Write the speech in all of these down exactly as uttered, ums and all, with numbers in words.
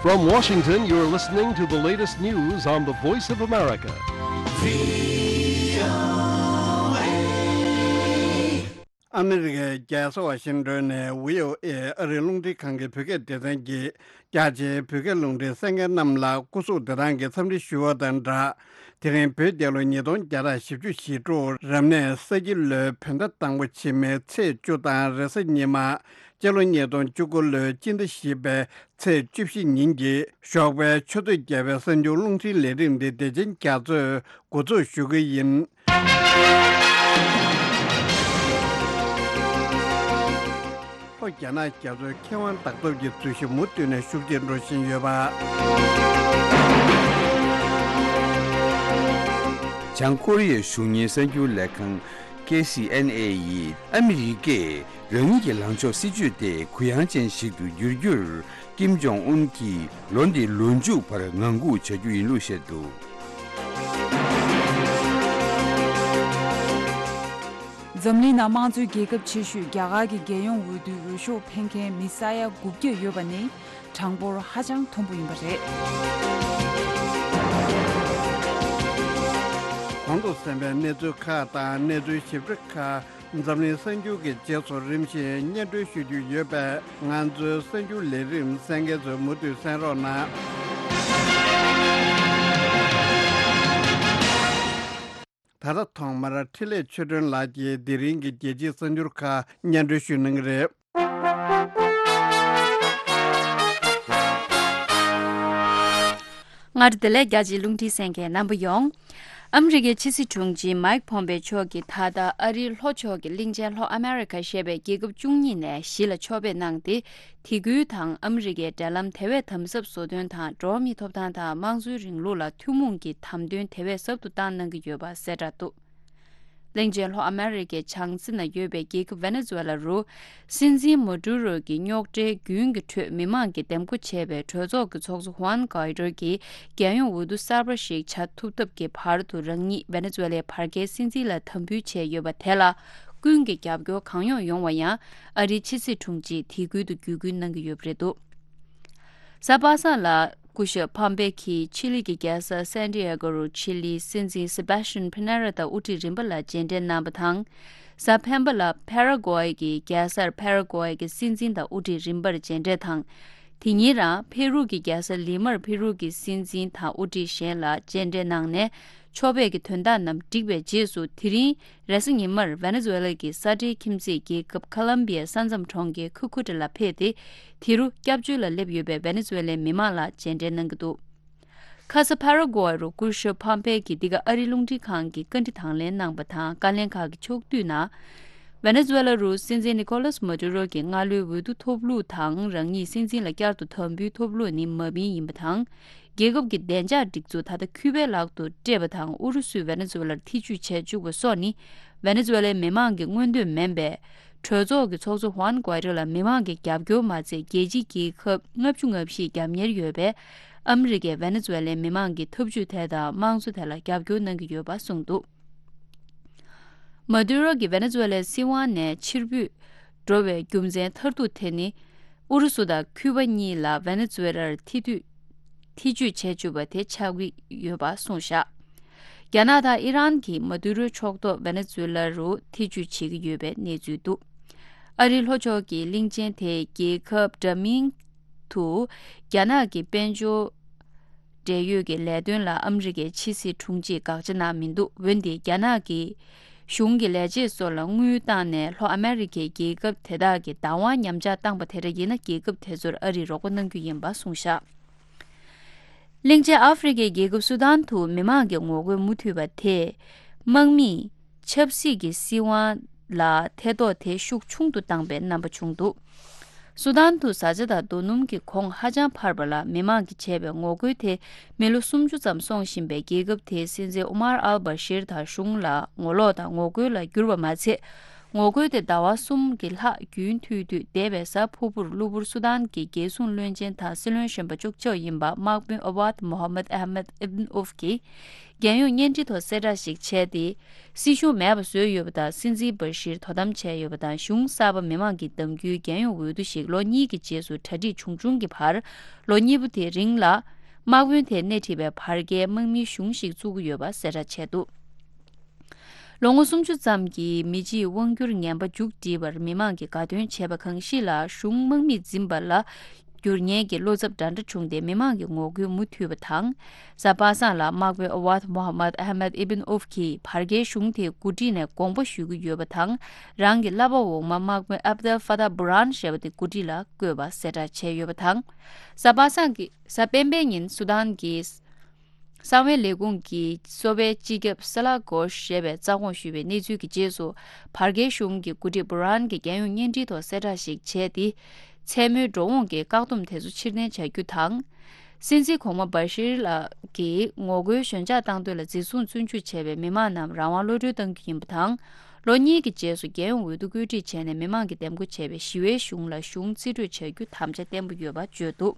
From Washington, you're listening to the latest news on the Voice of America. ཨ་མི་རི་ཀའི་རྒྱལ་ས་ཝ་ཤིང་ཏོན་ནས་བྷི་ཨོ་ཨེ་ཨ་རིའི་རླུང་འཕྲིན་ཁང་གི་བོད་སྐད་སྡེ་ཚན་གྱིས། རྒྱ་ཆེའི་བོད་སྐད་རླུང་འཕྲིན་གསན་མཁན་རྣམས་ལ་སྐུ་གཟུགས་བདེ་ཐང་གི་འཚམས་འདྲི་ཞུ་བ་དང་སྦྲགས། དེ་རིང་བོད་རྒྱལ་ལོ་ཉིས་སྟོང་བརྒྱ་དང་བཞི་བཅུ་ཞེ་དྲུག་རབ་གནས་ས་ཁྱི་ལོའི་བོད་ཟླ་དང་པོ་ཕྱི་མའི་ཚེས་བཅུ་དང་རེས་གཟའ་ཉི་མ། སྤྱི་ལོ་ཉིས་སྟོང་བཅུ་དགུ་ལོའི་སྤྱི་ཟླ་བཞི་པའི་ཚེས་བཅུ་བཞི་ཉིན་གྱི་ཞོགས་པའི་ཆུ་ཚོད་བརྒྱད་པའི་གསར་འགྱུར་རླུང་འཕྲིན་ལས་རིམ་འདི་བདེ་ཆེན་རྒྱ་མཚོས་འགོ་འཛུགས་ཞུ་གི་ཡིན། ལྷོ་རྒྱ་ནག་རྒྱ་མཚོའི་ཁེ་དབང་བདག་སྟོབས་ཀྱི་འཛུལ་ཞིག་མུ་མཐུད་ནས་ཤུགས་ཆེར་འགྲོ་བཞིན་ཡོད་པ། བྱང་ཀོ་རི་ཡའི་གཞུང་གཉེར་གསར་འགྱུར་ལས་ཁང་ཁེ་སི་ཨེན་ཨེ་ཡིས་ཨ་མི་རི་ཀས་རང་ཉིད་ཀྱི་ལངས་ཕྱོགས་སྲིད་ཇུས་དེ་གུ་ཡངས་ཅན་ཞིག་ཏུ་བསྒྱུར་རྒྱུར། ཀིམ་ཇོང་ཨུན་གྱིས་ལོ་འདིའི་ལོ་མཇུག་བར་ངང་སྒུག་བྱ་རྒྱུ་ཡིན་ལུགས་བཤད་འདུག། འཛམ་གླིང་ནང་དམངས་གཙོའི་རྒྱལ་ཁབ་ཆེ་ཤོས་རྒྱ་གར་གྱི་རྒྱལ་ཡོངས་འོས་བསྡུའི་འོས་ཤོག་འཕེན་མཁན་མི་ས་ཡ་དགུ་བརྒྱ་ཡོད་པ་ནི་གྲངས་འབོར་ཧ་ཅང་མཐོན་པོ་ཡིན་པ་རེད། གོང་དུ་གསན་པའི་གནས་ཚུལ་ཁག་དང་གནས་ཚུལ་ཞིབ་ཕྲ་ཁག་འཛམ་གླིང་གསར་འགྱུར་གྱི་རྗེས་སུ་རིམ་བཞིན་སྙན་སྒྲོན་ཞུ་རྒྱུ་ཡོད་པས། ང་ཚོའི་གསར་འགྱུར་ལས་རིམ་གསན་མཁན་ཚོས་མུ་མཐུད་གསན་རོགས་གནང་། ད་ལྟ་ཐོག་མར་འཕྲིན་ལས་ཆོས་སྒྲོན་ལགས་ཀྱིས་དེ་རིང་གི་རྒྱལ་སྤྱིའི་གསར་འགྱུར་ཁག་སྙན་སྒྲོན་ཞུ་གནང་གི་རེད། སྔར་བདེ་ལེགས་རྒྱ་ཆེའི་རླུང་འཕྲིན་གསན་མཁན་རྣམ་པ་ཡོངས། ཨ་མི་རི་ཀའི་ཕྱི་སྲིད་དྲུང་ཆེ་མའིག་ཕོམ་པེ་མཆོག་གིས་ད་ལྟ་ཨ་རིའི་ལྷོ་ཕྱོགས་ཀྱི་གླིང་ཆེན་ལྷོ་ཨ་མེ་རི་ཁ་ཞེས་པའི་རྒྱལ་ཁབ་བཅུ་གཉིས་ནས་བཞི་ལ་ཕྱོགས་ཕེབས་གནང་སྟེ། དེ་ཁུལ་དང་ཨ་མི་རི་ཀའི་འབྲེལ་ལམ་དེ་བས་དམ་ཟབ་བཟོ་དོན་དང་། འགྲོ་བ་མིའི་ཐོབ་ཐང་དང་དམངས་གཙོའི་རིང་ལུགས་ལ་ཐུན་མོང་གི་དམ་དོན་དེ་བས་ཟབ་ཏུ་བཏང་གནང་གི་ཡོད་པ་གསལ་བསྒྲགས་འདུག། གླིང་ཆེན་ལྷོ་ཨ་མེ་རི་ཀའི་བྱང་རྩེ་ན་ཡོད་པའི་རྒྱལ་ཁབ་ཝེ་ནེ་ཛུ་ཝེ་ལ་རུ། སྲིད་འཛིན་མ་ཏུ་རོ་གྱི་རྙོག་དྲའི་རྒྱུན་གྱི་ཁྲོད་མི་མང་གིས་འདེམས་བསྐོ་བྱས་པའི་གྲོས་ཚོགས་ཀྱི་ཚོགས་གཙོ་ཧུའན་གྷའི་ཏོ་གིས་རྒྱལ་ཡོངས་འོས་བསྡུ་གསར་པ་ཞིག་བྱ་ཐུབ་ཐབས་ཀྱི་བར་དུ་རང་ཉིད་ཝེ་ནེ་ཛུ་ཝེ་ལའི་བར་བརྒལ་སྲིད་འཛིན་ལ་དམ་འབུལ་བྱས་ཡོད་པ་དེ་ལ། ཀུན་གྱིས་རྒྱབ་སྐྱོར་གང་ཡོང་ཡོང་བ་ཡང་ཨ་རིའི་ཕྱི་སྲིད་དྲུང་ཆེས་དེ་ཁུལ་དུ་བརྒྱུད་སྐུལ་གནང་གི་ཡོད་པ་རེད་འདུག། གཟའ་པ་སངས་ལ་སྐུ་ཞབས་ཕམ་པེ་ཁིས་ཆི་ལི་གི་རྒྱལ་ས་སན་ཏི་ཨེ་གོ་རུ་ཆི་ལིའི་སྲིད་འཛིན་སེ་བྷ་ཤན་ཕི་ནེ་ར་དང་དབུ་ཁྲིད་རིམ་པ་ལ་མཇལ་འཕྲད་གནང་བ་དང་། གཟའ་སྤེན་པ་ལ་ཕ་ར་གོའི་གི་རྒྱལ་སར་ཕ་ར་གོའི་གི་སྲིད་འཛིན་དང་དབུ་ཁྲིད་རིམ་པར་མཇལ་འཕྲད་དང་། དེ་ཉིན་རང་ཕེ་རུ་གི་རྒྱལ་ས་ལི་མར་ཕེ་རུ་གི་སྲིད་འཛིན་དང་དབུ་ཁྲིད་གཞན་ལ་མཇལ་འཕྲད་གནང་ནས། ཕྱོགས་ཕེབས་ཀྱི་དོན་དག་རྣམས་བསྒྲིགས་པའི་རྗེས་སུ། དེ་རིང་རེས་གཟའ་ཉི་མར་ཝེ་ནེ་ཛུ་ཝེ་ལ་གི་ས་འབྲེལ་ཁྱིམ་མཚེས་རྒྱལ་ཁབ་ཁ་ལམ་བི་ཡའི་ས་མཚམས་གྲོང་ཁྱེར་ཁུ་ཁུ་ཏ་ལ་ཕེབས་ཏེ། དེ་རུ་སྐྱབས་བཅོལ་ལ་སླེབས་ཡོད་པའི་ཝེ་ནེ་ཛུ་ཝེ་ལའི་མི་མང་ལ་མཇལ་འཕྲད་གནང་གི་འདུག། ཁ་ས་ཕ་ར་གོ་ཝེ་རུ་སྐུ་ཞབས་ཕམ་པེ་གིས་འདི་ག་ཨ་རིའི་རླུང་འཕྲིན་ཁང་གི་བཀའ་འདྲི་དང་ལེན་གནང་བ་དང་། བཀའ་ལན་ཁག་གི་ཕྱོགས་བསྡུས་ནང་། ཝེ་ནེ་ཛུ་ཝེ་ལ་རུ་སྲིད་འཛིན་ནི་ཀོ་ལཱས་མ་ཏུ་རོ་གི་སྔ་ལོའི་འོས་བསྡུ་ཐོབ་ལུགས་དང་། རང་ཉིད་སྲིད་འཛིན་ལ་བསྐྱར་དུ་དམ་འབུལ་ཐོབ་ལུགས་ནི་མ་བིན་ཡིན་པ་དང་། རྒྱལ་ཁབ་ཀྱི་བདེ་འཇགས་སྒྲིག་འཛུགས་ད་ལྟ་ཁྱུ་པའི་ལག་ཏུ་སྤྲད་པ་དང་། ཨུ་རུ་སུས་ཝེ་ནེ་ཛུ་ཝེ་ལར་ཐེ་ཇུས་བྱས་བཅུག་པ་སོགས་ནི་ཝེ་ནེ་ཛུ་ཝེ་ལའི་མི་མང་གི་མངོན་འདོད་མིན་པས། གྲོས་ཚོགས་ཀྱི་ཚོགས་གཙོ་ཧུའན་གུའེ་ཏོ་ལ་མི་མང་གི་རྒྱབ་སྐྱོར་མ་ཚད། རྒྱལ་སྤྱིའི་རྒྱལ་ཁབ་ལྔ་བཅུ་ང་བཞི་རྒྱབ་གཉེར་ཡོད་པས། ཨ་མི་རི་ཀས་ཝེ་ནེ་ཛུ་ཝེ་ལའི་མི་མང་གི་ཐབས་ཇུས་དེ་དང་དམངས་གཙོ་དེ་ལ་རྒྱབ་སྐྱོར་གནང་གི་ཡོད་པ་གསུངས་འདུག། མ་ཏུ་རོ་གིས་ཝེ་ནེ་ཛུ་ཝེ་ལའི་སྲིད་དབང་ནས་ཕྱིར་འབུད་འགྲོ་བའི་རྒྱུ་མཚན་མཐར་ཐུག་དེ་ནི། ཨུ་རུ་སུ་དང་ཁྱུ་པ་གཉིས་ལ་ཝེ་ནེ་ཛུ་ཝེ་ལར་ཐེ་ཐུད། ཐེ་ཇུས་བྱས་བཅུག་པ་དེ་ཆགས་ཀྱི་ཡོད་པ་གསུངས་བཞག། རྒྱ་ནག་དང་ཨི་རན་གྱིས་མ་ཏུ་རོའི་ཕྱོགས་གཏོགས་ཝེ་ནེ་ཛུ་ཝེ་ལ་རུ་ཐེ་ཇུས་བྱེད་ཀྱི་ཡོད་པའི་གནས་ཚུལ་འདུག། ཨ་རིའི་ལྷོ་ཕྱོགས་ཀྱི་གླིང་ཆེན་དེའི་རྒྱལ་ཁབ་འདྲ་མིན་དུ། རྒྱ་ནག་གི་དཔལ་འབྱོར་འབྲེལ་ཡོད་ཀྱི་ལས་དོན་ལ་ཨ་མི་རི་ཀའི་ཕྱི་སྲིད་དྲུང་ཆེས་དགག་བྱ་གནང་མི་འདུག། འོན་ཏེ་རྒྱ་ནག་གི་གཞུང་གི་ལས་བྱེད་སོགས་ལ་དངུལ་བཏང་ནས་ལྷོ་ཨ་མེ་རི་ཁའི་རྒྱལ་ཁབ་དེ་དག་གི་བདག་དབང་ཉམས་ཆག་བཏང་པ་དེ་འདྲ་ཡིན་ན། རྒྱལ་ཁབ་དེ་ཚོར་ཨ་རིས་རོགས་པ་གནང་རྒྱུ་ཡིན་པ་གསུངས་བཞག། གླིང་ཆེན་ཨ་ཧྥེ་རི་ཁའི་རྒྱལ་ཁབ་སུ་དཱན་དུ་མི་མང་གི་ངོ་རྒོལ་མུ་མཐུད་པ་དེས། དམག་མིས་ཆབ་སྲིད་ཀྱི་སྲིད་དབང་ལ་ཐེ་གཏོགས་དེ་ཤུགས་ཆུང་དུ་བཏང་པའི་རྣམ་པ་བྱུང་འདུག། སུ་དཱན་དུ་བཟའ་བཅའ་དང་རྡོ་སྣུམ་གྱི་གོང་ཧ་ཅང་འཕར་བ་ལ། མི་མང་གིས་བྱས་པའི་ངོ་རྒོལ་དེ་མི་ལོ་སུམ་ཅུ་ཙམ་སོང་བཞིན་པའི་རྒྱལ་ཁབ་དེའི་སྲིད་འཛིན་ཨོ་མར་ཨལ་བྷ་ཤིར་དང་གཞུང་ལ་ངོ་ལོག་དང་ངོ་རྒོལ་ལ་གྱུར་པ་མ་ཚད། ངོ་རྒོལ་དེ་ཟླ་བ་གསུམ་གྱི་ལྷག་རྒྱུན་མཐུད་དུས། འདས་པའི་གཟའ་ཕུར་བུར་གློ་བུར་སུ་དཱན་གྱི་རྒྱལ་སྲུང་བློན་ཆེན་དང་སྲིད་བློན་གཞོན་པ་གཅིག་ལྕོགས་ཡིན་པ་དམག་དཔོན་ཨ་ཝཱད་མོ་ཧ་མད་ཨ་མད་ཨིབན་ཨུབ་ཀྱིས་རྒྱལ་ཡོངས་བརྙན་འཕྲིན་ཐོག་གསལ་བསྒྲགས་ཤིག་བྱས་ཏེ། སྲིད་གཞུང་མེད་པ་བཟོས་ཡོད་པ་དང་། སྲིད་འཛིན་བྷ་ཤིར་དོ་དམ་བྱས་ཡོད་པ་དང་། གཞུང་གསར་པ་མི་མང་གིས་བདམས་རྒྱུའི་རྒྱལ་ཡོངས་འོས་བསྡུ་ཞིག་ལོ་གཉིས་ཀྱི་རྗེས་སུ་གྲ་སྒྲིག་བྱུང་བྱུང་གི་བར། ལོ་གཉིས་པོ་དེའི་རིང་ལ། དམག་དཔོན་དེས་སྣེ་ཁྲིད་པའི་བར་བརྒལ་དམག་མིའི་གཞུང་ཞིག་བཙུགས་ཀྱི་ཡོད་པ་གསལ་བསྒྲགས་བྱས་འདུག་ལོ་ངོ་སུམ་ཅུ་ཙམ་གྱི་མི་སྤྱིའི་དབང་སྒྱུར་ངན་པ་མཇུག་བསྒྲིལ་བར་མི་མང་གིས་དགའ་སྟོན་བྱས་པ་གང་ཞིག་ལ། གཞུང་དམག་མིས་འཛིན་པ་ལ་བསྒྱུར་ཉེན་གྱི་བློ་འཚབ་འདྲ་འདྲ་བྱུང་སྟེ། མི་མང་གི་ངོ་རྒོལ་མུ་མཐུད་པ་དང་། གཟའ་པ་སངས་ལ་དམག་དཔོན་ཨ་ཝཱད་མོ་ཧ་མད་ཨ་མད་ཨིབན་ཨུབ་ཀྱིས་བར་བརྒལ་གཞུང་དེའི་འགོ་ཁྲིད་ནས་དགོངས་པ་ཞུ་གི་ཡོད་པ་དང་། རང་གི་བསླབ་པ་འོག་མ་དམག་དཔོན་ཨབ་དལ་ཧྥ་ཏཱ་བྷུ་རན་ཞེས་པ་དེ་འགོ་ཁྲིད་ལ་བསྐོས་པ་གསལ་བསྒྲགས་བྱས་ཡོད་པ་དང་། གཟའ་པ་སངས་ཀྱི་གཟའ་སྤེན་པའི་ཉིན་སུ་དཱན་གྱི་གསང་བའི་ལས་ཁུངས་ཀྱི་གསོ་བའི་སྤྱི་ཁྱབ་སཱ་ལ་གོ་ཞེས་པས་རྩ་དགོངས་ཞུས་པའི་གནས་ཚུལ་གྱི་རྗེས་སུ། བར་བརྒལ་གཞུང་གི་འགོ་ཁྲིད་བྷུ་རན་གྱིས་རྒྱལ་ཡོངས་བརྙན་འཕྲིན་ཐོག་གསལ་བསྒྲགས་ཤིག་བྱས་ཏེ། མཚན་མོའི་འགྲོ་འོང་གི་བཀག་སྡོམ་དེ་ཚོ་ཕྱིར་འཐེན་བྱ་རྒྱུ་དང་། སྲིད་འཛིན་གོང་མ་བྷ་ཤིར་ལགས་ཀྱིས་ངོ་རྒོལ་ཞོད་འཇགས་བཏང་དོན་ལ་འཛིན་བཟུང་བཙོན་འཇུག་བྱས་པའི་མི་མང་རྣམས་རང་དབང་གློད་གྲོལ་གཏང་རྒྱུ་ཡིན་པ་དང་། ལོ་གཉིས་ཀྱི་རྗེས་སུ་རྒྱལ་ཡོངས་འོས་བསྡུ་བཀོད་སྒྲིག་བྱས་ནས། མི་མང་གིས་འདེམས་བསྐོ་བྱས་པའི་ཞི་བའི་གཞུང་ལ་གཞུང་རྩིས་སྤྲོད་བྱ་རྒྱུ་དམ་བཅའ་བརྟན་པོ་ཡོད་པ་བརྗོད་འདུག་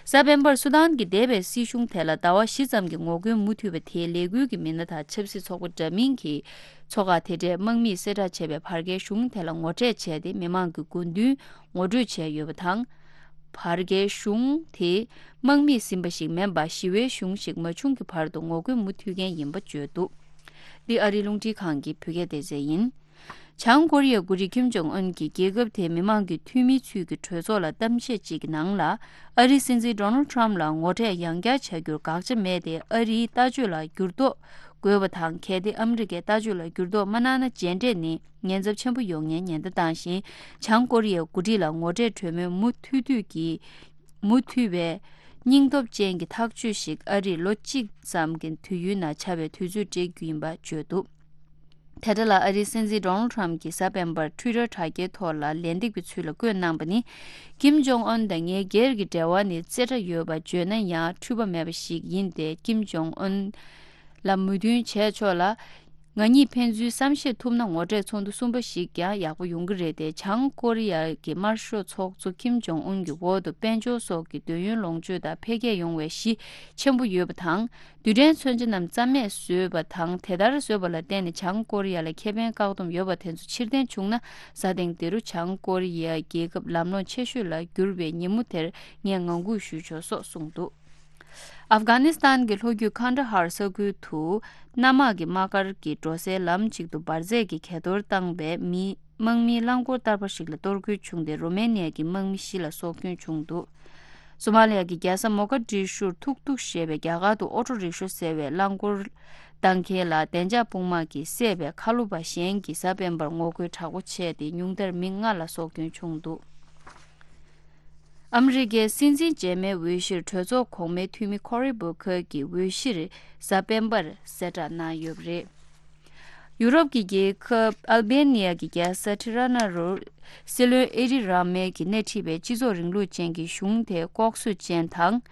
གཟའ་སྤེན་པར་སུ་དཱན་གྱི་འདས་པའི་སྲིད་གཞུང་དེ་ལ་ཟླ་བ་བཞི་ཙམ་གྱི་ངོ་རྒོལ་མུ་མཐུད་པ་དེའི་ལས་འགུལ་གྱི་མི་སྣ་དང་ཆབ་སྲིད་ཚོགས་པ་འདྲ་མིན་གྱིས། ཚོགས་ཁག་དེ་འདྲའི་དམག་མིས་གསལ་བསྒྲགས་བྱས་པའི་བར་བརྒལ་གཞུང་དེ་ལ་ངོ་འཕྲད་བྱས་ཏེ། མི་མང་གི་དགོས་འདུན་ངོ་སྤྲོད་བྱས་ཡོད་པ་དང་། བར་བརྒལ་གཞུང་དེ་དམག་མིས་ཟིན་པ་ཞིག་མིན་པར་ཞི་བའི་གཞུང་ཞིག་མ་བྱུང་གི་བར་དུ་ངོ་རྒོལ་མུ་མཐུད་མཁན་ཡིན་པ་བརྗོད་འདུག་འདི་ཨ་རིའི་རླུང་འཕྲིན་ཁང་གི་བོད་སྐད་སྡེ་ཚན་ཡིན། བྱང་ཀོ་རི་ཡའི་འགོ་ཁྲིད་ཀིམ་ཇོང་ཨུན་གྱིས་རྒྱལ་ཁབ་དེའི་མི་མང་གི་འཐུས་མིའི་ཚུལ་གྱི་གྲོས་ཚོགས་ལ་གཏམ་བཤད་ཅིག་གི་ནང་ལ། ཨ་རིའི་སྲིད་འཛིན་ཌོ་ནལ་ཊམ་ལ་ངོ་འཕྲད་ཡང་བསྐྱར་བྱ་རྒྱུར་དགག་བྱ་མེད་དེ། ཨ་རིའི་ལྟ་སྤྱོད་ལ་འགྱུར་ལྡོག་དགོས་པ་དང་། གལ་ཏེ་ཨ་མི་རི་ཀའི་ལྟ་སྤྱོད་ལ་འགྱུར་ལྡོག་མ་གནང་ན། མཇལ་འཕྲད་ནི་ཉེན་ཚབས་ཆེན་པོ་ཡོང་མཁན་ཉེན་བརྡ་བཏང་ཞིང་། བྱང་ཀོ་རི་ཡའི་འགོ་ཁྲིད་ལ་ངོ་འཕྲད་གྲོས་མོལ་མུ་མཐུད་མཐུད་ཀྱིས། མུ་མཐུད་པའི་སྙིང་སྟོབས་ཅན་གྱི་ཐག་གཅོད་ཞིག་ཨ་རིས་ལོ་གཅིག་ཙམ་གྱི་དུས་ཡུན་ནང་བྱ་བའི་དུས་ཚོད་སྤྲད་རྒྱུ་ཡིན་པ་བརྗོད་འདུག་དེ་འདྲ་ལ། ཨ་རིའི་སྲིད་འཛིན་ཌོ་ནལ་ཊམ་གྱིས་གཟའ་སྤེན་པར་ཊུའི་ཊར་དྲ་རྒྱའི་ཐོག་ལ་ལན་འདེབས་ཀྱི་ཚུལ་ལ་བཀོད་གནང་པ་ནི། ཀིམ་ཇོང་ཨུན་དང་ངའི་སྒེར་གྱི་འབྲེལ་བ་ནི་རྩེ་གྲ་ཡོད་པ་བརྗོད་ན་ཡང་འཁྲུལ་པ་མེད་པ་ཞིག་ཡིན་ཏེ། ཀིམ་ཇོང་ཨུན་ལ་མོས་མཐུན་བྱས་ཆོག་ལ། ང་གཉིས་ཕན་ཚུན་བསམ་ཤེས་ཐུབ་ན། ངོ་འཕྲད་ཚོགས་འདུ་གསུམ་པ་ཞིག་ཀྱང་ཡག་པོ་ཡོང་གི་རེད་དེ། བྱང་ཀོ་རི་ཡ་གི་དམར་ཤོག་ཚོགས་གཙོ་ཀིམ་ཇོང་ཨུན་གྱི་འོག་ཏུ་དཔལ་འབྱོར་སོགས་ཀྱི་དུས་ཡུན་ལོངས་སྤྱོད་དང་འཕེལ་རྒྱས་ཡོང་བའི་གཞི་ཆེན་པོ་ཡོད་པ་དང་། རྡུལ་ཕྲན་མཚོན་ཆ་རྣམས་རྩ་མེད་བཟོས་པ་དང་། དེ་ལྟར་བཟོས་པ་ལ་བརྟེན་ནས་བྱང་ཀོ་རི་ཡ་ལ་ཁེ་ཕན་བཀག་སྡོམ་ཡོད་པ་དེ་ཚོ་ཕྱིར་འཐེན་བྱུང་ན། གཟའ་ཐེངས་འདི་རུ་བྱང་ཀོ་རི་ཡ་རྒྱལ་ཁབ་ལམ་ལྷོང་ཆེ་ཤོས་ལ་འགྱུར་བའི་ཉིན་མོ་དེར་ངས་ངང་སྒུག་ཞུས་ཆོག་སོགས་གསུངས་འདུག་ཨབ་གྷ་ནི་སི་ཐན་གྱི་ལྷོ་རྒྱུད་ཁན་ད་ཧར་ས་ཁུལ་དུ། གནམ་དམག་གི་དམག་སྒར་གྱི་འགྲོ་སའི་ལམ་གཅིག་ཏུ་འབར་རྫས་ཀྱི་གས་གཏོར་བཏང་བའི་མི་དམག་མིའི་རླངས་འཁོར་བསྟར་པ་ཞིག་ལ་གཏོར་རྒོལ་བྱུང་སྟེ། རོ་མེ་ནི་ཡ་གི་དམག་མི་བཞི་ལ་སྲོག་སྐྱོན་བྱུང་འདུག་སོ་མ་ལི་ཡ་གི་རྒྱལ་ས་མོ་ཀ་ཏྲི་ཤུར་ཐུག་ཐུག་ཞེས་པའི་རྒྱ་གར་དུ་ཨོ་ཊོ་རིག་ཤོ་ཟེར་བའི་རླངས་འཁོར་བཏང་མཁན་ལ་བདེ་འཇགས་དཔུང་དམག་གིས་བསད་པའི་ཁ་ལོ་པ་གཞན་གྱིས་གཟའ་སྤེན་པར་ངོ་རྒོལ་དྲག་པོ་བྱས་ཏེ། ཉུང་མཐར་མི་ལྔ་ལ་སྲོག་སྐྱོན་བྱུང་འདུག་ཨ་མི་རི་ཀའི་སྲིད་འཛིན་རྗེས་མའི་འོས་གཞིར་གྲོས་ཚོགས་གོང་མའི་འཐུས་མི་ཁོ་རི་བྷོ་ཁར་གྱི་འོས་གཞིར་གཟའ་སྤེན་པར་གསལ་བསྒྲགས་གནང་ཡོད་པ་རེད། ཡུ་རོབ་ཀྱི་རྒྱལ་ཁབ་ཨལ་བྷེ་ནི་ཡ་གི་རྒྱལ་ས་ཊི་ར་ན་རུ་སྲིད་བློན་ཨེ་རི་ར་མེ་གིས་སྣེ་ཁྲིད་པའི་སྤྱི་ཚོགས་རིང་ལུགས་ཅན་གྱི་གཞུང་དེ་ལྐོག་གསོད་ཅན་དང་།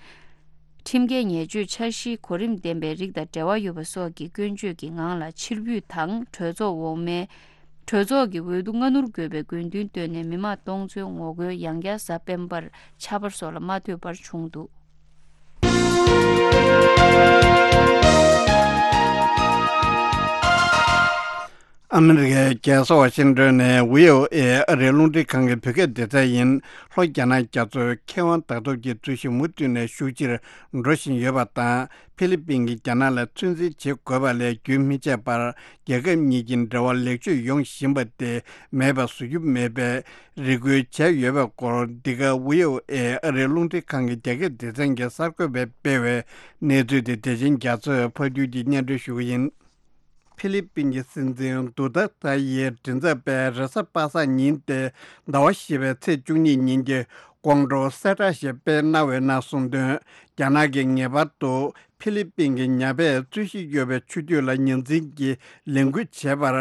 ཁྲིམས་འགལ་ཉེས་སྤྱོད་འཆར་གཞིའི་གོ་རིམ་ལྡན་པའི་རིགས་དང་འབྲེལ་བ་ཡོད་པ་སོགས་ཀྱི་སྐྱོན་བརྗོད་ཀྱི་ངང་ལ་ཕྱིར་འབུད་དང་། གྲོས་ཚོགས་འོག་མའི། གྲོས་ཚོགས་ཀྱི་འོས་བསྡུ་སྔ་སྣུར་དགོས་པའི་དགོས་འདུན་བཏོན་ནས་མི་མང་སྟོང་ཚོའི་ངོ་རྒོལ་ཡང་བསྐྱར་གཟའ་སྤེན་པར་ཆར་པ་སོགས་ལ་མ་ལྟོས་པར་བྱུང་འདུག་ཨ་མི་རི་ཀའི་རྒྱལ་ས་ཝ་ཤིང་ཏོན་ནས་བྷི་ཨོ་ཨེ་ཨ་རིའི་རླུང་འཕྲིན་ཁང་གི་བོད་སྐད་སྡེ་ཚན་ཡིན། ལྷོ་རྒྱ་ནག་རྒྱ་མཚོའི་མཁས་དབང་ལྟ་རྟོག་གི་རྩོད་གཞི་མུ་མཐུད་ནས་ཤུགས་ཆེར་འགྲོ་བཞིན་ཡོད་པ་དང་། ཕི་ལི་པིན་གྱིས་རྒྱ་ནག་ལ་ཚོད་འཛིན་བྱེད་དགོས་པ་ལས་རྒྱུན་མི་ཆད་པར་རྒྱལ་ཁབ་གཉིས་ཀྱི་འབྲེལ་བ་ལེགས་བཅོས་ཡོང་བཞིན་པ་དེ་མེད་པ་བཟོ་རྒྱུ་མེད་པའི་རེ་སྐུལ་བྱས་ཡོད་པའི་སྐོར། འདི་ག་བྷི་ཨོ་ཨེ་ཨ་རིའི་རླུང་འཕྲིན་ཁང་གི་རྒྱ་སྐད་སྡེ་ཚན་གྱིས་གསར་འགོད་པས་སྤེལ་བའི་གནས་ཚུལ་དེ་བདེ་ཆེན་རྒྱ་མཚོས་ཕབ་སྒྱུར་གྱིས་སྙན་སྒྲོན་ཞུ་གི་ཡིན། ཕི་ལི་པིན་གྱི་སྲིད་འཛིན་དུ་ཏཱ་ཏཱ་ཡིས་མགྲིན་ཚབ་པས་རེས་གཟའ་པ་སངས་ཉིན་ཏེ་ཟླ་བ་བཞི་པའི་ཚེས་བཅུ་གཉིས་ཉིན་གྱི་དགོང་དྲོ་གསལ་བསྒྲགས་ཤིག་སྤེལ་གནང་བའི་ནང་གསུངས་དོན། རྒྱ་ནག་གིས་ངེས་པར་དུ་ ཕི་ལི་པིན་གྱི་ཉ་པས་རྩོད་གཞི་ཡོད་པའི་ཆུ་རྒྱུད་ལ་ཉེན་ཚན་གྱི་ལས་འགུལ་བྱེད་པར་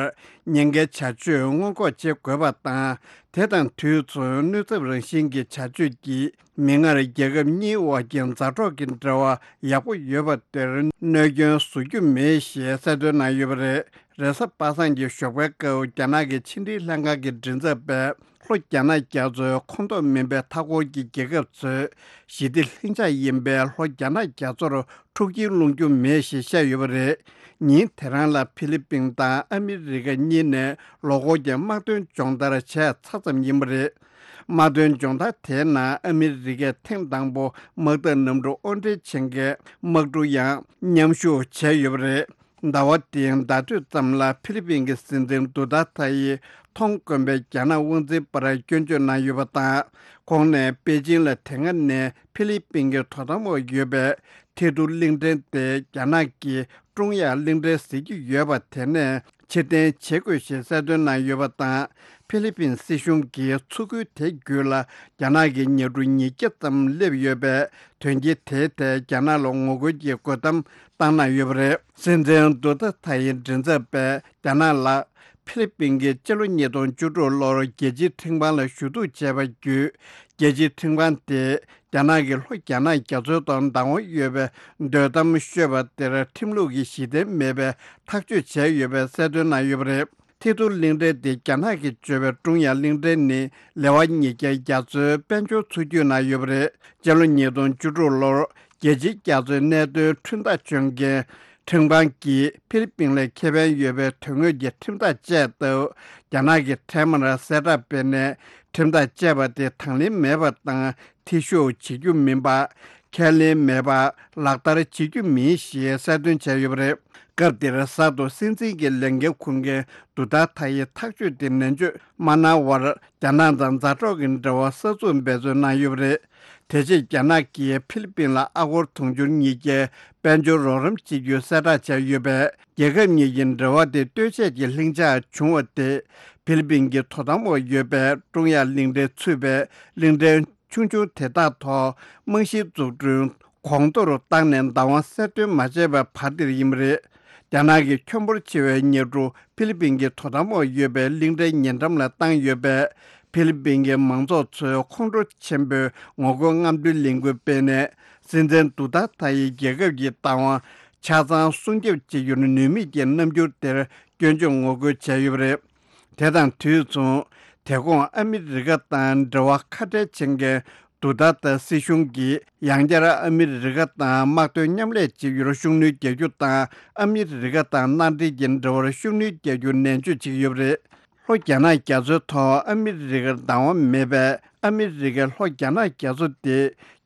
ཉེན་ཁའི་བྱ་སྤྱོད་སྔོན་འགོག་བྱེད་དགོས་པ་དང་། དེ་དང་དུས་མཚུངས་གནོད་ཚབས་རང་བཞིན་གྱི་བྱ་སྤྱོད་ཀྱིས་མིག་སྔར་རྒྱལ་ཁབ་གཉིས་དབར་གྱི་མཛའ་གྲོགས་ཀྱི་འབྲེལ་བ་ཡག་པོ་ཡོད་པ་དེར་གནོད་སྐྱོན་བཟོ་རྒྱུ་མེད་ཞེས་གསལ་སྟོན་གནང་ཡོད་པ་རེད། རེས་གཟའ་པ་སངས་ཀྱི་ཞོགས་པའི་སྐབས་རྒྱ་ནག་གི་ཕྱི་འབྲེལ་ལྷན་ཁང་གི་མགྲིན་ཚབ་པས། ལྷོ་རྒྱ་ནག་རྒྱ་མཚོའི་ཁོངས་གཏོགས་མིན་པའི་མཐའ་འཁོར་གྱི་རྒྱལ་ཁབ་ཚོས་ཞི་བདེ་ལྷིང་འཇགས་ཡིན་པའི་ལྷོ་རྒྱ་ནག་རྒྱ་མཚོར་འཁྲུག་རྐྱེན་སློང་རྒྱུ་མེད་ཞེས་བཤད་ཡོད་པ་རེད། ཉིན་དེ་རང་ལ་ཕི་ལི་པིན་དང་ཨ་མི་རི་ཀ་གཉིས་ནས་ལོ་འཁོར་གྱི་དམག་དོན་སྦྱོང་བརྡར་བྱས་ཚར་ཙམ་ཡིན་པ་རེད། དམག་དོན་སྦྱོང་བརྡར་དེའི་ནང་ཨ་མི་རི་ཀས་ཐེངས་དང་པོ་དམག་འཐབ་གནམ་གྲུ་དབོར་འདྲེན་བྱེད་མཁན་དམག་གྲུ་ཡང་མཉམ་ཞུགས་བྱས་ཡོད་པ་རེད། ཟླ་བ་འདིའི་ཟླ་སྟོད་ཙམ་ལ་ཕི་ལི་པིན་གྱི་སྲིད་འཛིན་དུ་ཏཱ་ཐ་ཡིས་ཐོང་དཀོན་པའི་རྒྱ་ནག་དབང་འཛིན་པར་སྐྱོན་བརྗོད་གནང་ཡོད་པ་དང་། ཁོང་ནས་པེ་ཅིང་ལ་དེ་སྔ་ནས་ཕི་ལི་པིན་གྱི་དོ་དམ་འོག་ཡོད་པའི་ཐེ་ཐུ་གླིང་ཕྲན་དེ་རྒྱ་ནག་གི་ཀྲུང་དབྱང་གླིང་ཕྲན་ཟེར་གྱི་ཡོད་པ་དེ་ནས་ཕྱིར་འཐེན་བྱེད་དགོས་ཞེས་གསལ་སྟོན་གནང་ཡོད་པ་དང་། ཕི་ལི་པིན་སྲིད་གཞུང་གིས་མཚོ་ཁུལ་དེ་བརྒྱུད་ལ་རྒྱ་ནག་གི་ཉ་གྲུ་ཉིས་བརྒྱ་ཙམ་སླེབས་ཡོད་པས། དོན་རྐྱེན་དེའི་ཐད་རྒྱ་ནག་ལ་ངོ་རྒོལ་གྱི་རྒོལ་གཏམ་བཏང་གནང་ཡོད་པ་རེད། སྲིད་འཛིན་དུ་ཏཱ་ཐ་ཡི་མགྲིན་ཚབ་པས་རྒྱ་ནག་ལ་ཕི་ལི་པིན་གྱིས་སྤྱི་ལོ་ཉིས་སྟོང་བཅུ་དྲུག་ལོར་རྒྱལ་སྤྱིའི་ཁྲིམས་ཁང་ལ་ཞུ་གཏུག་བྱས་པ་བརྒྱུད། རྒྱལ་སྤྱིའི་ཁྲིམས་ཁང་དེས་རྒྱ་ནག་གིས་ལྷོ་རྒྱ་ནག་རྒྱ་མཚོའི་ཐོག་བདག་དབང་ཡོད་པའི་སྡོད་གཏམ་ཤོད་པ་དེར་ཁྲིམས་ལུགས་ཀྱི་གཞི་རྟེན་མེད་པའི་ཐག་གཅོད་བྱས་ཡོད་པའི་གསལ་སྟོན་གནང་ཡོད་པ་རེད། ཐེ་ཐུ་གླིང་ཕྲན་དེ་རྒྱ་ནག་གིས་བཅོས་པའི་ཀྲུང་དབྱང་གླིང་ཕྲན་ནི་ལེ་དབར་ཉིས་བརྒྱ་རྒྱ་མཚོའི་དཔལ་འབྱོར་མཚོ་རྒྱུད་ནང་ཡོད་པ་རེད། སྤྱི་ལོ་ཉིས་སྟོང་བཅུ་དྲུག་ལོར་རྒྱལ་སྤྱིའི་རྒྱ་མཚོའི་གནད་དོན་ཁྲིམས་ཐག་གཅོད་མཁན་ཁྲིམས་ཁང་གིས་ཕི་ལི་པིན་ལ་ཁེ་ཕན་ཡོད་པའི་དོན་དངོས་ཀྱི་ཁྲིམས་ཐག་བཅད་སྟབས། རྒྱ་ནག་གིས་འཕྲལ་མར་གསལ་བསྒྲགས་སྤེལ་ནས་ཁྲིམས་ཐག་བཅད་པ་དེ་དང་ལེན་མེད་པ་དང་། འཐུས་ཤོར་བྱེད་རྒྱུ་མིན་པ། ཁས་ལེན་མེད་པ། ལག་བསྟར་བྱེད་རྒྱུ་མིན་ཞེས་གསལ་སྟོན་བྱས་ཡོད་པ་རེད། སྐབས་དེར་གསར་དུ་སྲིད་འཛིན་གྱི་ལས་འགན་འཁུར་མཁན་དུ་ཏཱ་ཐ་ཡི་ཐག་གཅོད་དེ་ནན་བརྗོད་མ་གནང་བར། རྒྱ་ནག་དང་མཛའ་གྲོགས་ཀྱི་འབྲེལ་བ་གསར་འཛུགས་འབད་བརྩོན་གནང་ཡོད་པ་རེད། དེ་རྗེས་རྒྱ་ནག་གིས་ཕི་ལི་པིན་ལ་ཨ་སྒོར་དུང་ཕྱུར་ཉིས་བརྒྱའི་དཔལ་འབྱོར་རོགས་རམ་བྱེད་རྒྱུའི་གསལ་བསྒྲགས་བྱས་ཡོད་པས། རྒྱལ་ཁབ་གཉིས་ཀྱི་འབྲེལ་བ་དེ་ལྟོས་བཅས་ཀྱི་ལྷིང་འཇགས་བྱུང་བ་དེ། ཕི་ལི་པིན་གྱི་དོ་དམ་འོག་ཡོད་པའི་ཀྲུང་དབྱང་གླིང་ཕྲན་ཚུད་པའི་གླིང་ཕྲན་ཆུང་ཆུང་དེ་དག་ཐོག་རྨང་གཞིའི་འཛུགས་སྐྲུན་གོང་མཐོར་བཏང་ནས་བདག་དབང་གསལ་སྟོན་མ་བྱས་པའི་བར་དེར་ཡིན་པ་རེད། རྒྱ་ནག་གི་ཁྱོན་འབོར་ཆེ་བའི་ཉ་གྲུ་ཕི་ལི་པིན་གྱི་དོ་དམ་འོག་ཡོད་པའི་གླིང་ཕྲན་ཉེ་འགྲམ་ལ་བཏང་ཡོད་པས། ཕི་ལི་པིན་གྱི་མང་ཚོགས་ཚོས་ཁོང་ཁྲོ་ཆེན་པོས་ངོ་རྒོལ་རྔམ་སྟོན་ལས་འགུལ་སྤེལ་ནས། སྲིད་འཛིན་དུ་ཏཱ་ཐ་ཡི་རྒྱལ་ཁབ་ཀྱི་བདག་དབང་ཆ་ཚང་སྲུང་སྐྱོབ་བྱེད་རྒྱུར་ནུས་མེད་ཀྱི་རྣམ་འགྱུར་དེར་སྐྱོན་བརྗོད་ངོ་རྒོལ་བྱས་ཡོད་པ་རེད། དེ་དང་དུས་མཚུངས། དེ་གོང་ཨ་མི་རི་ཀ་དང་འབྲེལ་བ་ཁ་བྲལ་བྱེད་མཁན་དུ་ཏཱ་ཐ་སྲིད་གཞུང་གིས་ཡང་བསྐྱར་ཨ་མི་རི་ཀ་དང་དམག་དོན་མཉམ་ལས་བྱེད་རྒྱུར་ཤུགས་སྣོན་རྒྱག་རྒྱུ་དང་། ཨ་མི་རི་ཀ་དང་མནའ་འབྲེལ་གྱི་འབྲེལ་བར་ཤུགས་སྣོན་རྒྱག་རྒྱུ་ནན་བརྗོད་བྱེད་ཀྱི་ཡོད་པ་རེད། ལྷོ་རྒྱ་ནག་རྒྱ་མཚོའི་ཐོག་ཨ་མི་རི་ཀར་བདག་དབང་མེད་པས། ཨ་མི་རི་ཀས་ལྷོ་རྒྱ་ནག་རྒྱ་མཚོ་དེ་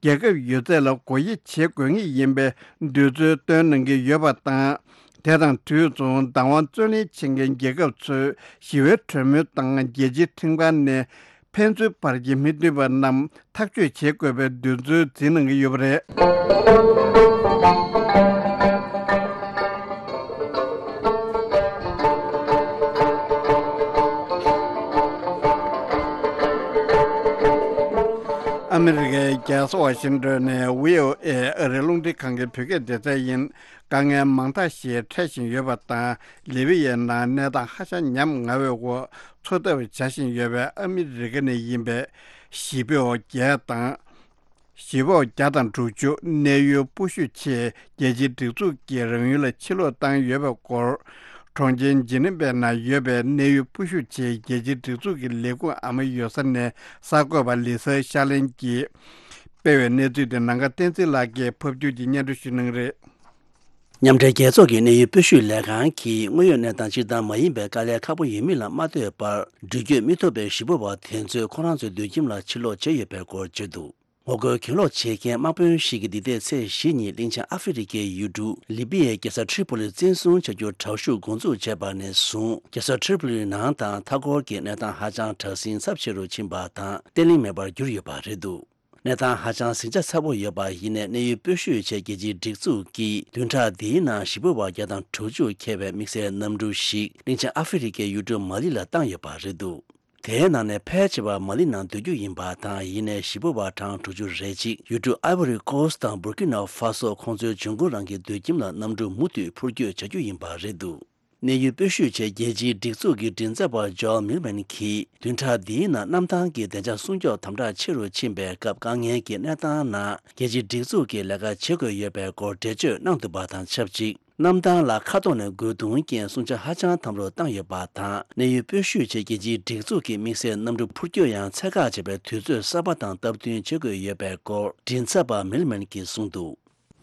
རྒྱལ་ཁབ་ཡོད་ཚད་ལ་སྒོ་དབྱེ་བྱེད་དགོས་ངེས་ཡིན་པའི་འདོད་ཚུལ་བཏོན་གནང་གི་ཡོད་པ་དང་། དེ་དང་དུས་མཚུངས་བདག་དབང་རྩོད་ལེན་བྱེད་མཁན་རྒྱལ་ཁབ་ཚོས་ཞི་བའི་གྲོས་མོལ་དང་རྒྱལ་སྤྱིའི་ཁྲིམས་ཁང་ནས་ཕན་ཚུན་བར་གྱི་མི་མཐུན་པ་རྣམས་ཐག་གཅོད་བྱེད་དགོས་པའི་འདོད་ཚུལ་འཛིན་གནང་གི་ཡོད་པ་རེད། ཨ་མི་རི་ཀའི་རྒྱལ་ས་ཝ་ཤིང་ཏོན་ནས་བྷི་ཨོ་ཨེ་ཨ་རིའི་རླུང་འཕྲིན་ཁང་གི་བོད་སྐད་སྡེ་ཚན་ཡིན། དཀའ་ངལ་མང་དག་ཞིག་འཕྲད་བཞིན་ཡོད་པ་དང་། ལི་བི་ཡའི་ནང་གནས་སྟངས་ཧ་ཅང་ཉམ་ང་བའི་འོག་འཚོ་ཐབས་བྱ་བཞིན་ཡོད་པའི་ཨ་མི་རི་ཀ་ནས་ཡིན་པའི་གཞིས་སྤོས་བརྒྱད་དང་། གཞིས་སྤོས་བརྒྱ་དང་དྲུག་ཅུ་གནས་ཡུལ་སྤོ་བཤུད་ཆེད་རྒྱལ་སྤྱིའི་སྒྲིག་འཛུགས་ཀྱིས་རང་ཡུལ་ལ་ཕྱིར་ལོག་བཏང་ཡོད་པའི་སྐོར། གྲོང་ཁྱེར་ཇི་ནི་ཝའི་ནང་ཡོད་པའི་གནས་ཡུལ་སྤོ་བཤུད་ཆེད་རྒྱལ་སྤྱིའི་སྒྲིག་འཛུགས་ཀྱི་ལས་ཁུངས་ཨ་མ་ཡོད་ས་ནས་གསར་འགོད་པ་ལི་སར་ཤར་ལེན་གྱིས་སྤེལ་བའི་གནས་ཚུལ་དེ་ནམ་མཁའ་བསྟན་འཛིན་ལགས་ཀྱིས་ཕབ་སྒྱུར་གྱིས་སྙན་སྒྲོན་ཞུ་གནང་གི་རེད། མཉམ་འབྲེལ་རྒྱལ་ཚོགས་ཀྱི་གནས་ཡུལ་སྤོ་བཤུད་ལས་ཁང་གིས་དངོས་ཡོད་གནས་སྟངས་སྤྱིར་བཏང་མ་ཡིན་པའི་དཀའ་ལས་ཁག་པོ་ཡོད་མིན་ལ་མ་ལྟོས་པར། འགྲུལ་སྐྱོད་མི་ཐུབ་པའི་གཞིས་སྤོ་བ་དེ་ཚོས་ཁོ་རང་ཚོའི་སྡོད་ཁྱིམ་ལ་ཕྱིར་ལོག་བྱས་ཡོད་པའི་སྐོར་བརྗོད་འདུག་ངོ་རྒོལ་གྱེན་ལོག་བྱེད་མཁན་དམག་དཔོན་ཞིག་གིས་འདི་ཟླའི་ཚེས་བཞི་ཉིན་གླིང་ཆེན་ཨ་ཧྥེ་རི་ཀའི་ཡུལ་གྲུ་ལི་པི་ཡའི་རྒྱལ་ས་ཏྲི་པོ་ལི་བཙན་བཟུང་བྱ་རྒྱུར་དྲག་ཤུགས་འགོ་འཛུགས་བྱས་པ་ནས་བཟུང་། རྒྱལ་ས་ཏྲི་པོ་ལིའི་ནང་དང་མཐའ་འཁོར་གྱི་གནས་སྟངས་ཧ་ཅང་དྲག་ཟིང་ཚབས་ཆེ་རུ་ཕྱིན་པ་དང་། བརྟན་ལྷིང་མེད་པར་གྱུར་ཡོད་པ་རེད་འདུག་གནས་སྟངས་ཧ་ཅང་ཟིང་ཆ་ཚ་པོ་ཡོད་པ་ཡིན་ནའི། གནས་ཡུལ་སྤོ་བཤུད་ཆེད་རྒྱལ་སྤྱིའི་སྒྲིག་འཛུགས་ཀྱིས་བདུན་ཕྲག་འདིའི་ནང་གཞིས་སྤོ་བ་བརྒྱ་དང་དྲུག་ཅུ་འཁྱེར་བའི་དམིགས་བསལ་གནམ་གྲུ་ཞིག་གླིང་ཆེན་ཨ་ཧྥེ་རི་ཀའི་ཡུལ་གྲུ་མ་ལི་ལ་བཏང་ཡོད་པ་རེད་འདུག་དེའི་ནང་ནས་ཕལ་ཆེ་བ་མ་ལི་ནང་སྡོད་རྒྱུ་ཡིན་པ་དང་། ཡིན་ནའི་གཞིས་སྤོ་བ་གྲངས་དྲུག་ཅུ་རེ་གཅིག་ཡུལ་གྲུ་ཨའི་བོ་རི་ཀོ་སི་དང་འབུར་ཀི་ནོ་ཧྥ་སོ་ཁོང་ཚོའི་འབྱུང་ཁུངས་རང་གི་སྡོད་ཁྱིམ་ལ་གནམ་གྲུ་མུ་མཐུད་འཕུར་སྐྱོད་བྱ་རྒྱུ་ཡིན་པ་རེད་འདུག་གནས་ཡུལ་སྤོས་བཤུས་ཆེད་རྒྱལ་སྤྱིའི་སྒྲིག་འཛུགས་ཀྱི་མགྲིན་ཚབ་པ་ཇོ་ཨལ་མིལ་མན་གྱིས། བདུན་ཕྲག་འདིའི་ནང་གནམ་ཐང་གི་བདེ་འཇགས་སྲུང་སྐྱོབ་དམ་དྲག་ཆེ་རུ་ཕྱིན་པའི་སྐབས། དཀའ་ངལ་གྱི་གནས་སྟངས་ནང་རྒྱལ་སྤྱིའི་སྒྲིག་འཛུགས་ཀྱིས་ལས་ཀ་བྱེད་དགོས་ཡོད་པའི་སྐོར་འགྲེལ་བརྗོད་གནང་འདུག་པ་དང་ཆབས་ཅིག་གནམ་ཐང་ལ་མཁའ་ཐོག་ནས་རྒོལ་རྡུང་རྐྱེན་སྲུང་བྱ་ཧ་ཅང་དམ་རུ་བཏང་ཡོད་པ་དང་། གནས་ཡུལ་སྤོས་བཤུས་ཆེད་རྒྱལ་སྤྱིའི་སྒྲིག་འཛུགས་ཀྱི་དམིགས་བསལ་གནམ་གྲུ་འཕུར་སྐྱོད་ཡང་ཚད་བཀག་བྱས་པའི་དུས་ཚོད་གསར་པ་དང་སྟབས་བསྟུན་བྱེད་དགོས་ཡོད་པའི་སྐོར་མགྲིན་ཚབ་པ་མིལ་མན་གྱིས་གསུངས་འདུག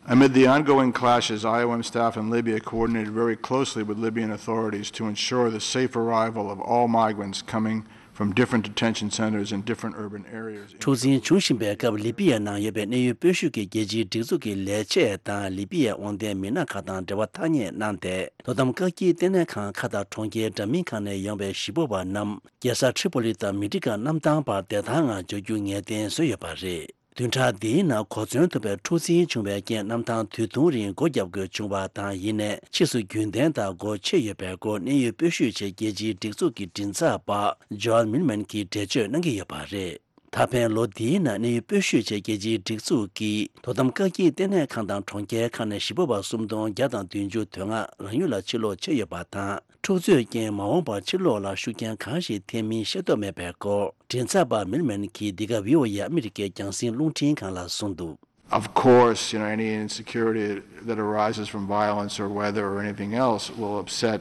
Amid the ongoing clashes, I O M staff in Libya coordinated very closely with Libyan authorities to ensure the safe arrival of all migrants coming from different detention centers in different urban areas. འཁྲུག་འཛིང་འབྱུང་བཞིན་པའི་སྐབས། ལི་པི་ཡའི་ནང་ཡོད་པའི་གནས་ཡུལ་སྤོས་བཤུས་ཀྱི་རྒྱལ་སྤྱིའི་སྒྲིག་འཛུགས་ཀྱི་ལས་བྱེད་དང་། ལི་པི་ཡའི་དབང་ལྡན་མི་སྣ་ཁག་དང་འབྲེལ་བ་ཐག་ཉེ་གནང་སྟེ། དོ་དམ་བཀག་སྐྱིལ་ལྟེ་གནས་ཁང་ཁག་དང་གྲོང་ཁྱེར་འདྲ་མིན་ཁག་ནས་ཡོང་བའི་གཞིས་སྤོ་བ་རྣམས་རྒྱལ་ས་ཁྲི་པོ་ལི་དང་མི་ཏི་ཀ་གནམ་ཐང་བར་བདེ་ཐང་ངང་འབྱོར་རྒྱུ་ངེས་གཏན་བཟོས་ཡོད་པ་རེད། བདུན་ཕྲག་འདིའི་ནང་གོ་མཚོན་ཐུབ་པའི་འཁྲུག་འཛིང་བྱུང་བའི་རྐྱེན། གནམ་ཐང་དུས་ཐུང་རིང་སྒོ་བརྒྱབ་དགོས་བྱུང་བ་དང་། ཡིན་ནའི་ཕྱིས་སུ་རྒྱུན་ལྡན་དང་སྒོ་ཕྱེ་ཡོད་པའི་སྐོར་གནས་ཡུལ་སྤོས་བཤུས་ཆེད་རྒྱལ་སྤྱིའི་སྒྲིག་འཛུགས་ཀྱི་མགྲིན་ཚབ་པ་ཇོ་ཨལ་མིལ་མན་གྱིས་འགྲེལ་བརྗོད་གནང་གི་ཡོད་པ་རེད། ད་ཕན་ལོ་འདིའི་ནང་གནས་ཡུལ་སྤོས་བཤུས་ཆེད་རྒྱལ་སྤྱིའི་སྒྲིག་འཛུགས་ཀྱི་དོ་དམ་བཀག་སྐྱིལ་ལྟེ་གནས་ཁང་དང་གྲོང་ཁྱེར་ཁག་ནས་གཞིས་སྤོ་བ་སུམ་སྟོང་བརྒྱ་དང་བདུན་ཅུ་དོན་ལྔ་རང་ཡུལ་ལ་ཕྱིར་ལོག་བྱས་ཡོད་པ་དང་། འཁྲུག་རྩོད་རྐྱེན་མ་འོངས་པར་ཕྱིར་ལོག་ལ་ཤུགས་རྐྱེན་གང་ཞིག་ཐེབས་མིན་ཤེས་རྟོགས་མེད་པའི་སྐོར་མགྲིན་ཚབ་པ་མིལ་མན་གྱིས་འདི་ག་བྷི་ཨོ་ཨེ་ཨ་མི་རི་ཀའི་རྒྱང་སྲིང་རླུང་འཕྲིན་ཁང་ལ་གསུངས་འདུག Of course, you know, any insecurity that arises from violence or weather or anything else will upset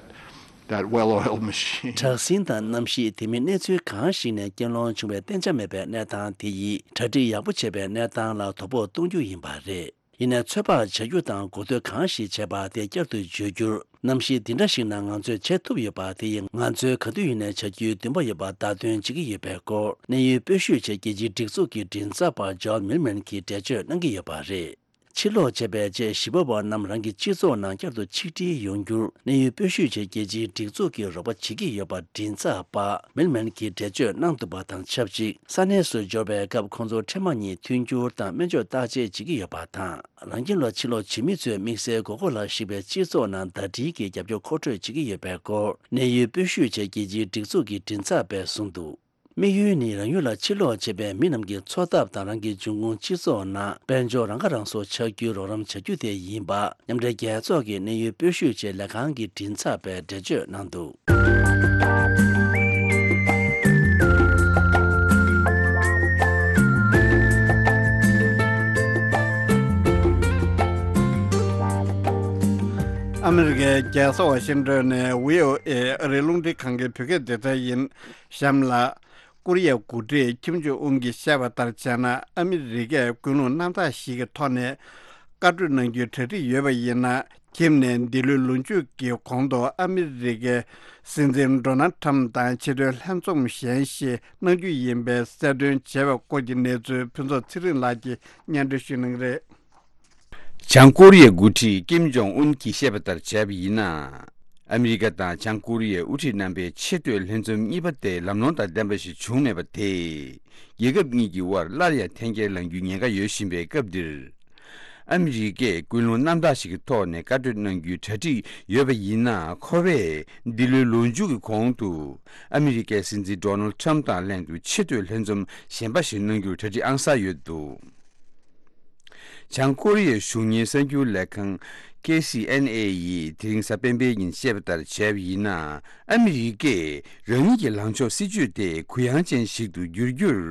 that well-oiled machine. དྲག་ཟིང་དང་གནམ་གཤིས། དེ་མིན་གནས་ཚུལ་གང་ཞིག་ནས་རྐྱེན་སློང་བྱུང་བའི་གཏན་འཇགས་མེད་པའི་གནས་སྟངས་དེ་ཡིས་གྲ་སྒྲིག་ཡག་པོ་བྱས་པའི་གནས་སྟངས་ལ་དོ་ཕོག་གཏོང་རྒྱུ་ཡིན་པ་རེད། ཡིན་ནའི་ཚོད་དཔག་བྱ་རྒྱུ་དང་གོ་ཐོས་གང་ཞིག་བྱས་པ་དེ་བསྐྱར་དུ་བརྗོད་རྒྱུར། གནམ་གཤིས་འདི་འདྲ་ཞིག་ནང་ང་ཚོས་བྱེད་ཐུབ་ཡོད་པ་དེ་ཡིས་ང་ཚོས་ག་དུས་ཡིན་ནའི་བྱ་རྒྱུའི་འདུན་པ་ཡོད་པ་བརྡ་སྟོན་བྱེད་ཀྱི་ཡོད་པའི་སྐོར་གནས་ཡུལ་སྤོས་བཤུས་ཆེད་རྒྱལ་སྤྱིའི་སྒྲིག་འཛུགས་ཀྱི་མགྲིན་ཚབ་པ་ཇོ་ཨལ་མིལ་མན་གྱིས་འགྲེལ་བརྗོད་གནང་གི་ཡོད་པ་རེད། ཕྱིར་ལོག་བྱས་པའི་རྗེས་གཞིས་སྤོ་བ་རྣམས་རང་གི་སྤྱི་ཚོགས་ནང་བསྐྱར་དུ་ཆིག་སྒྲིལ་ཡོང་རྒྱུར་གནས་ཡུལ་སྤོས་བཤུས་ཆེད་རྒྱལ་སྤྱིའི་སྒྲིག་འཛུགས་ཀྱིས་རོགས་པ་བྱེད་ཀྱི་ཡོད་པ་མགྲིན་ཚབ་པ་མིལ་མན་གྱིས་འགྲེལ་བརྗོད་གནང་འདུག་པ་དང་ཆབས་ཅིག་ས་གནས་སུ་འབྱོར་བའི་སྐབས་ཁོང་ཚོ་འཕྲལ་མ་ཉིད་མཐུན་འགྱུར་དང་སྨན་བཅོས་བརྟག་དཔྱད་བྱེད་ཀྱི་ཡོད་པ་དང་། རང་ཁྱིམ་ལ་ཕྱིར་ལོག་བྱེད་མི་ཚོས་དམིགས་བསལ་དགོས་མཁོ་ལ་གཞིགས་པའི་སྤྱི་ཚོགས་ནང་ཟླ་སྒྲིལ་གྱི་རྒྱབ་སྐྱོར་མཁོ་སྤྲོད་བྱེད་ཀྱི་ཡོད་པའི་སྐོར་གནས་ཡུལ་སྤོས་བཤུས་ཆེད་རྒྱལ་སྤྱིའི་སྒྲིག་འཛུགས་ཀྱི་མགྲིན་ཚབ་པས་གསུངས་འདུག་དམིགས་ཡུལ་ནི་རང་ཡུལ་ལ་ཕྱིར་ལོག་བྱེད་པའི་མི་རྣམས་ཀྱི་འཚོ་ཐབས་དང་། རང་གི་འབྱུང་ཁུངས་སྤྱི་ཚོགས་ནང་དཔལ་འབྱོར་རང་ཁ་རང་གསོ་ཆགས་རྒྱུའི་རོགས་རམ་བྱ་རྒྱུ་དེ་ཡིན་པ། མཉམ་འབྲེལ་རྒྱལ་ཚོགས་ཀྱི་གནས་ཡུལ་སྤོས་བཤུས་ཆེད་ལས་ཁང་གི་མགྲིན་ཚབ་པས་འགྲེལ་བརྗོད་གནང་འདུག་ཨ་མི་རི་ཀའི་རྒྱལ་ས་ཝ་ཤིང་ཏོན་ནས་བྷི་ཨོ་ཨེ་ཨ་རིའི་རླུང་འཕྲིན་ཁང་གི་བོད་སྐད་སྡེ་ཚན་ཡིན། གཤམ་ལ། ཀོ་རི་ཡའི་འགོ་ཁྲིད་ཁིམ་ཇོང་ཨུན་གྱིས་བཤད་པ་ལྟར་བྱས་ན། ཨ་མི་རི་ཀས་ཀུན་སློང་རྣམ་དག་ཞིག་གི་ཐོག་ནས་བཀའ་གྲོས་གནང་རྒྱུའི་གྲ་སྒྲིག་ཡོད་པ་ཡིན་ན། ཁིམ་ནས་འདི་ལོའི་ལོ་མཇུག་གི་གོང་དུ་ཨ་མི་རི་ཀའི་སྲིད་འཛིན་ཌོ་ནལ་ཁྲམ་དང་ཆེས་མཐོའི་ལྷན་འཛོམས་གཞན་ཞིག་གནང་རྒྱུ་ཡིན་པའི་གསལ་སྟོན་བྱས་པའི་སྐོར་གྱི་གནས་ཚུལ་ཕུན་ཚོགས་ཚེ་རིང་ལགས་ཀྱིས་སྙན་སྒྲོན་ཞུ་གནང་གི་རེད། བྱང་ཀོ་རི་ཡའི་འགོ་ཁྲིད་ཀིམ་ཇོང་ཨུན་གྱིས་བཤད་པ་ལྟར་བྱས་པ་ཡིན་ན། ཨ་མི་རི་ཀ་དང་བྱང་ཀོ་རི་ཡའི་དབུ་ཁྲིད་རྣམ་པའི་ཆེས་མཐོའི་ལྷན་འཛོམས་གཉིས་པ་དེ་ལམ་ལྷོང་དང་ལྡན་པ་ཞིག་བྱུང་མེད་པ་དེས། རྒྱལ་ཁབ་གཉིས་ཀྱི་དབར་སླར་ཡང་འཐེན་འཁྱེར་ལངས་རྒྱུའི་ཉེན་ཁ་ཡོད་བཞིན་པའི་སྐབས་འདིར། ཨ་མི་རི་ཀས་ཀུན་སློང་རྣམ་དག་ཞིག་གི་ཐོག་ནས་བཀའ་གྲོས་གནང་རྒྱུའི་གྲ་སྒྲིག་ཡོད་པ་ཡིན་ན། ཁོ་བས་འདི་ལོའི་ལོ་མཇུག་གི་གོང་དུ་ཨ་མི་རི་ཀའི་སྲིད་འཛིན་ཌོ་ནལ་ཁྲམ་དང་ལྷན་དུ་ཆེས་མཐོའི་ལྷན་འཛོམས་གཞན་པ་ཞིག་གནང་རྒྱུར་གྲ་སྒྲིག་ཨང་གསར་ཡོད་འདུག་བྱང་ཀོ་རི་ཡའི་གཞུང་གཉེར་གསར་འགྱུར་ལས་ཁང་ཁེ་སི་ཨེན་ཨེ་ཡིས་དེ་རིང་གཟའ་སྤེན་པའི་ཉིན་བཤད་པ་ལྟར་བྱས་པ་ཡིན་ན། ཨ་མི་རི་ཀས་རང་ཉིད་ཀྱི་ལངས་ཕྱོགས་སྲིད་ཇུས་དེ་གུ་ཡངས་ཅན་ཞིག་ཏུ་བསྒྱུར་རྒྱུར་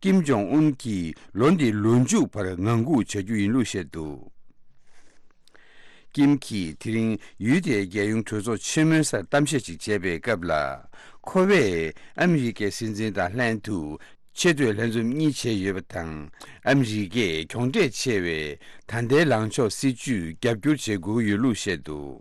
ཀིམ་ཇོང་ཨུན་གྱིས་ལོ་འདིའི་ལོ་མཇུག་བར་ངང་སྒུག་བྱ་རྒྱུ་ཡིན་ལུགས་བཤད་འདུག་ཀིམ་གྱིས་དེ་རིང་ཡུལ་དེའི་རྒྱལ་ཡོངས་གྲོས་ཚོགས་ཆེན་མོའི་སར་གཏམ་བཤད་ཅིག་བྱས་པའི་སྐབས་ལ། ཁོ་བས་ཨ་མི་རི་ཀའི་སྲིད་འཛིན་དང་ལྷན་དུ་ཆེས་མཐོའི་ལྷན་འཛོམས་གཉིས་བྱས་ཡོད་པ་དང་། ཨ་མི་རི་ཀས་གྱོང་འབྲས་ཆེ་བའི་ད་ལྟའི་ལངས་ཕྱོགས་སྲིད་ཇུས་རྒྱབ་སྐྱོར་བྱེད་དགོས་ཀྱི་ཡོད་ལུགས་བཤད་འདུག་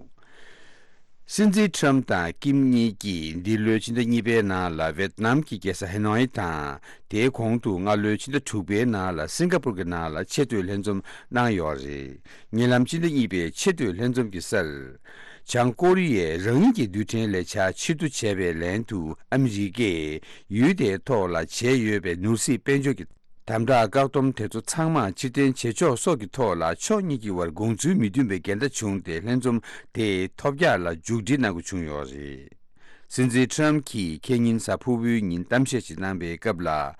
སྲིད་འཛིན་ཁྲམ་དང་ཀིམ་གཉིས་ཀྱིས་འདི་ལོའི་ཕྱི་ཟླ་གཉིས་པའི་ནང་ལ་ཝེད་ནམ་གྱི་རྒྱལ་ས་ཧེ་ནོའི་དང་། དེའི་གོང་དུ་སྔ་ལོའི་ཕྱི་ཟླ་དྲུག་པའི་ནང་ལ་སིང་ག་པུར་གྱི་ནང་ལ་ཆེས་མཐོའི་ལྷན་འཛོམས་གནང་ཡོད་རེད། ཉེ་ལམ་ཕྱི་ཟླ་གཉིས་པའི་ཆེས་མཐོའི་ལྷན་འཛོམས་ཀྱི་སར། བྱང་ཀོ་རི་ཡས་རང་ཉིད་ཀྱི་རྡུལ་ཕྲན་ལས་འཆར་ཕྱིར་བསྡུ་བྱས་པའི་ལན་དུ། ཨ་མི་རི་ཀས་ཡུལ་དེའི་ཐོག་ལ་བྱས་ཡོད་པའི་ནོར་སྲིད་དཔལ་འབྱོར་གྱི་དམ་དྲག་བཀག་སྡོམ་དེ་ཚོ་ཚང་མ་ཕྱིར་འཐེན་བྱེད་ཆོག་སོགས་ཀྱི་ཐོག་ལ་ཕྱོགས་གཉིས་ཀྱི་དབར་དགོངས་ཚུལ་མི་མཐུན་པའི་འགལ་ཟླ་བྱུང་སྟེ། ལྷན་འཛོམས་དེ་ཐོལ་རྒྱག་ལ་མཇུག་སྒྲིལ་གནང་དགོས་བྱུང་ཡོད་རེད། སྲིད་འཛིན་ཁྲམ་གྱིས་ཁེ་ཉིན་གཟའ་ཕུར་བུའི་ཉིན་གཏམ་བཤད་ཅིག་གནང་པའི་སྐབས་ལ།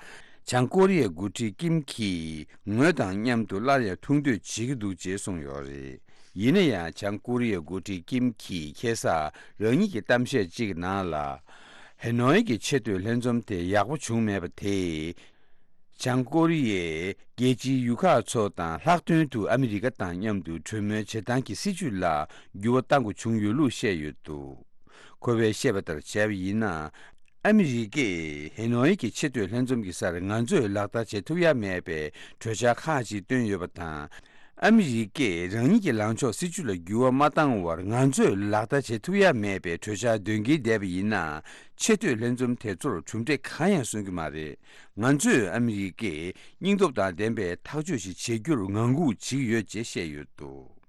བྱང་ཀོ་རི་ཡའི་འགོ་ཁྲིད་ཀིམ་གྱིས་ངོས་དང་མཉམ་དུ་སླར་ཡང་ཐུག་འདོད་བྱེད་ཀྱི་འདུག་ཅེས་གསུངས་ཡོད་རེད། ཡིན་ན་ཡང་། བྱང་ཀོ་རི་ཡའི་འགོ་ཁྲིད་ཀིམ་གྱིས་ཁ་སང་རང་ཉིད་ཀྱི་གཏམ་བཤད་ཅིག་གི་ནང་ལ། ཧེ་ནོའི་གི་ཆེས་མཐོའི་ལྷན་འཛོམས་དེ་ཡག་པོ་བྱུང་མེད་པ་དེས། བྱང་ཀོ་རི་ཡའི་རྒྱལ་སྤྱིའི་ཡུལ་ཁག་ཚོ་དང་ལྷག་དོན་དུ་ཨ་མི་རི་ཀ་དང་མཉམ་དུ་གྲོས་མོལ་བྱེད་སྟངས་ཀྱི་སྲིད་བྱུས་ལ་འགྱུར་བ་གཏང་དགོས་བྱུང་ཡོད་ལུགས་བཤད་ཡོད་འདུག། ཁོ་པས་བཤད་པ་ལྟར་བྱས་པ་ཡིན་ན། ཨ་མི་རི་ཀས་ཧེ་ནོའི་གི་ཆེས་མཐོའི་ལྷན་འཛོམས་ཀྱི་སར་ང་ཚོས་ལག་བསྟར་བྱེད་ཐུབ་ཡ་མེད་པའི་གྲོས་འཆར་ཁག་ཅིག་བཏོན་ཡོད་པ་དང་། ཨ་མི་རི་ཀས་རང་ཉིད་ཀྱི་ལངས་ཕྱོགས་སྲིད་བྱུས་ལ་འགྱུར་བ་མ་བཏང་བར་ང་ཚོས་ལག་བསྟར་བྱེད་ཐུབ་ཡ་མེད་པའི་གྲོས་འཆར་འདོན་གྱིན་བསྡད་པ་ཡིན་ན། ཆེས་མཐོའི་ལྷན་འཛོམས་དེ་ཚོར་གྲུབ་འབྲས་གང་ཡང་སོན་གྱི་མ་རེད། ང་ཚོས་ཨ་མི་རི་ཀས་སྙིང་སྟོབས་དང་ལྡན་པའི་ཐག་གཅོད་ཞིག་བྱེད་རྒྱུར་ངང་སྒུག་བྱེད་ཀྱི་ཡོད་ཅེས་བཤད་ཡོད་འདུག།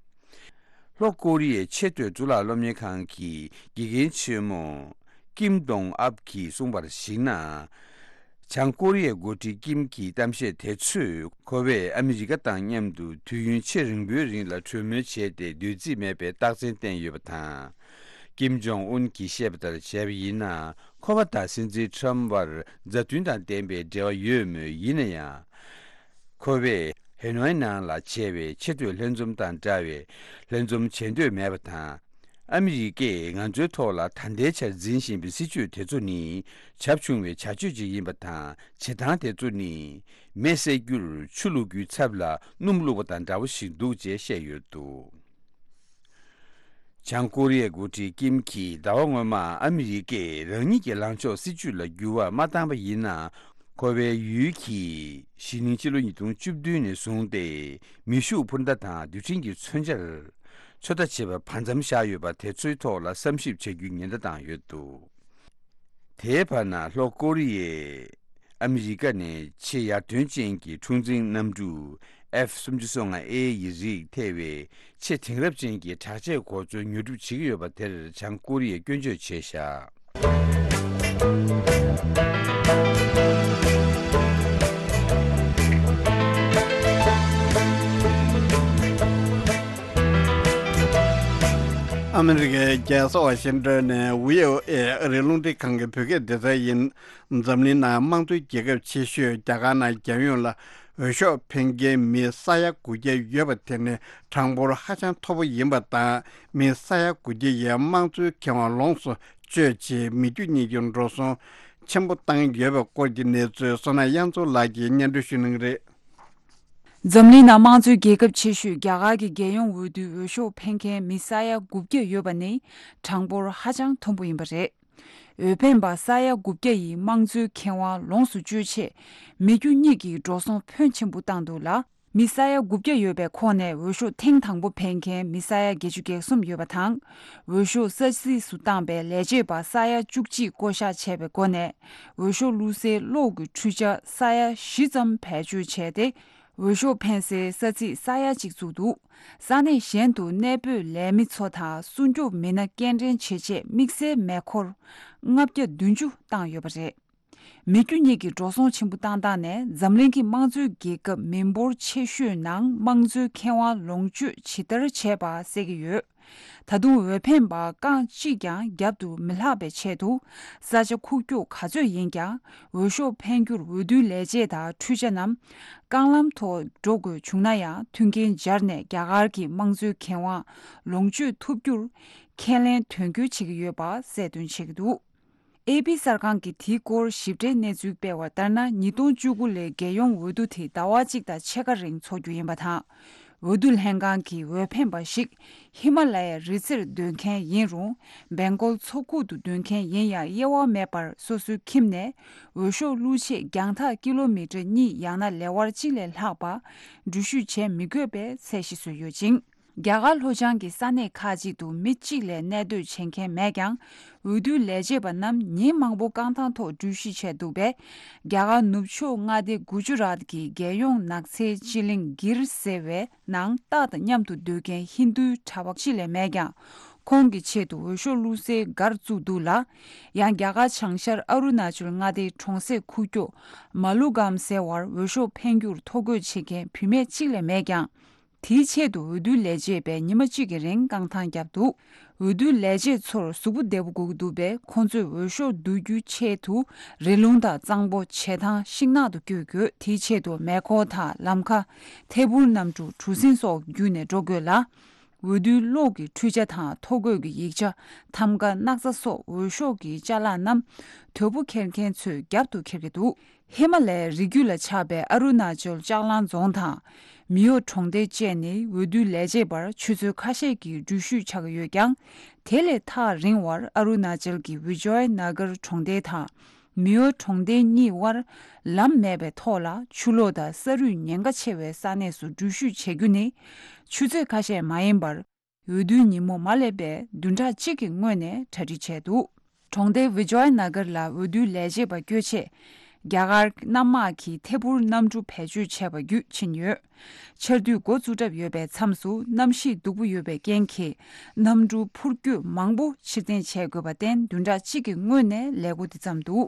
ལྷོ་ཀོ་རི་ཡའི་ཆེས་མཐོའི་གཙུག་ལག་སློབ་གཉེར་ཁང་གི་དགེ་རྒན་ཆེན་མོ་ཀིམ་ཏོང་ཨབ་ཀྱིས་གསུངས་པར་གཞིགས་ན། བྱང་ཀོ་རི་ཡའི་འགོ་ཁྲིད་ཀིམ་གྱི་གཏམ་བཤད་དེ་ཚོས་ཁོ་པས་ཨ་མི་རི་ཀ་དང་མཉམ་དུ་དུས་ཡུན་ཆེས་རིང་པོའི་རིང་ལ་གྲོས་མོལ་བྱས་ཏེ་འདོད་རྩིས་མེད་པའི་རྟགས་མཚན་བསྟན་ཡོད་པ་དང་། ཀིམ་ཇོང་ཨུན་གྱིས་བཤད་པ་ལྟར་བྱས་པ་ཡིན་ན། ཁོ་པ་དང་སྲིད་འཛིན་ཁྲམ་བར་མཛའ་མཐུན་དང་ལྡན་པའི་འབྲེལ་བ་ཡོད་མོད། ཡིན་ན་ཡང་། ཁོ་པས་ཧེ་ནོའི་ནང་ལ་བྱས་པའི་ཆེས་མཐོའི་ལྷན་འཛོམས་དང་འདྲ་བའི་ལྷན་འཛོམས་བྱེད་འདོད་མེད་པ་དང་། ཨ་མི་རི་ཀས་ང་ཚོའི་ཐོག་ལ་ད་ལྟའི་ཆར་འཛིན་བཞིན་པའི་སྲིད་བྱུས་དེ་ཚོ་ནི་བྱབ་ཆུང་བའི་བྱ་སྤྱོད་ཅིག་ཡིན་པ་དང་། བྱེད་སྟངས་དེ་ཚོ་ནི་མེ་བསད་རྒྱུར་ཆུ་བླུག་རྒྱུའི་ཚབ་ལ་སྣུམ་བླུགས་པ་དང་འདྲ་བོ་ཞིག་འདུག་ཅེས་བཤད་ཡོད་འདུག། བྱང་ཀོ་རི་ཡའི་འགོ་ཁྲིད་ཀིམ་གྱིས་ཟླ་བ་སྔོན་མ་ཨ་མི་རི་ཀས་རང་ཉིད་ཀྱི་ལངས་ཕྱོགས་སྲིད་བྱུས་ལ་འགྱུར་བ་མ་བཏང་པ་ཡིན་ན། ཁོ་པའི་ཡུལ་གྱིས་གཞེས་ནིང་ཕྱི་ལོ་ཉིས་སྟོང་བཅུ་བདུན་ནས་བཟུང་སྟེ་མེ་ཤུགས་འཕུར་མདའ་དང་རྡུལ་ཕྲན་གྱི་མཚོན་ཆར་ཚོད་ལྟ་བྱེད་པར་བར་མཚམས་བཞག་ཡོད་པ་དེ་ཚོའི་ཐོག་ལ་བསམ་ཞིབ་བྱ་རྒྱུའི་ཉེན་བརྡ་བཏང་ཡོད་འདུག། དེའི་བར་ན་ལྷོ་ཀོ་རི་ཡས་ཨ་མི་རི་ཀ་ནས་ཆེས་ཡར་ཐོན་ཅན་གྱི་འཁྲུག་འཛིང་གནམ་གྲུ་ཨེཕ་སུམ་ཅུ་སོ་ལྔ་ཨེ་ཡི་རིགས་ཐེ་བའི་ཆེས་དེང་རབས་ཅན་གྱི་དྲག་ཆས་གོ་མཚོན་ཉོ་སྒྲུབ་བྱེད་ཀྱི་ཡོད་པ་དེར་བྱང་ཀོ་རི་ཡས་སྐྱོན་བརྗོད་བྱས་བཞག། ཨ་མི་རི་ཀའི་རྒྱལ་ས་ཝ་ཤིང་ཏོན་ནས་བྷི་ཨོ་ཨེ་ཨ་རིའི་རླུང་འཕྲིན་ཁང་གི་བོད་སྐད་སྡེ་ཚན་ཡིན། འཛམ་གླིང་ནང་དམངས་གཙོའི་རྒྱལ་ཁབ་ཆེ་ཤོས་རྒྱ་གར་ནང་རྒྱལ་ཡོངས་ལ་འོས་ཤོག་འཕེན་མཁན་མི་ས་ཡ་དགུ་བརྒྱ་ཡོད་པ་དེ་ནི་གྲངས་འབོར་ཧ་ཅང་མཐོ་པོ་ཡིན་པ་དང་། མི་ས་ཡ་དགུ་བརྒྱ་ཡིས་དམངས་གཙོའི་ཁེ་དབང་ལོངས་སུ་སྤྱོད་ཆེད་མི་རྒྱུ་གཉིས་ཀྱི་འགྲོ་སོང་ཆེན་པོ་བཏང་ཡོད་པའི་སྐོར་གྱི་གནས་ཚུལ་བསོད་ནམས་དབྱངས་མཚོ་ལགས་ཀྱིས་སྙན་སྒྲོན་ཞུ་གནང་གི་རེད། འཛམ་གླིང་ནང་དམངས་གཙོའི་རྒྱལ་ཁབ་ཆེ་ཤོས་རྒྱ་གར་གྱི་རྒྱལ་ཡོངས་འོས་བསྡུའི་འོས་ཤོག་འཕེན་མཁན་མི་ས་ཡ་དགུ་བརྒྱ་ཡོད་པ་ནི་གྲངས་འབོར་ཧ་ཅང་མཐོན་པོ་ཡིན་པ་རེད། འོས་འཕེན་པ་ས་ཡ་དགུ་བརྒྱ་ཡིས་དམངས་གཙོའི་ཁེ་དབང་ལོངས་སུ་སྤྱོད་ཆེད་མི་རྒྱུ་གཉིས་ཀྱིས་འགྲོ་སོང་ཕོན་ཆེན་པོ་བཏང་འདུག་ལ། མི་ས་ཡ་དགུ་བརྒྱ་ཡོད་པའི་ཁོངས་ནས་འོས་ཤོག་ཐེངས་དང་པོ་འཕེན་མཁན་མི་ས་ཡ་བརྒྱད་ཅུ་གྱ་གསུམ་ཡོད་པ་དང་། འོས་ཤོག་ས་ཚིགས་སུ་བཏང་པའི་ལས་བྱེད་པ་ས་ཡ་བཅུ་གཅིག་བསྐོ་གཞག་བྱས་པའི་སྒོ་ནས། འོས་ཤོག་བླུགས་སའི་གློག་གི་འཕྲུལ་ཆ་ས་ཡ་བཞི་ཙམ་བེད་སྤྱོད་བྱས་ཏེ། འོས་ཤོག་འཕེན་སའི་ས་ཚིགས་ས་ཡ་གཅིག་བཙུགས་འདུག། ས་གནས་གཞན་དུ་གནས་སྤོས་ལས་མི་ཚོ་དང་སྲུང་སྐྱོབ་མི་སྣ་སྐྱེལ་འདྲེན་བྱེད་ཆེད་དམིགས་བསལ་མེ་འཁོར་ལྔ་བརྒྱ་བདུན་ཅུ་བཏང་ཡོད་པ་རེད། མི་རྒྱུ་གཉིས་ཀྱིས་འགྲོ་སོང་ཆེན་པོ་བཏང་སྟངས་ནས་འཛམ་གླིང་གི་དམངས་གཙོའི་རྒྱལ་ཁབ་མི་འབོར་ཆེ་ཤོས་ནང་དམངས་གཙོའི་ཁེ་དབང་ལོངས་སྤྱོད་ཇི་ལྟར་བྱས་པ་གསལ་གྱི་ཡོད། ད་དུང་འོས་འཕེན་པ་རྐང་གཅིག་ཀྱང་རྒྱབ་ཏུ་མི་ལྷག་པའི་ཆེད་དུ། ས་ཆ་ཁུག་ཀྱོག་ག་ཚོད་ཡིན་ཀྱང་འོས་ཤོག་འཕེན་རྒྱུར་འོས་བསྡུའི་ལས་བྱེད་དང་འཕྲུལ་ཆ་རྣམས་རྐང་ལམ་ཐོག་འགྲོ་དགོས་བྱུང་ན་ཡང་མཐུན་རྐྱེན་སྦྱར་ནས་རྒྱ་གར་གྱི་དམངས་གཙོའི་ཁེ་དབང་ལོངས་སྤྱོད་ཐུབ་རྒྱུར་ཁས་ལེན་དོན་འཁྱོལ་བྱེད་ཀྱི་ཡོད་པ་གསལ་སྟོན་བྱེད་ཀྱི་འདུག། ཨེ་པི་གསར་ཁང་གིས་དེའི་སྐོར་ཞིབ་ཕྲའི་གནས་ཚུལ་སྤེལ་བ་ལྟར་ན། ཉིས་སྟོང་བཅུ་དགུ་ལོའི་རྒྱལ་ཡོངས་འོས་བསྡུ་དེ་ཟླ་བ་གཅིག་དང་ཕྱེད་ཀ་རིང་འཚོགས་རྒྱུ་ཡིན་པ་དང་། འོས་བསྡུ་ལྷན་ཁང་གིས་འོས་འཕེན་པ་ཞིག་ཧི་མ་ལ་ཡའི་རི་རྩེར་སྡོད་མཁན་ཡིན་རུང་། སྦེང་གོལ་མཚོ་ཁུག་ཏུ་སྡོད་མཁན་ཡིན་ཡང་དབྱེ་བ་མེད་པར་སོ་སོའི་ཁྱིམ་ནས་འོས་ཤོག་བླུག་ཆེད་རྒྱང་ཐག་ཀི་ལོ་མི་ཊར་གཉིས་ཡང་ན་ལེ་དབར་གཅིག་ལས་ལྷག་པ་འགྲུལ་བཞུད་བྱེད་མི་དགོས་པའི་ཚད་གཞི་བཟོས་ཡོད་ཅིང་། རྒྱ་གར་ལྷོ་བྱང་གི་ས་གནས་ཁག་ཅིག་ཏུ་མི་གཅིག་ལས་གནས་སྡོད་བྱེད་མཁན་མེད་ཀྱང་། འོས་བསྡུའི་ལས་བྱེད་པ་རྣམས་ཉིན་མང་པོ་རྐང་ཐང་ཐོག་འགྲུལ་བཞུད་བྱས་འདུག་པས། རྒྱ་གར་ནུབ་ཕྱོགས་མངའ་སྡེ་གུ་ཇུ་རཱཏ་གི་རྒྱལ་ཡོངས་ནགས་ཚལ་སྤྱི་གླིང་གིར་ཟེར་བའི་ནང་སྟག་དང་མཉམ་དུ་སྡོད་མཁན་ཧིན་རྡུའི་གྲྭ་པ་གཅིག་ལས་མེད་ཀྱང་། ཁོང་གི་ཆེད་དུ་འོས་ཤོག་བླུག་སའི་སྒར་བཙུགས་འདུག་ལ། ཡང་རྒྱ་གར་བྱང་ཤར་ཨ་རུ་ན་ཅལ་མངའ་སྡེའི་གྲོང་གསེབ་ཁུག་ཀྱོག་མ་ལུ་གམ་ཟེར་བར་འོས་ཤོག་འཕེན་རྒྱུར་ཐོ་འགོད་བྱེད་མཁན་བུད་མེད་གཅིག་ལས་མེད་ཀྱང་། དེའི་ཆེད་དུ་འོས་བསྡུའི་ལས་བྱེད་པས་ཉི་མ་གཅིག་གི་རིང་རྐང་ཐང་བརྒྱབ་འདུག། འོས་བསྡུའི་ལས་བྱེད་ཚོར་གཟུགས་པོ་བདེ་པོ་དགོས་ཀྱི་འདུག་པས། ཁོང་ཚོས་འོས་ཤོག་བསྡུ་རྒྱུའི་ཆེད་དུ་རི་ལུང་དང་གཙང་པོ། བྱེ་ཐང་། ཤིང་ནགས་དུ་བསྐྱོད་དགོས། དེའི་ཆེད་དུ་མེ་འཁོར་དང་ལམ་ཁ། ཐད་འཕུར་གནམ་གྲུ། གྲུ་གཟིངས་སོགས་བརྒྱུད་ནས་འགྲོ་དགོས་ལ། འོས་བསྡུའི་གློག་གི་འཕྲུལ་ཆ་དང་ཐོ་འགོད་ཀྱི་ཡིག་ཆ། ཐམ་ག། སྣག་ཚ་སོགས་འོས་ཤོག་གི་ཅ་ལག་རྣམས་དོས་པོ་འཁྱེར་མཁན་ཚོས་རྒྱབ་ཏུ་འཁྱེར་གྱི་འདུག་ཧི་མ་ལའི་རི་རྒྱུད་ལ་ཆགས་པའི་ཨ་རུ་ན་ཅལ་ལྕགས་གླང་རྫོང་དང་མི་ཡོ་གྲོང་སྡེ་བཅས་ནི་འོས་བསྡུའི་ལས་བྱེད་པར་ཆུ་ཚོད་ཁ་ཤས་ཀྱི་འགྲུལ་བཞུད་ཆགས་ཀྱི་ཡོད་ཀྱང་། དེ་ལས་ཐག་རིང་བར་ཨ་རུ་ན་ཅལ་གྱི་བི་ཇོའི་ན་གར་གྲོང་སྡེ་དང་མི་ཡོ་གྲོང་སྡེ་གཉིས་དབར་ལམ་མེད་པའི་ཐོག་ལ་ཆུ་ལོག་དང་ས་རུད་ཉེན་ཁ་ཆེ་བའི་ས་གནས་སུ་འགྲུལ་བཞུད་བྱེད་རྒྱུ་ནི་ཆུ་ཚོད་ཁ་ཤས་མ་ཡིན་པར། འོས་བསྡུའི་ཉིན་མོ་མ་སླེབས་པའི་བདུན་ཕྲག་གཅིག་གི་སྔོན་ནས་གྲ་སྒྲིག་བྱས་འདུག་གྲོང་སྡེ་བི་ཇོའི་ན་གར་ལ་འོས་བསྡུའི་ལས་བྱེད་པ་བསྐྱོད་ཆེད། རྒྱ་གར་གནམ་དམག་གིས་ཐད་འཕུར་གནམ་གྲུ་བེད་སྤྱོད་བྱས་པ་བརྒྱུད་ཕྱིན་ཡོད། ཆར་དུས་འགོ་བཙུགས་གྲབས་ཡོད་པའི་མཚམས་སུ་གནམ་གཤིས་སྡུག་པོ་ཡོད་པའི་རྐྱེན་གྱིས། གནམ་གྲུ་འཕུར་སྐྱོད་མང་པོ་ཕྱིར་འཐེན་བྱེད་དགོས་པར་བརྟེན། བདུན་ཕྲག་གཅིག་གི་སྔོན་ནས་ལས་འགོ་འདི་བརྩམས་འདུག་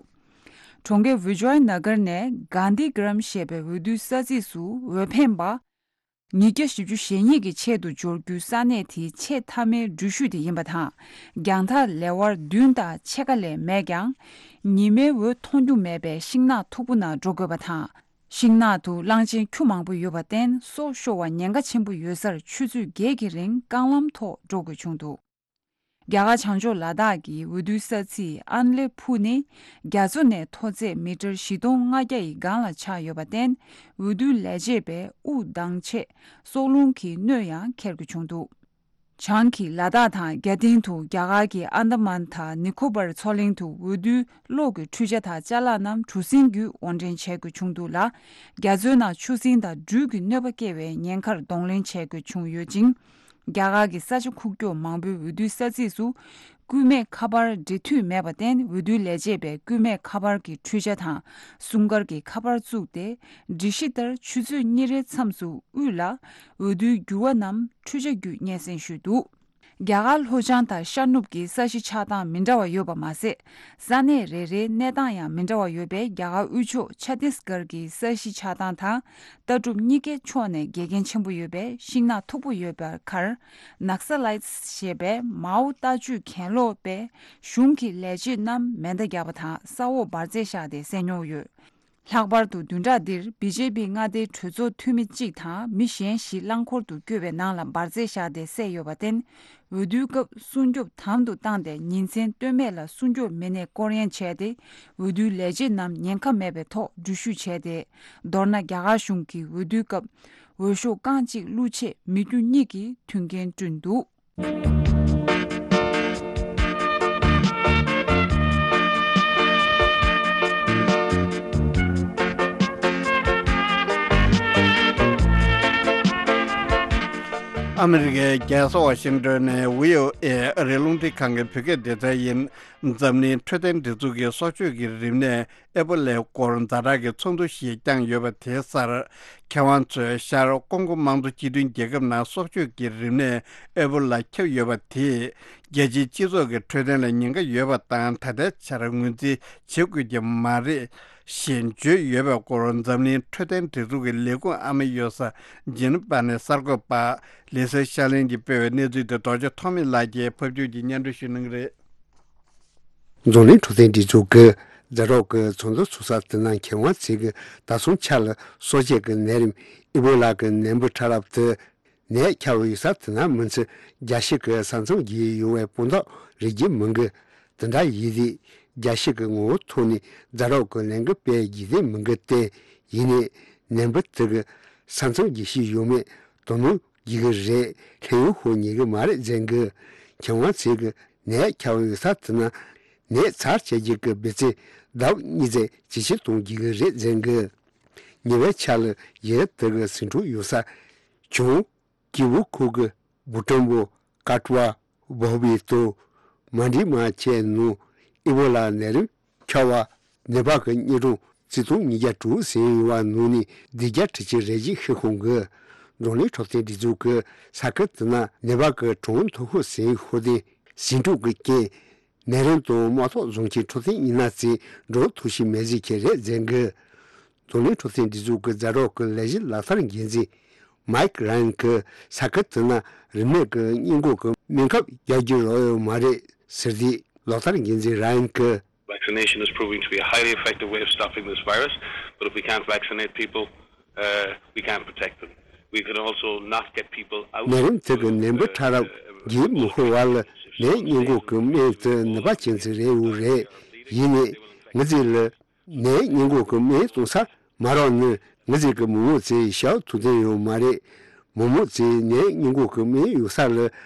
གྲོང་ཁྱེར་བི་ཇོའི་ན་གར་ནས་གྷན་དྷི་གྷ་རམ་ཞེས་པའི་འོས་བསྡུའི་ས་ཚིགས་སུ་འོས་འཕེན་པ། ཉིས་བརྒྱ་བཞི་བཅུ་ཞེ་གཉིས་ཀྱི་ཆེད་དུ་འབྱོར་རྒྱུའི་ས་གནས་དེའི་ཆེས་མཐའ་མའི་འགྲུལ་བཞུད་དེ་ཡིན་པ་དང་། རྒྱང་ཐག་ལེ་དབར་བདུན་དང་ཕྱེད་ཀ་ལས་མེད་ཀྱང་། ཉི་མའི་འོད་མཐོང་རྒྱུ་མེད་པའི་ཤིང་ནགས་མཐུག་པོ་ནང་འགྲོ་དགོས་པ་དང་། ཤིང་ནགས་དུ་གླང་ཆེན་ཁྱུ་མང་པོ་ཡོད་པར་བརྟེན། སྲོག་ཤོར་བ་ཉེན་ཁ་ཆེན་པོ་ཡོད་སར་ཆུ་ཚོད་བརྒྱད་ཀྱི་རིང་རྐང་ལམ་ཐོག་འགྲོ་དགོས་བྱུང་འདུག་རྒྱ་གར་བྱང་ཕྱོགས་ལ་དྭགས་ཀྱི་འོས་བསྡུའི་ས་ཚིགས་ཨན་ལེ་ཕུ་ནི་རྒྱ་མཚོ་ནས་མཐོ་ཚད་མི་ཊར་བཞི་སྟོང་ལྔ་བརྒྱ་ཡི་སྒང་ལ་ཆགས་ཡོད་པར་བརྟེན། འོས་བསྡུའི་ལས་བྱེད་པས་དབུགས་འདང་ཆེད་སྲོག་རླུང་གི་གནོད་ཡང་འཁྱེར་དགོས་བྱུང་འདུག་བྱང་གི་ལ་དྭགས་དང་རྒྱ་སྟེང་དུ་རྒྱ་གར་གྱི་ཨན་དཱ་མན་དང་ནི་ཁོ་པར་མཚོ་གླིང་དུ་འོས་བསྡུའི་གློག་གི་འཕྲུལ་ཆ་དང་ཅ་ལག་རྣམས་གྲུ་གཟིངས་བརྒྱུད་དབོར་འདྲེན་བྱེད་དགོས་བྱུང་འདུག་ལ། རྒྱ་མཚོའི་ནང་ཆུ་སྲིན་དང་སྦྲུལ་གྱི་གནོད་པ་སྐྱེལ་བའི་ཉེན་ཁར་གདོང་ལེན་བྱེད་དགོས་བྱུང་ཡོད་ཅིང་། རྒྱ་གར་གྱི་ས་ཆ་ཁུག་ཀྱོག་མང་པོའི་འོས་བསྡུའི་ས་ཚིགས་སུ་སྐུད་མེད་ཁ་པར་འབྲེལ་མཐུད་མེད་པར་བརྟེན། འོས་བསྡུའི་ལས་བྱེད་པས་སྐུད་མེད་ཁ་པར་གྱི་འཕྲུལ་ཆ་དང་སྲུང་སྐར་གྱི་ཁ་པར་བཙུགས་ཏེ། སྒྲིག་གཞི་ལྟར་ཆུ་ཚོད་གཉིས་རེའི་མཚམས་སུ་དབུས་ལ་འོས་བསྡུའི་འགྱུར་བ་རྣམས་འཕྲུལ་ཆ་བརྒྱུད་སྙན་སེང་ཞུས་འདུག་རྒྱ་གར་ལྷོ་བྱང་དང་ཤར་ནུབ་ཀྱི་ས་གཞི་ཆགས་སྟངས་མི་འདྲ་བ་ཡོད་པ་མ་ཟད། ས་གནས་རེ་རེའི་གནས་སྟངས་ཡང་མི་འདྲ་བ་ཡོད་པས། རྒྱ་གར་དབུས་ཕྱོགས་ཆ་ཏིས་གྷར་གྱི་ས་གཞི་ཆགས་སྟངས་དང་ལྟ་གྲུབ་གཉིས་ཀའི་ཕྱོགས་ནས་འགལ་རྐྱེན་ཆེན་པོ་ཡོད་པས། ཤིང་ནགས་མཐུག་པོ་ཡོད་པའི་ཁར་ནག་ས་ལའི་ཏི་ཞེས་པའི་མའོ་ལྟ་སྤྱོད་གྱེན་ལོག་པས་གཞུང་གི་ལས་བྱེད་རྣམས་མེ་མདའ་བརྒྱབ་པ་དང་ས་འོག་འབར་རྫས་བཞག་སྟེ་བསད་མྱོང་ཡོད། ལྷག་པར་དུ་བདུན་ཕྲག་འདིར་བི་ཇེ་པི་མངའ་སྡེའི་གྲོས་ཚོགས་འཐུས་མི་གཅིག་དང་མི་གཞན་བཞི་རླངས་འཁོར་དུ་བསྐྱོད་པའི་ནང་ལ་འབར་རྫས་བཞག་སྟེ་བསད་ཡོད་པར་བརྟེན། འོས་བསྡུའི་སྐབས་སྲུང་སྐྱོབ་དམ་དུ་བཏང་སྟེ། ཉིན་མཚན་ལྟོས་མེད་ལ་སྲུང་སྐྱོབ་མི་སྣས་སྐོར་གཡེང་བྱས་ཏེ། འོས་བསྡུའི་ལས་བྱེད་རྣམས་ཉེན་ཁ་མེད་པའི་ཐོག་འགྲུལ་བཞུད་བྱས་ཏེ། མདོར་ན། རྒྱ་གར་གཞུང་གིས་འོས་བསྡུའི་སྐབས་འོས་ཤོག་རྐང་གཅིག་བླུགས་ཆེད་མི་རྒྱུ་གཉིས་ཀྱིས་མཐུན་རྐྱེན་བསྐྲུན་འདུག་ཨ་མི་རི་ཀའི་རྒྱལ་ས་ཝ་ཤིང་ཏོན་ནས་བྷི་ཨོ་ཨེ་ཨ་རིའི་རླུང་འཕྲིན་ཁང་གི་བོད་སྐད་སྡེ་ཚན་ཡིན། འཛམ་གླིང་འཕྲོད་བསྟེན་སྒྲིག་འཛུགས་ཀྱིས་སྲོག་གཅོད་ཀྱི་རིམས་ནད་ཨེ་པོ་ལའི་སྐོར་ཛ་དྲག་གི་ཚོགས་འདུ་ཞིག་བསྐྱངས་ཡོད་པ་དེའི་སར། མཁས་དབང་ཚོས་ཤར་ཀོང་གོ་དམངས་གཙོ་སྤྱི་མཐུན་རྒྱལ་ཁབ་ནང་སྲོག་གཅོད་ཀྱི་རིམས་ནད་ཨེ་པོ་ལ་ཁྱབ་ཡོད་པ་དེས་རྒྱལ་སྤྱིའི་སྤྱི་ཚོགས་ཀྱི་འཕྲོད་བསྟེན་ལ་ཉེན་ཁ་ཡོད་པ་དང་། ད་ལྟའི་ཆར་ངོས་འཛིན་བྱེད་དགོས་ཀྱི་མ་རེད་ཞེས་བརྗོད་ཡོད་པའི་སྐོར། འཛམ་གླིང་འཕྲོད་བསྟེན་སྒྲིག་འཛུགས་ཀྱི་ལས་ཁུངས་ཨ་མ་གཡོ་ས་ཇི་ནི་ཝ་ནས་གསར་འགོད་པ་ལི་སེ་ཤ་ལིན་གྱིས་སྤེལ་བའི་གནས་ཚུལ་དེ་རྡོ་རྗེ་ཐོགས་མེད་ལགས་ཀྱིས་ཕབ་སྒྱུར་གྱིས་སྙན་སྒྲོན་ཞུ་གནང་གི་རེད། འཛམ་གླིང་འཕྲོད་བསྟེན་སྒྲིག་འཛུགས་ཀྱིས་ཛ་དྲག་གི་ཚོགས་འདུ་ཚོགས་ས་དེ་ནང་མཁས་དབང་ཚོས་ཀྱིས་ད་སོང་ཆ་ལ་སྲོག་བཅད་ཀྱི་ནད་རིམས་ཨི་བྷོ་ལ་གི་ནད་འབུ་ཕྲ་རབ་དེ་ནད་ཁྱབ་ཡོད་ས་དེ་ནང་མི་ཚེ་རྒྱ་ཤི་གི་ས་མཚམས་བརྒྱུད་ཡོང་བའི་དཔང་རྟགས་རེག་གི་མི་འདུག་དེ་འདྲ་ཡིན་དུས་རྒྱ་ཤི་གི་ངོ་བོ་ཐོག་ནས་ཛ་དྲག་གི་ལན་འགུལ་སྤེལ་རྒྱུ་དེ་མི་འདུག་སྟེ། ཡིན་ནའི་ནད་འབུ་དེ་གི་ས་མཚམས་བརྒྱུད་ཤི་ཡོད་མེད་དོ་སྣང་རྒྱག་གི་རེད། ལྷན་ཡོད་ཧོ་ཉན་གི་མ་རེད་ཟེར་གི། མཁས་དབང་ཚོས་གི་ནད་ཁྱབ་ཡོད་ས་དེ་ན་ནད་ཚར་བཅད་རྒྱུ་གི་འབུ་ཚད་ལྡབ་གཉིས་ཙམ་ཇེ་ཆེར་གཏོང་རྒྱུ་གི་རེད་ཟེར་གི། ཉེ་བའི་ཆར་ལ་ཡུལ་དེ་གི་ཟིང་འཁྲུག་ཡོད་ས་བྱུང་། ཀི་བུ་ཁུག་གི་བུ་ཀྲམ་བོ་ཀ་ཀྲུ་བ་བྷོ་བི་ཏོ་མན་ཌི་མ་བཅས་ནང་ཨི་བྷོ་ལ་ནད་རིམས་ཁྱབ་པ་ནད་པ་གི་དངོས་གྲངས་ཆིག་སྟོང་ཉིས་བརྒྱ་དྲུག་ཟིན་ཡོད་པ་ནང་ནས་བདུན་བརྒྱ་ཁྲི་གཅིག་རེ་གཅིག་ཤི་ཁོང་གི། འཛམ་གླིང་འཕྲོད་བསྟེན་སྒྲིག་འཛུགས་ཀྱི་ས་ཁུལ་དེ་ན་ནད་པ་གི་གྲངས་མཐོ་ཤོས་ཟིན་ཤོར་ཏེ། ཟིང་འཁྲུག་གི་རྐྱེན། ནད་རིམས་དང་དམག་ཐོག་བཟུང་གི་འཕྲོད་བསྟེན་ཡིན་ན་ཚེ་འགྲོ་ཐུབ་ཤེས་མེད་ཟེར་གྱི་རེད་ཟེར་གི། འཛམ་གླིང་འཕྲོད་བསྟེན་སྒྲིག་འཛུགས་ཀྱི་ཛ་དྲག་གི་ལས་གཞི་ལག་བསྟར་འགན་འཛིན་ མའིཀ་ར་ཡན་གྱིས་ས་ཁུལ་དེ་ན་རིན་མེད་ཀྱི་སྔས་མགོ་གི་སྨན་ཁབ་རྒྱག་རྒྱུ་རག་ཡོད་མ་རེད་ཟེར་དུས། ལག་བསྟར་འགན་འཛིན་ར་ཡན་གྱིས། Vaccination is proving to be a highly effective way of stopping this virus, but if we can't vaccinate people, uh, we can't protect them. We can also not get people out. ནད་རིམས་དེ་གི་ནད་འབུ་ཕྲ་རབ་རྒྱུན་མི་ཤོར་བར་ནད་སྔོན་འགོག་གི་སྨན་དེ་ནུས་པ་ཅན་ཞིག་རེད་འོ་རེད། ཡིན་ནའི་ངེད་ཚོ་ལ་ནད་སྔོན་འགོག་གི་སྨན་གཏོང་ས་མ་རག་ནི་ངེད་ཚོ་གི་མི་མང་ཚོས་ཞེ་པོ་ཐུགས་ཕན་ཡོད་མ་རེད། མི་མང་ཚོས་ནད་སྔོན་འགོག་གི་སྨན་ཡོད་ས་ལ་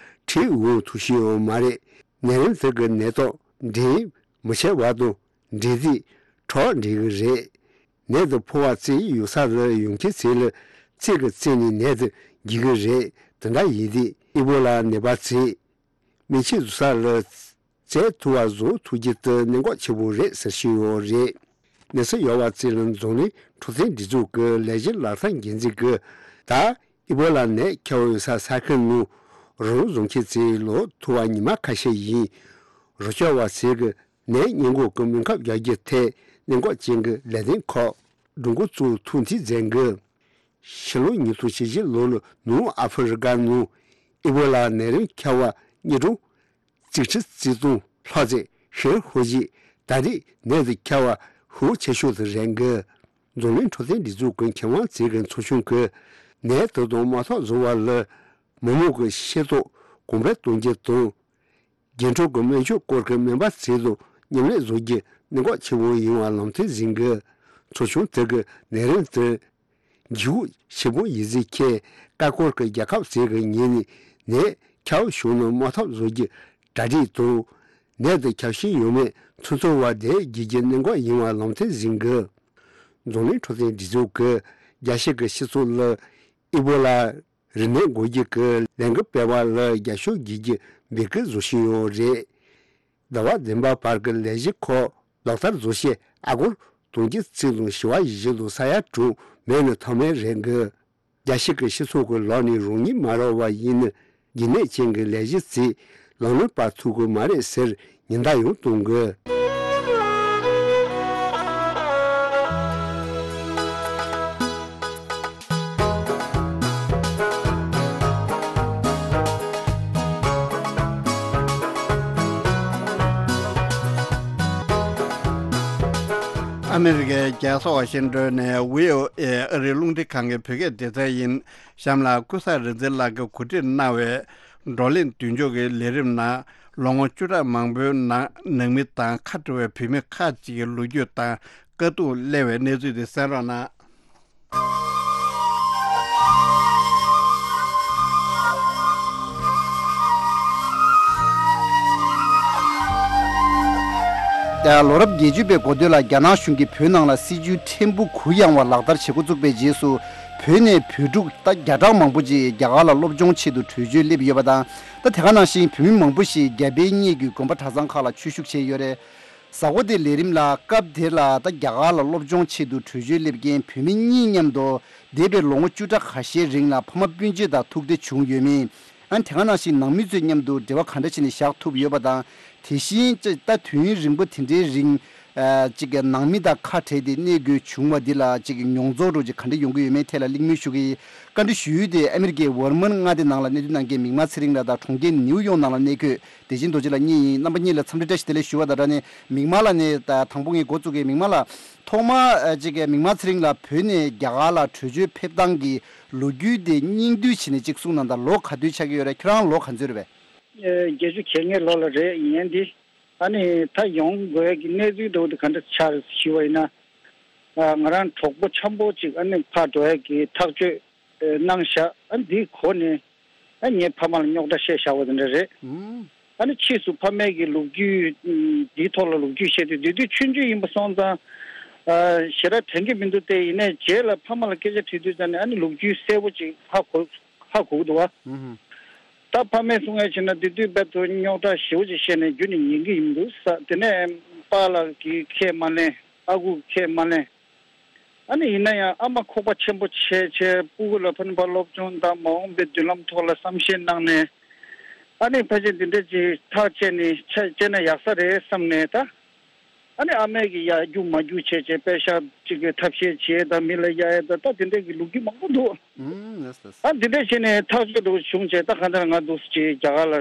ཁྲིད་འོང་ཐུབ་ཀྱི་ཡོད་མ་རེད། ནད་རིམས་དེ་གི་ནད་རྟགས་འདྲེན་མི་བྱེད་བར་དུ། འདྲེ་རྫས་ཁྲག་འདྲེན་གྱི་རེད། ནད་དེ་ཕོ་བ་བཙས་ཡོད་ས་ལ་ཡོང་མཁན་ཚོ་ལ་ཚིགས་ཀྱིས་བཙས་ནས་ནད་དེ་འགོ་གི་རེད། དེ་འདྲ་ཡིན་དུས་ཨི་བོ་ལ་ནད་པ་ཚོས་སྨན་ཆས་བཟོ་ས་ལ་བཙས་ཐུབ་པ་བཟོ་ཐུབ་རྒྱུ་དེ་གནད་འགག་ཆེན་པོ་རེད་ཟེར་བཞིན་ཡོད་རེད། གནས་ཚུལ་ཡོད་པ་ཚོ་ལ་འཛམ་གླིང་འཕྲོད་བསྟེན་སྒྲིག་འཛུགས་ཀྱི་ལས་གཞི་ལག་བསྟར་འགན་འཛིན་གྱིས། ད་ཨི་བོ་ལ་ནད་ཁྱབ་ཡོད་ས་ས་ཁུལ་ནང་རོགས་རམ་བཟོ་མཁན་ཚོ་ལོག་ཐུབ་པ་ཉི་མ་ཁ་ཤས་ཡིན། རོགས་སྐྱོར་བ་ཚོས་ཀྱི་ནད་སྔོན་འགོག་གི་སྨན་ཁབ་རྒྱག་རྒྱུ་ཐད་གནད་འགག་ཅན་གྱི་ལས་དོན་ཁག་སྒྲུབ་འགོ་བཙུགས་ཐུགས་འདུན་མཛད་འགོ། ཕྱི་ལོ་ཉིས་སྟོང་བཅུ་བཞི་ལོ་ལ་ནུབ་ཨ་ཧྥེ་རི་ཀ་ནང་ཨི་བོ་ལ་ནད་རིམས་ཁྱབ་པ་དངོས་གྲངས་གཅིག་ཁྲི་རྩ་གཅིག་སྟོང་ལྷག་ཙམ་ཞིག་ཤོར་རྗེས། ད་རེས་ནད་དེ་ཁྱབ་པ་ཤུགས་ཆེ་ཤོས་དེ་རེད་འགོ། འཛམ་གླིང་འཕྲོད་བསྟེན་སྒྲིག་འཛུགས་ཀྱི་མཁས་དབང་ཚོས་ཀྱི་ཚོགས་ཆུང་གིས་ནད་དེ་དང་དམག་འཐབ་བཟོ་བ་ལ་མི་མང་གི་ཤེས་རྟོགས་གོང་འཕེལ་གཏོང་རྒྱུ་དང་། རྒྱུན་འཁྱོངས་ཀྱི་སྨན་བཅོས་སྐོར་གྱི་སྨན་པ་ཚོ་དང་མཉམ་ལས་བཟོ་རྒྱུ་གནད་འགག་ཆེན་པོ་ཡིན་པ་ལམ་སྟོན་ཟིན་གྱི། ཚོགས་ཆུང་དེ་གི་ནད་རིམས་དེ་འགྱུར་ཤུགས་ཆེན་པོ་ཡིན་ཟིན་ཁྱེད་ཀ་ཀོར་གྱི་རྒྱལ་ཁབ་ཚོ་གི་ངོས་ནས་ནད་ཁྱབ་བྱུང་ན་དམག་འཐབ་བཟོ་རྒྱུ་གྲ་སྒྲིག་དང་། ནད་དེ་ཁྱབ་བཞིན་ཡོད་མེད་ཚོད་ཚོད་བར་བསྡད་རྒྱུ་གི་གནད་འགག་ཡིན་པ་ལམ་སྟོན་ཟིན་གྱི། འཛམ་གླིང་འཕྲོད་བསྟེན་སྒྲིག་འཛུགས་ཀྱིས་རྒྱལ་སྤྱི་གི་སྤྱི་ཚོགས་ལ་ཨི་བོ་ལ་རིན་མེད་འགོག་རྒྱུ་གི་ལས་འགུལ་སྤེལ་བ་ལ་རྒྱབ་སྐྱོར་བྱེད་རྒྱུ་འབོད་སྐུལ་བཟོ་བཞིན་ཡོད་རེད། ཟླ་བ་བདུན་པ་བར་གྱི་ལས་གཞི་ཁག་ལག་བསྟར་བཟོ་ཆེད་ཨ་སྒོར་དུང་ཕྱུར་གཅིག་དང་བཞི་བ་བཞི་དང་ས་ཡ་དྲུག་མེད་ནི་ཐབས་མེད་རེད་འགི། རྒྱལ་སྤྱི་གི་སྤྱི་ཚོགས་ཀྱི་ལག་ནས་རང་ཉིད་མ་རག་པ་ཡིན་ན་རྒྱུན་གནས་ཅན་གྱི་ལས་གཞི་ཚོ་ལག་ལེན་སྤར་ཐུབ་ཀྱི་མ་རེད་ཟེར་ཉེན་བརྡ་ཡང་གཏོང་དགོས། ཨ་མི་རི་ཀའི་རྒྱལ་ས་ཝ་ཤིང་ཏོན་ནས་བྷི་ཨོ་ཨེ་ཨ་རིའི་རླུང་འཕྲིན་ཁང་གི་བོད་སྐད་སྡེ་ཚན་ཡིན། གཤམ་ལ་ཀུན་བཟང་རིག་འཛིན་ལགས་ཀྱིས་གོ་སྒྲིག་གནང་བའི་བགྲོ་གླེང་མདུན་ལྕོག་གི་ལས་རིམ་ནང་ལོ་ངོ་བཅུ་ཕྲག་མང་པོའི་ནང་ནང་མི་དང་ཁ་བྲལ་བའི་བོད་མི་ཁག་ཅིག་གི་ལོ་རྒྱུས་དང་། དཀའ་སྡུག་གླེང་བའི་གནས་ཚུལ་དེ་གསན་རོགས་གནང་། ལོ་རབས་བརྒྱད་ཅུ་པའི་འགོ་སྟོད་ལ་རྒྱ་ནག་གཞུང་གིས་བོད་ནང་ལ་སྲིད་ཇུས་ཕྲན་བུ་གུ་ཡངས་པ་ལག་བསྟར་བྱེད་འགོ་བཙུགས་པའི་རྗེས་སུ། བོད་ནས་བོད་ཕྲུག་ད་བརྒྱ་ཕྲག་མང་པོ་ཅིག་རྒྱ་གར་ལ་སློབ་སྦྱོང་ཆེད་དུ་བྲོས་བྱོལ་སླེབས་ཡོད་པ་དང་། ད་དེ་ག་ནང་བཞིན་བོད་མི་མང་པོ་ཞིག་རྒྱ་བལ་གཉིས་ཀྱི་དགོན་པ་གྲྭ་ཚང་ཁག་ལ་ཆོས་ཞུགས་བྱས་ཡོད་རེད། གཟའ་འཁོར་འདིའི་ལས་རིམ་ལ་སྐབས་དེར་ལ་ད་རྒྱ་གར་ལ་སློབ་སྦྱོང་ཆེད་དུ་བྲོས་བྱོལ་སླེབས་མཁན་བོད་མི་གཉིས་མཉམ་དུ་འདས་པའི་ལོ་ངོ་བཅུ་ཕྲག་ཁ་ཤས་རིང་ལ་ཕ་མ་སྤུན་མཆེད་དང་ཐུག་འཕྲད་བྱུང་ཡོད་མེད། ཨ་དེ་ག་ནང་བཞིན་ནང་མི་ཚོའི་མཉམ་དུ་འབྲེལ་བ་ག་འདྲ་བྱས་ནས་བཞག་ཐུབ་ཡོད་པ་དང་། དེ་བཞིན་ཅི་ད་དུས་ཡུན་རིང་པོ་དེ་འདྲའི་རིང་ཨ་ཅིག་གི་ནང་མི་དང་ཁ་བྲལ་ཏེ་གནས་དགོས་བྱུང་བ་འདི་ལ་ཅིག་གི་མྱོང་ཚོར་རོ་ཅིག་ག་འདྲ་ཡོང་གི་ཡོད་མེད་ཐད་ལ་གླེང་མོལ་ཞུ་གི་ཡིན། བཀའ་འདྲི་ཞུ་ཡུལ་དེ་ཨ་མི་རི་ཀའི་ཝར་མན་མངའ་སྡེ་ནང་ལ་གནས་སྡོད་གནང་མཁན་མིག་དམར་ཚེ་རིང་ལགས་དང་གྲོང་ཁྱེར་ནིའུ་ཡོག་ནང་ལ་གནས་འཁོད་བདེ་ཆེན་རྡོ་རྗེ་ལགས་གཉིས་ཡིན། རྣམ་པ་གཉིས་ལ་འཚམས་འདྲི་བཀྲ་ཤིས་བདེ་ལེགས་ཞུ་བ་དང་སྦྲགས་ནས་མིག་དམར་ལགས་ནས་ད་དང་པོ་ངས་འགོ་བཙུགས་གི། མིག་དམར་ལགས། ཐོག་མར་ཨ་ཅིག་གི་མིག་དམར་ཚེ་རིང་ལགས་བོད་ནས་རྒྱ་གར་ལ་བྲོས་བྱོལ་ཕེབས་སྟངས་ཀྱི་ལོ་རྒྱུས་དེ་སྙིང་བསྡུས་བྱས་ནས་ཅིག་གསུངས་གནང་དང་། ལོ་ག་དུས་ཆགས་ཀྱི་ཡོད་རེད། ཁྱེད་རང་ལོ་ག་ཚོད་རེད་པས། ཨེ། བརྒྱད་ཅུ་གྱ་ལྔའི་ལོ་ལ་རེད་ཡིན་ཡན་འདི། ཨ་ནི་ད་ཡོང་དགོས་ཀྱི་གནས་ཚུལ་འདྲ་བོ་འདི་ག་འདྲ་ཆགས་རེད་ཞུས་པ་ཡིན་ན། ཨ། ང་རང་གྲོགས་པོ་འཆམ་པོ་ཅིག་ཨ་ནི་ཕར་འགྲོ་ཡ་གི་ཐག་གཅོད་གནང་བཞག་ཨ་འདིའི་གོ་ནས་ཨ་ངའི་ཕ་མ་ལ་རྙོག་དྲ་བཤད་བཞག་པ་དེ་འདྲ་རེད། ཨ་ནི་ཕྱིས་སུ་ཕ་མའི་གི་ལོ་རྒྱུས་འདིའི་ཐོག་ལ་ལོ་རྒྱུས་བཤད་དུས་དེ་དུས་ཆུང་ཆུང་ཡིན་པ་སོང་ཙང་ཨ་ཞེ་དྲག་དྲན་གྱི་མི་འདུག་སྟེ། ཡིན་ནའི་རྗེས་ལ་ཕ་མ་ལ་སྐད་ཆ་དྲིས་དུས་ཙང་ནས་ཨ་ནི་ལོ་རྒྱུས་གསལ་པོ་ཅིག་ཧ་གོ་ཧ་གོ་གི་འདུག་བ། ད་ཕ་མས་གསུང་ཡ་བྱས་ན་དེ་དུས་རྦད་དེ་རྙོག་དྲ་ཞེ་པོ་ཅིག་བཤད་ནས་རྒྱུན་ནས་ཉན་གྱི་ཡིན་འདུག་ས། དེ་ནས་པཱ་ལགས་ཀྱིས་ཁས་མ་ལེན། ཨ་ཁུ་ཁས་མ་ལེན། ཨ་ནི་ཡིན་ན་ཡང་ཨ་མ་ཁོག་པ་ཆེན་པོ་བྱས་བྱས་སྤུ་གུ་ལ་ཕ་ནི་ཕར་སློབ་སྦྱོང་དང་མ་འོངས་པའི་མདུན་ལམ་ཐོག་ལ་བསམ་ཤེས་གནང་ནས། ཨ་ནི་ཕལ་ཆེར་འདི་འདྲ་ཅིག་ཐག་བཅད་ནས་ཆ་བཅད་ན་ཡག་ས་རེད་བསམ་ནས་ད། ཨ་ནི་ཨ་མས་ཀྱི་ཡར་རྒྱུག་མར་རྒྱུག་བྱས་བྱས་པད་ཤག་ཅིག་གི་ཐབས་ཤེས་བྱས་དང་མི་ལ་གཡར་ཡས་དང་ད་དེ་འདྲ་གི་ལོ་རྒྱུས་མང་པོ་འདུག་ཨུམ། ལགས། ད་འདི་འདྲ་བྱས་ནས་ཐག་གཅོད་འགྲོ་བྱུང་བྱས། ད་གང་ལྟར་ང་འདུག་སེ་བྱས་རྒྱ་གར་ལ་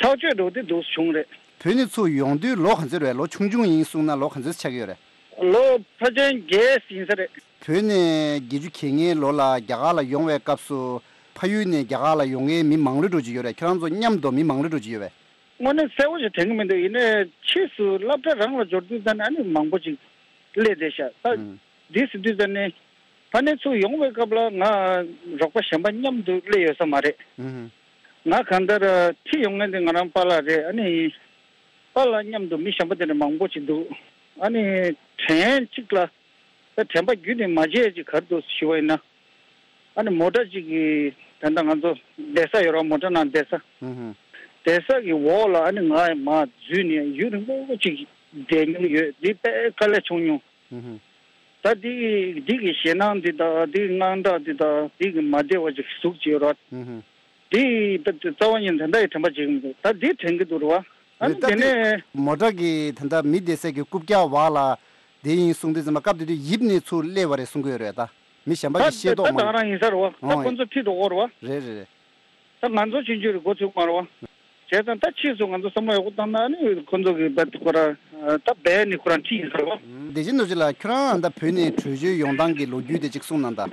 ཐག་གཅོད་འགྲོ་དེ་འདུག་སེ་བྱུང་རེད། བོད་ནས་ཚུར་ཡོང་དུས་ལོ་ག་ཚོད་རེད། ལོ་ཆུང་ཆུང་ཡིན་གསུངས་ན་ལོ་ག་ཚོད་ཆགས་ཀྱི་ཡོད་རེད། ལོ་ཕལ་ཆེར་བརྒྱད་ཡིན་ས་རེད། བོད་ནས་བརྒྱད་ཅུ་གྱ་ལྔའི་ལོ་ལ་རྒྱ་གར་ལ་ཡོང་བའི་སྐབས་སུ་ཕ་ཡུལ་ནས་རྒྱ་གར་ལ་ཡོང་མཁན་མི་མང་རུ་འགྲོ་གི་ཡོད་རེད། ཁྱོད་རང་ཚོ་མཉམ་དུ་མི་མང་རུ་འགྲོ་གི་ཡོད་པས། དངོས་གནས་གསལ་པོ་ཞིག་དྲན་གྱི་མི་འདུག་ཡིན་ནའི་ཕྱིས་སུ་སློབ་གྲྭ་རང་ལ་འབྱོར་དུས་ཙམ་ནས་ཨ་ནི་མང་པོ་ཅིག་སླེབས་བསྡད་ཤག་ད་ཨུམ། འདི་ཟེར་དུས་ཙམ་ནས་ཕ་ནས་ཚུར་ཡོང་བའི་སྐབས་ལ་ང་རོགས་པ་གཞན་པ་མཉམ་དུ་སླེབས་ཡོད་ས་མ་རེད། ཨུམ། ང་གང་ལྟར་ཁྲིད་ཡོང་མཁན་དེ་ང་རང་པཱ་ལགས་རེད། ཨ་ནི་པཱ་ལགས་མཉམ་དུ་མི་གཞན་པ་དེ་འདྲ་མང་པོ་ཅིག་འདུག་ཨ་ནི་དྲན་གཅིག་ལ། ད་དྲན་པ་རྒྱུན་ནས་མ་བརྗེད་ཅིག་ག་རེ་འདུག་ཞུ་བ་ཡིན་ན། ཨ་ནི་མོ་ཊ་གཅིག་གི་ད་ལྟ་ང་ཚོ་བསྡད་ས་ཡོད་ར། མོ་ཊ་ནང་བསྡད་ས། ཧུམ་ཧུམ། བསྡད་ས་གི་འོག་ལ་ཨ་ནི་ང་མར་འཛུལ་ནས་ཡུན་རིང་པོ་ཅིག་བསྡད་མྱོང་ཡོད། འདི་དཔེ་དཀའ་ལས་བྱུང་མྱོང་། ཧུམ་ཧུམ། ད་འདི་འདི་གི་ཞེད་སྣང་འདི་དང་འདི་གི་དངངས་སྐྲག་འདི་དང་འདི་གི་མ་བདེ་བ་ཅིག་ཟུག་ཅིག་ཡོད་ར། ཧུམ་ཧུམ། འདི་ད་རྩ་བ་ཉིད་དེ་འདྲ་ཡི་དྲན་པ་བརྗེད་ཀྱི་མི་འདུག་ད་འདི་དྲན་གྱི་འདུག་ར་བ། ཨ་རེད། ནི་ད་དེ་དེ་ནས། མོ་ཊ་གི་ད་ལྟ་མི་བསྡད་སའི་གི་རྐུབ་བཀྱག་འོག་ལ་དེ་ཡིན་གསུངས་དུས་ཙམ་པ་སྐབས་དེ་དུས་ཡིབ་ནས་ཚུར་སླེབས་པ་རེད་གསུང་གི་ཡོད་རེད། ད་མི་གཞན་པ་ད་གི་ཤེས་ད་རྟོགས་ད་མ་ད་ཡོད། རང་ཡིན་ས་རེད་བ། ད་ཨོ། ཁོ་ཚོ་ཁྲིད་འགྲོ་གི་རེད་བ། རེད་རེད་རེད། ད་ང་ཚོ་ཕྱིན་ཆོད་རེད། འགོ་ཚུགས་མ་རེད་བ། བྱས་ཙང་ད་ཕྱིས་སུ་ང་ཚོ་བསམ་བློ་ཡག་པོ་བཏང་ན་ནི་ཁོ་ཚོ་གི་བ་ཁོ་ར་ད་བས་ནི་ཁོ་རང་ཁྲིད་ཡིན་ས་རེད་བ། བདེ་ཆེན་རྡོ་རྗེ་ལགས། ཁྱོད་རང་ད་བོད་ནས་བྲོས་བྱོལ་ཡོང་སྟངས་ཀྱི་ལོ་རྒྱུས་དེ་གཅིག་གསུངས་གནང་ད།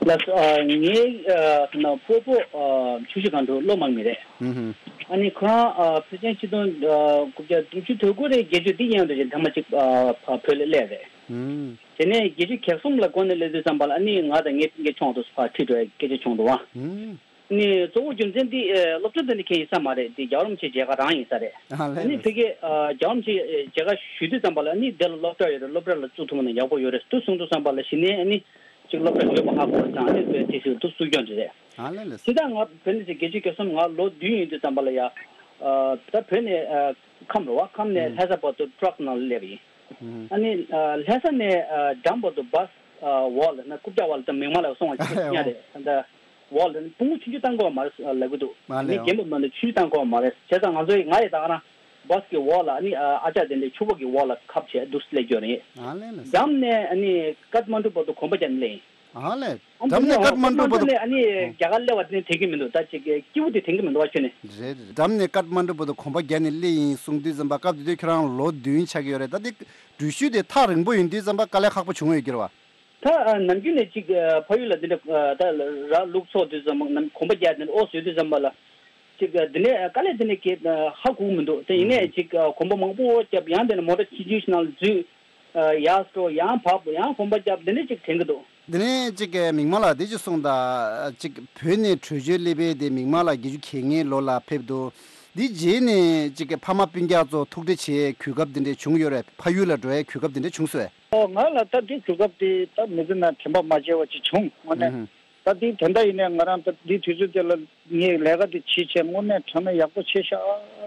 ལགས་སོ། ཨ་ངའི་ཨ་ན་སྤོ་བོ་ཨ་ཆུ་བཞི་སྒང་དྲུག་གློ་དམག་མི་རེད། ཧུམ་ཧུམ། ཨ་ནི་ཁོ་རང་ཨ་ཕལ་ཆེར་ཆིག་སྟོང་ཨ་དགུ་བརྒྱ་བདུན་ཅུ་དོན་དགུ་རེད། བརྒྱད་ཅུ་འདི་ཡན་དུ་ཅིག་ཐེངས་མ་གཅིག་ཨ་ཕ་བོད་ལ་སླེབས་རེད། ཧུམ། དེ་ནས་བརྒྱད་ཅུ་གྱ་གསུམ་ལ་འགོ་ནས་སླེབས་དུས་ཙམ་པ་ལ་ཨ་ནི་ང་དང་ངའི་སྤུན་ཀྱག་ཆུང་དུ་ཕར་ཁྲིད་འགྲོ་ཡ་སྐད་ཆ་བྱུང་འདུག་བ། ཧུམ། ཨ་ནི་གཙོ་བོ་རྒྱུ་མཚན་འདི་ཨ་སློབ་གྲྭ་འདི་ནས་ཁྱེད་ཡིན་ས་མ་རེད། འདི་རྒྱལ་བ་རིན་པོ་ཆེ་མཇལ་ཁ་རང་ཡིན་ས་རེད། ཨ་ལས་ཨ་ནི་ལས། ཕ་གིར་ཨ་རྒྱལ་བ་རིན་པོ་ཆེ་མཇལ་ཁ་ཞུ་དུས་ཙམ་པ་ལ་ཨ་ནི་འདི་ལ་སློབ་གྲྭ་ཡོད་རེད། སློབ་གྲྭ་ལ་བཙུགས་ཐུབ་ན་ཡག་པོ་ཡོད་རེད་འདུག་གསུངས་དུས་ཙམ་པ་ལ་གཞི་ནས་ཨ་ནི། ཅིག་སློབ་གྲྭ་ཡོད་པ་ཧ་གོ་བ་དང་ཨ་ནི་དེ་ཞིག་འདུག་སུ་སྐྱོན་རེད། ཨ་ལས་ལས། དེ་དང་ང་བོད་ནས་ཅིག་བརྒྱད་ཅུ་གྱ་གསུམ་ང་ལོ་བདུན་ཡིན་དུས་ཙམ་པ་ལ་ཡ། ཨ་ད་བོད་ནས་ཨ་ཁམས་རེད་བ། ཁམས་ནས་ཨུམ། ལྷ་ས་བར་དུ་ཊྲག་ནང་ལ་སླེབས་ཡིན། ཨུམ། ཨ་ནི་ཨ་ལྷ་ས་ནས་ཨ་འགྲམ་བར་དུ་བཱས་ཨ་འོག་ལ་ན་རྐུབ་བཀྱག་འོག་ལ་ད་མིག་དམར་ལ་སོང་བ་ཅིག་ཨ་ཡོ། ཉག་རེད། ད་འོག་ལ་ན་ཕུང་པོ་ཆུང་ཆུང་བཏང་དགོས་པ་མ་རེད་ལབ་གི་འདུག་མ་ལས་ཨ་ནི་ཡོ། རྒན་པ་མ་ནི་ཆུང་ཆུང་བཏང་དགོས་པ་མ་རེད། བྱས་ཙང་ང་ཚོ་ཡི་ང་ཡི་ད་ག་རང་བཱས་ཀྱི་འོག་ལ་ཨ་ནི་ཨ་ཅག་དེ་འདྲའི་ཕྱུ་པ་གི་འོག་ལ་ཁབ་བྱས་འདུག་སེ་སླེབས་ཡོད་རེད། ཨ་ལས་ལས། འགྲམ་ནས་ཨ་ནི་ཀཏ་མན་ཌུ་བར་དུ་གོམ་པ་རྒྱག་ནས་སླེབས་ཡིན། ཨ་ལས། ཨ་འགྲམ་ནས་ཀཏ་མན་ཌུ་བར་དུ། ནས་ཨ་ནི་ཨོ། རྒྱ་གར་སླེབས་པ་དེ་ནི་དྲན་གྱི་མི་འདུག་ད་ཅིག་སྐྱིད་པོ་དེ་དྲན་གྱི་མི་འདུག་བ་ཁྱོད་ནི། རེད་རེད། འགྲམ་ནས་ཀཏ་མན་ཌུ་བར་དུ་གོམ་པ་བརྒྱབ་ནས་སླེབས་ཡིན་གསུངས་དུས་ཙམ་པ་སྐབས་དེ་དུས་ཁྱོད་རང་ལོ་བདུན་ཆགས་ཀྱི་ཡོད་རེད། ད་དེ་འགྲུལ་བཞུད་དེ་ཐག་རིང་པོ་ཡིན་དུས་ཙམ་པ་དཀའ་ལས་ཁག་པོ་བྱུང་ཡོད་ཀྱི་རེད་བ། ད་ཨ་ནམ་རྒྱུན་ནས་ཅིག་ཨ་ཕ་ཡུལ་ལ་འདི་འདྲ་ཨ་ད་ར་ལུག་འཚོ་དུས་ཙམ་པ་ནམ་གོམ་པ་རྒྱག་དེ་འདྲ་ཨོ་བཟོས་དུས་ཙམ་པ་ལ་ཅིག་ཨ་འདི་ནས་ཨ་དཀའ་ལས་འདི་ནས་ཀྱེ་ཨ་ཧ་གོ་གི་མི་འདུག་དེ་ཡིན་ནའི་ཨུ་ཅིག་ཨ་གོམ་པ་མང་པོ་རྒྱབ། ཡང་དེ་ནས་མོ་ཊ་ཆུང་ཆུང་ཞིག་ནང་ལ་འཛུལ། ཨ་ཡར་འགྲོ་ཡང་བབས་ཡང་གོམ་པ་རྒྱབ། འདི་འདྲ་ཅིག་དྲན་གྱི་འདུག་འདི་ནས་ཅིག་གི་མིག་དམར་ལགས་འདི་ཅིག་གསུངས་དང་། ཅིག་བོད་ནས་བྲོས་བྱོལ་སླེབས་པའི་དེ་མིག་དམར་ལགས་བརྒྱད་ཅུ་གྱ་ལྔའི་ལོ་ལ་ཕེབས་འདུག་འདི་རྗེས་ནས་ཅིག་གི་ཕ་མ་སྤུན་ཀྱག་ཚོ་ཐུག་འཕྲད་བྱེད་གོ་སྐབས་འདི་འདྲ་བྱུང་ཡོད་རེད། ཕ་ཡུལ་ལ་འགྲོ་ཡའི་གོ་སྐབས་འདི་འདྲ་བྱུང་སོང་ངས། ཨོ་ང་ལ་ད་འདི་གོ་སྐབས་དེ་ད་མི་ཚེ་ནང་དྲན་པ་མ་བརྗེད་པ་ཅིག་བྱུང་དངོས་གནས། ཨུ་ཧུ། ད་འདི་དེ་འདྲ་ཡིན་ནའི་ང་རང་ད་འདི་དུས་ཚོད་དེ་ལ་ངས་ལས་ཀ་འདི་བྱེད་བྱས་དངོས་གནས་དྲང་གནས་ཡག་པོ་བྱས་ཤག་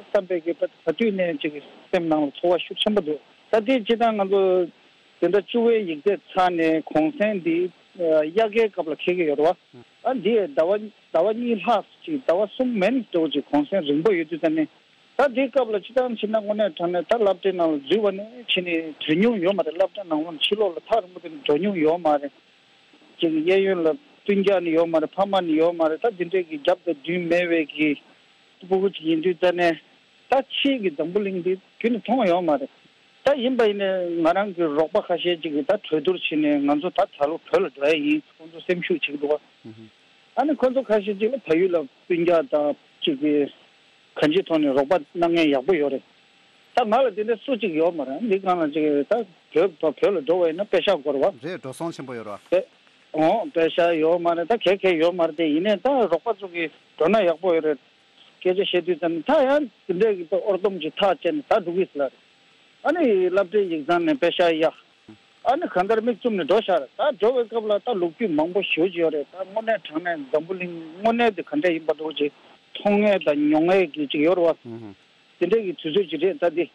བསམ་པའི་གི་ད་ག་དུས་ནས་ཅིག་སེམས་ནང་ལ་ཚོར་བ་ཤུགས་ཆེན་པོ་འདུག་ད་འདི་སྤྱིར་བཏང་ང་ཚོ་དེ་འདྲ་བཅུ་པའི་ཡིག་ཚད་ཚར་ནས་གུང་སེང་འདི་དབྱར་ཁའི་སྐབས་ལ་འཁེལ་གི་ཡོད་རེད་བ། ཨ་འདི་ཟླ་བ་ཟླ་བ་གཉིས་ལྷག་ཅིག་ཟླ་བ་གསུམ་མན་འགྲོ་ཅིག་གུང་སེང་རིང་པོ་ཡོད་དུས་ད་ནི། ད་འདིའི་སྐབས་ལ་སྤྱིར་བཏང་བྱས་ན་དངོས་གནས་དྲང་གནས་ད་སློབ་གྲྭའི་ནང་ལ་འཛུལ་བ་ནས་བྱས་ནས་བྲོས་མྱོང་ཡོད་མ་རེད། སློབ་གྲྭ་ནང་ལ་ཕྱི་ལོགས་ལ་ཐག་རིང་པོ་དེ་ནས་འགྲོ་མྱོང་ཡོད་མ་རེད། ཅིག་གཡས་གཡོན་ལ་སྤུན་ཀྱག་ནི་ཡོད་མ་རེད། ཕ་མ་ནི་ཡོད་མ་རེད། ད་འདི་འདྲའི་གི་རྒྱབ་དང་མདུན་མེད་པའི་གི་སྤུ་གུ་ཅིག་ཡིན་དུས་ད་ནས་ད་ཕྱིའི་གི་འཛམ་བུ་གླིང་འདི་རྒྱུན་ནས་མཐོང་ཡོད་མ་རེད། ད་ཡིན་པ་ཡིན་ནའི་ང་རང་གི་རོགས་པ་ཁ་ཤས་ཅིག་གིས་ད་གྲོས་བསྡུར་བྱས་ནས་ང་ཚོ་ད་ད་ལོ་བོད་ལ་འགྲོ་ཡ་ཡིན་ཁོང་ཚོ་སེམས་ཤུགས་བྱེད་ཀྱི་འདུག་བ། ཨ་ནི་ཁོང་ཚོ་ཁ་ཤས་ཅིག་ལ་ཕ་ཡུལ་ལ་སྤུན་ཀྱག་དང་ཅིག་གི་གང་ཅིའི་ཐོག་ནས་རོགས་པ་གནང་མཁན་ཡག་པོ་ཡོད་རེད། ད་ང་ལ་དེ་འདྲ་སུ་གཅིག་ཡོད་མ་རེད། འདི་སྒང་ལ་ཅིག་ད་བོད་བོད་ལ་འགྲོ་བ་ཡིན་ན་པེ་ཤག་དགོས་རེད་བ། རེད། འགྲོ་སོང་ཆེན་པོ་ཡོད་རེད་བ། པེ་ཨོ་པེ་ཤག་ཡོད་མ་རེད། ད་གལ་གལ་ཡོད་མ་རེད། དེ་ཡིན་ནའི་ད་རོགས་པ་ཚོ་གིས་འགྲོ་ན་ཡག་པོ་ཡོད་རེད། སྐད་ཆ་བཤད་དུས་ཙམ་ད་ཡང་དེ་འདྲའི་གི་ད་ཨོར་སྡོམ་གྱི་ཐག་བཅད་ནས་ད་འགྲོ་གི་ཟེར་ལ་རེད། ཨ་ནི་སློབ་གྲྭའི་ཡིག་ཚང་ནས་པེ་ཤག་གཡར། ཨ་ནི་གང་ལྟར་མིག་བཙུམ་ནས་འགྲོ་ཤག་རེད། ད་འགྲོ་བའི་སྐབས་ལ་ད་ལོ་རྒྱུས་མང་པོ་ཞེ་པོ་ཅིག་ཡོད་རེད། ད་དངོས་གནས་དྲང་གནས་འཛམ་བུ་གླིང་དངོས་གནས་དེ་ག་འདྲ་ཡིན་པ་འདྲ་བོ་ཅིག་མཐོང་ཡས་དང་མྱོང་ཡས་ཀྱི་ཅིག་ཡོད་རེད་བ། ཨུ་ཧུ། དེ་འདྲས་ཀྱི་དུས་ཚོད་ཅིག་རེད་ད་འདི།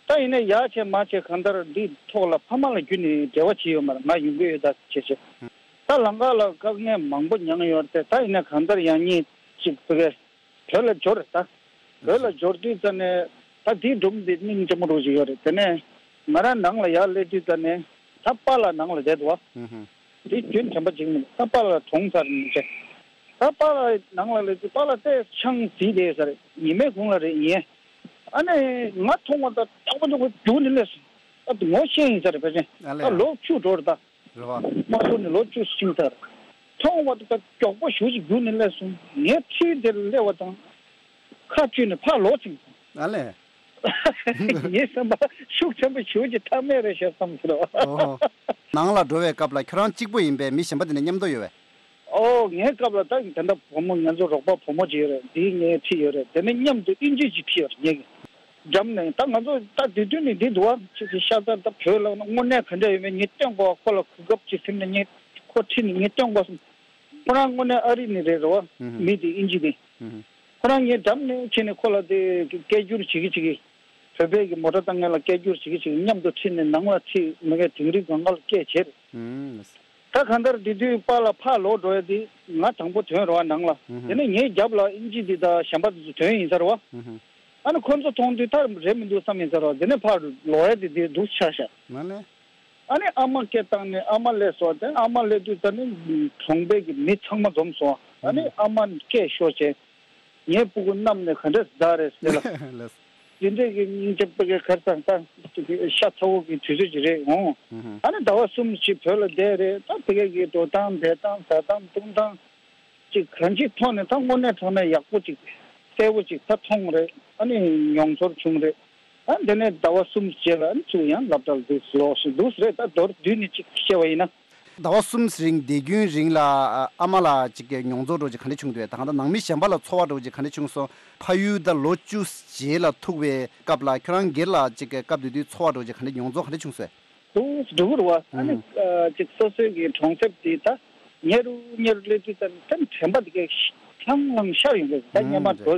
ད་ཡིན་ན་ཡག་བྱས་མ་བྱས་གང་ལྟར་འདི་ཐོག་ལ་ཕ་མ་ལ་རྒྱུད་ནས་འབྲེལ་བ་བྱས་ཡོད་མ་རེད། ང་ཡོང་གི་ཡོད་ད་བྱས་བྱས། ད་ལམ་ཁ་ལ་དཀའ་ངལ་མང་པོ་མྱངས་ཡོད་རེད། ད་ཡིན་ན་གང་ལྟར་ཡང་སྙིང་ཅིག་བོད་སྐད་བོད་ལ་འབྱོར་རེད་ད། བོད་ལ་འབྱོར་དུས་ཙ་ནས་ད་འདིའི་སྒྲུང་འདི་སྙིང་རྗེ་མོ་རུ་ཅིག་ཡོད་རེད། དེ་ནས་ང་རང་ནང་ལ་ཡར་སླེབས་དུས་ཙ་ནས་ད་པཱ་ལགས་ནང་ལ་བསྡད་འདུག་བ། ཧུམ་ཧུམ། འདི་རྒྱུན་དྲན་པ་ཅིག་མིན་ད་པཱ་ལགས་གྲོངས་ཚར་ནས་བྱས། ད་པཱ་ལགས་ནང་ལ་སླེབས་དུས་པཱ་ལགས་ཏོག་ཙམ་ཆང་བཟི་བསྡད་ཡོད་ས་རེད། ཉི་མའི་གུང་ལ་རེད་ཡིན། ཨ་ནི་ང་མཐོང་བ་དང་སྟག་པ་སྟག་པ་རྒྱུགས་ནས་སླེབས་སོང་། ད་ངོ་ཤེས་ཡིན་ས་རེད་ཕལ་ཆེར། ཨ་ལས། ད་ལོ་བཅུ་འགྲོ་རེད་ད། རེད་བ། དམར་པོ་ནས་ལོ་བཅུ་ཕྱིན་ས་རེད། མཐོང་བ་དང་མགྱོགས་པོ་ཞེ་པོ་ཅིག་རྒྱུགས་ནས་སླེབས་སོང་། ངའི་འཁྲིས་དེར་སླེབས་པ་དང་། ཁ་གཅུས་ནས་ཕར་ལོག་ཕྱིན་སོང་། ཨ་ལས། ངའི་བསམ་པ་ཤུགས་ཆེན་པོ་ཞེ་པོ་ཅིག་ཐེབས་ནི་རེད་ཤག་བསམ་སོང་། ཨོ། ནང་ལ་འགྲོ་བའི་སྐབས་ལ་ཁྱོད་རང་གཅིག་པོ་ཡིན་པས་མི་གཞན་པ་དེ་ནས་མཉམ་དུ་ཡོད་པས། ཨོ། ངའི་སྐབས་ལ་ད་ད་ལྟ་བུ་མོ་ང་ཚོ་རོགས་པ་བུ་མོ་ཅིག་ཡོད་རེད། འདིའི་ངའི་འཁྲིས་ཡོད་རེད། དེ་ནས་མཉམ་དུ་དབྱིན་ཇི་ཅིག་འཁྲིད་ཡོད་རེད་ངེད་ཀྱི། འགྲམ་ནས་ད་ང་ཚོ་ད་དུས་སྟོན་ནི་འདི་འདུག་བ། ཅིག་གི་ཤ་ཚ་ད་བོད་ལ་དངོས་གནས་ག་འདྲ་ཡོད་མེད་ངས་སྟོན་དགོས། ཁོ་ལ་གོ་སྐབས་ཅིག་ཟིན་ནས་ངས་ཁོ་ཁྲིད་ནས་ངས་སྟོན་དགོས་སོང་། ཁོ་རང་དངོས་གནས་ཨ་རི་ནས་རེད་རེད་བ། ཨུ་ཧུ། མི་དེ་དབྱིན་ཇི་དེ། ཨུ་ཧུ། ཁོ་རང་ངའི་འགྲམ་ནས་ཕྱིན་ནས་ཁོ་ལ་དེ་སྐད་སྒྱུར་བྱེད་ཀྱི་བྱེད་ཀྱི། བོད་པའི་གི་མོ་ཊ་བཏང་མཁན་ལ་སྐད་སྒྱུར་བྱེད་ཀྱི་བྱེད་ཀྱི་མཉམ་དུ་ཁྲིད་ནས་ནང་ལ་ཁྲིད་མི་ཀའི་དིང་རི་སྒང་ག་ལ་སྐད་བྱེད་རེད། ཨུམ། ད་གང་ལྟར་དེ་དུས་པཱ་ལགས་ཕར་ལོག་འགྲོ་ཡ་དེ་ང་དང་པོ་ཐོན་རེད་བ་ནང་ལ། ཨུ་ཧུ། དེ་ནས་ངའི་རྒྱབ་ལ་དབྱིན་ཇི་དེ་དང་གཞན་པ་དེ་ཚོ་ཐོན་ཡིན་ས་རེད་བ། ཨུ་ཧུ། ཨ་ནི་ཁོ་ཚོ་མཐོང་དུས་ད་རེད་མི་འདུག་བསམ་ཡིན་ས་རེད་བ། དེ་ནས་ཕར་ལོག་ཡ་དེ་དེ་འདུག་ཆགས་ཤག་ང་ལས། ཨ་ནི་ཨ་མ་སྐད་བཏང་ནས་ཨ་མ་སླེབས་སོང་། དེ་ཨ་མ་སླེབས་དུས་ད་ནི་གྲོང་པའི་གི་མི་ཚང་མ་འཛོམས་སོང་། ཨ་ནི་ཨ་མ་སྐད་ཤོར་བྱས། ངའི་སྤུ་གུ་གནམ་ནས་ག་འདྲས་བདའ་རེད་ཟེར་ལ། ལགས། དེ་འདྲས་ཀྱི་སྙིང་རྗེ་པོ་གི་གར་སང་ད་ཤ་ཚ་བོ་གི་དུས་ཚོད་ཅིག་རེད་འོང་། ཨ་ནི་ཟླ་བ་གསུམ་ཞིག་བོད་ལ་བསྡད་རེད། ད་དེ་ག་གི་འགྲོ་སྟངས་བསྡད་སྟངས་ཟ་སྟངས་འཐུང་སྟངས་ཅིག་གང་ཅིའི་ཐོག་ནས་ད་དངོས་གནས་དྲང་གནས་ཡག་པོ་ཅིག་གསལ་པོ་ཅིག་ད་མཐོང་རེད། ཨ་ནི་མྱོང་ཚོར་བྱུང་རེད། ཨ་འདི་ནས་ཟླ་བ་གསུམ་རྗེས་ལ་ཨ་ནི་ཚུར་ཡང་སློབ་གྲྭ་ལ་འདུག་ལོག་ཞིག་འདུག་རེད། ད་མདོར་བསྡུས་ནས་ཅིག་བཤད་པ་ཡིན་ན། ཟླ་བ་གསུམ་རིང་བསྡད་རྒྱུན་རིང་ལ་ཨ་མ་ལ་ཅིག་གི་མྱོང་ཚོར་འདྲ་ཅིག་ག་འདྲ་བྱུང་འདུག་ད་གང་ལྟར་ནང་མི་གཞན་པ་ལ་ཚོར་བ་འདྲ་ཅིག་ག་འདྲ་བྱུང་སོང་། ཕ་ཡུལ་ད་ལོ་བཅུ་རྗེས་ལ་ཐུག་པའི་སྐབས་ལ་ཁྱོད་རང་སྒེར་ལ་ཅིག་གི་སྐབས་དེ་དུས་ཚོར་བ་འདྲ་ཅིག་ག་འདྲ་མྱོང་ཚོར་ག་འདྲ་བྱུང་སོང་། འདུག་འགྲོ་གི་རེད་བ། ཨ་ནི་ཨ་ཅིག་སོ་སོའི་གི་གྲོང་གསེབ་དེ་ད་ཉེ་རུ་ཉེ་རུ་སླེབས་དུས་ཙམ་ནས་ད་དྲན་པ་དེ་གས་ལྷང་ལྷང་ཤར་ཡོང་གི་རེད། ད་སྔོན་མ་འགྲོ།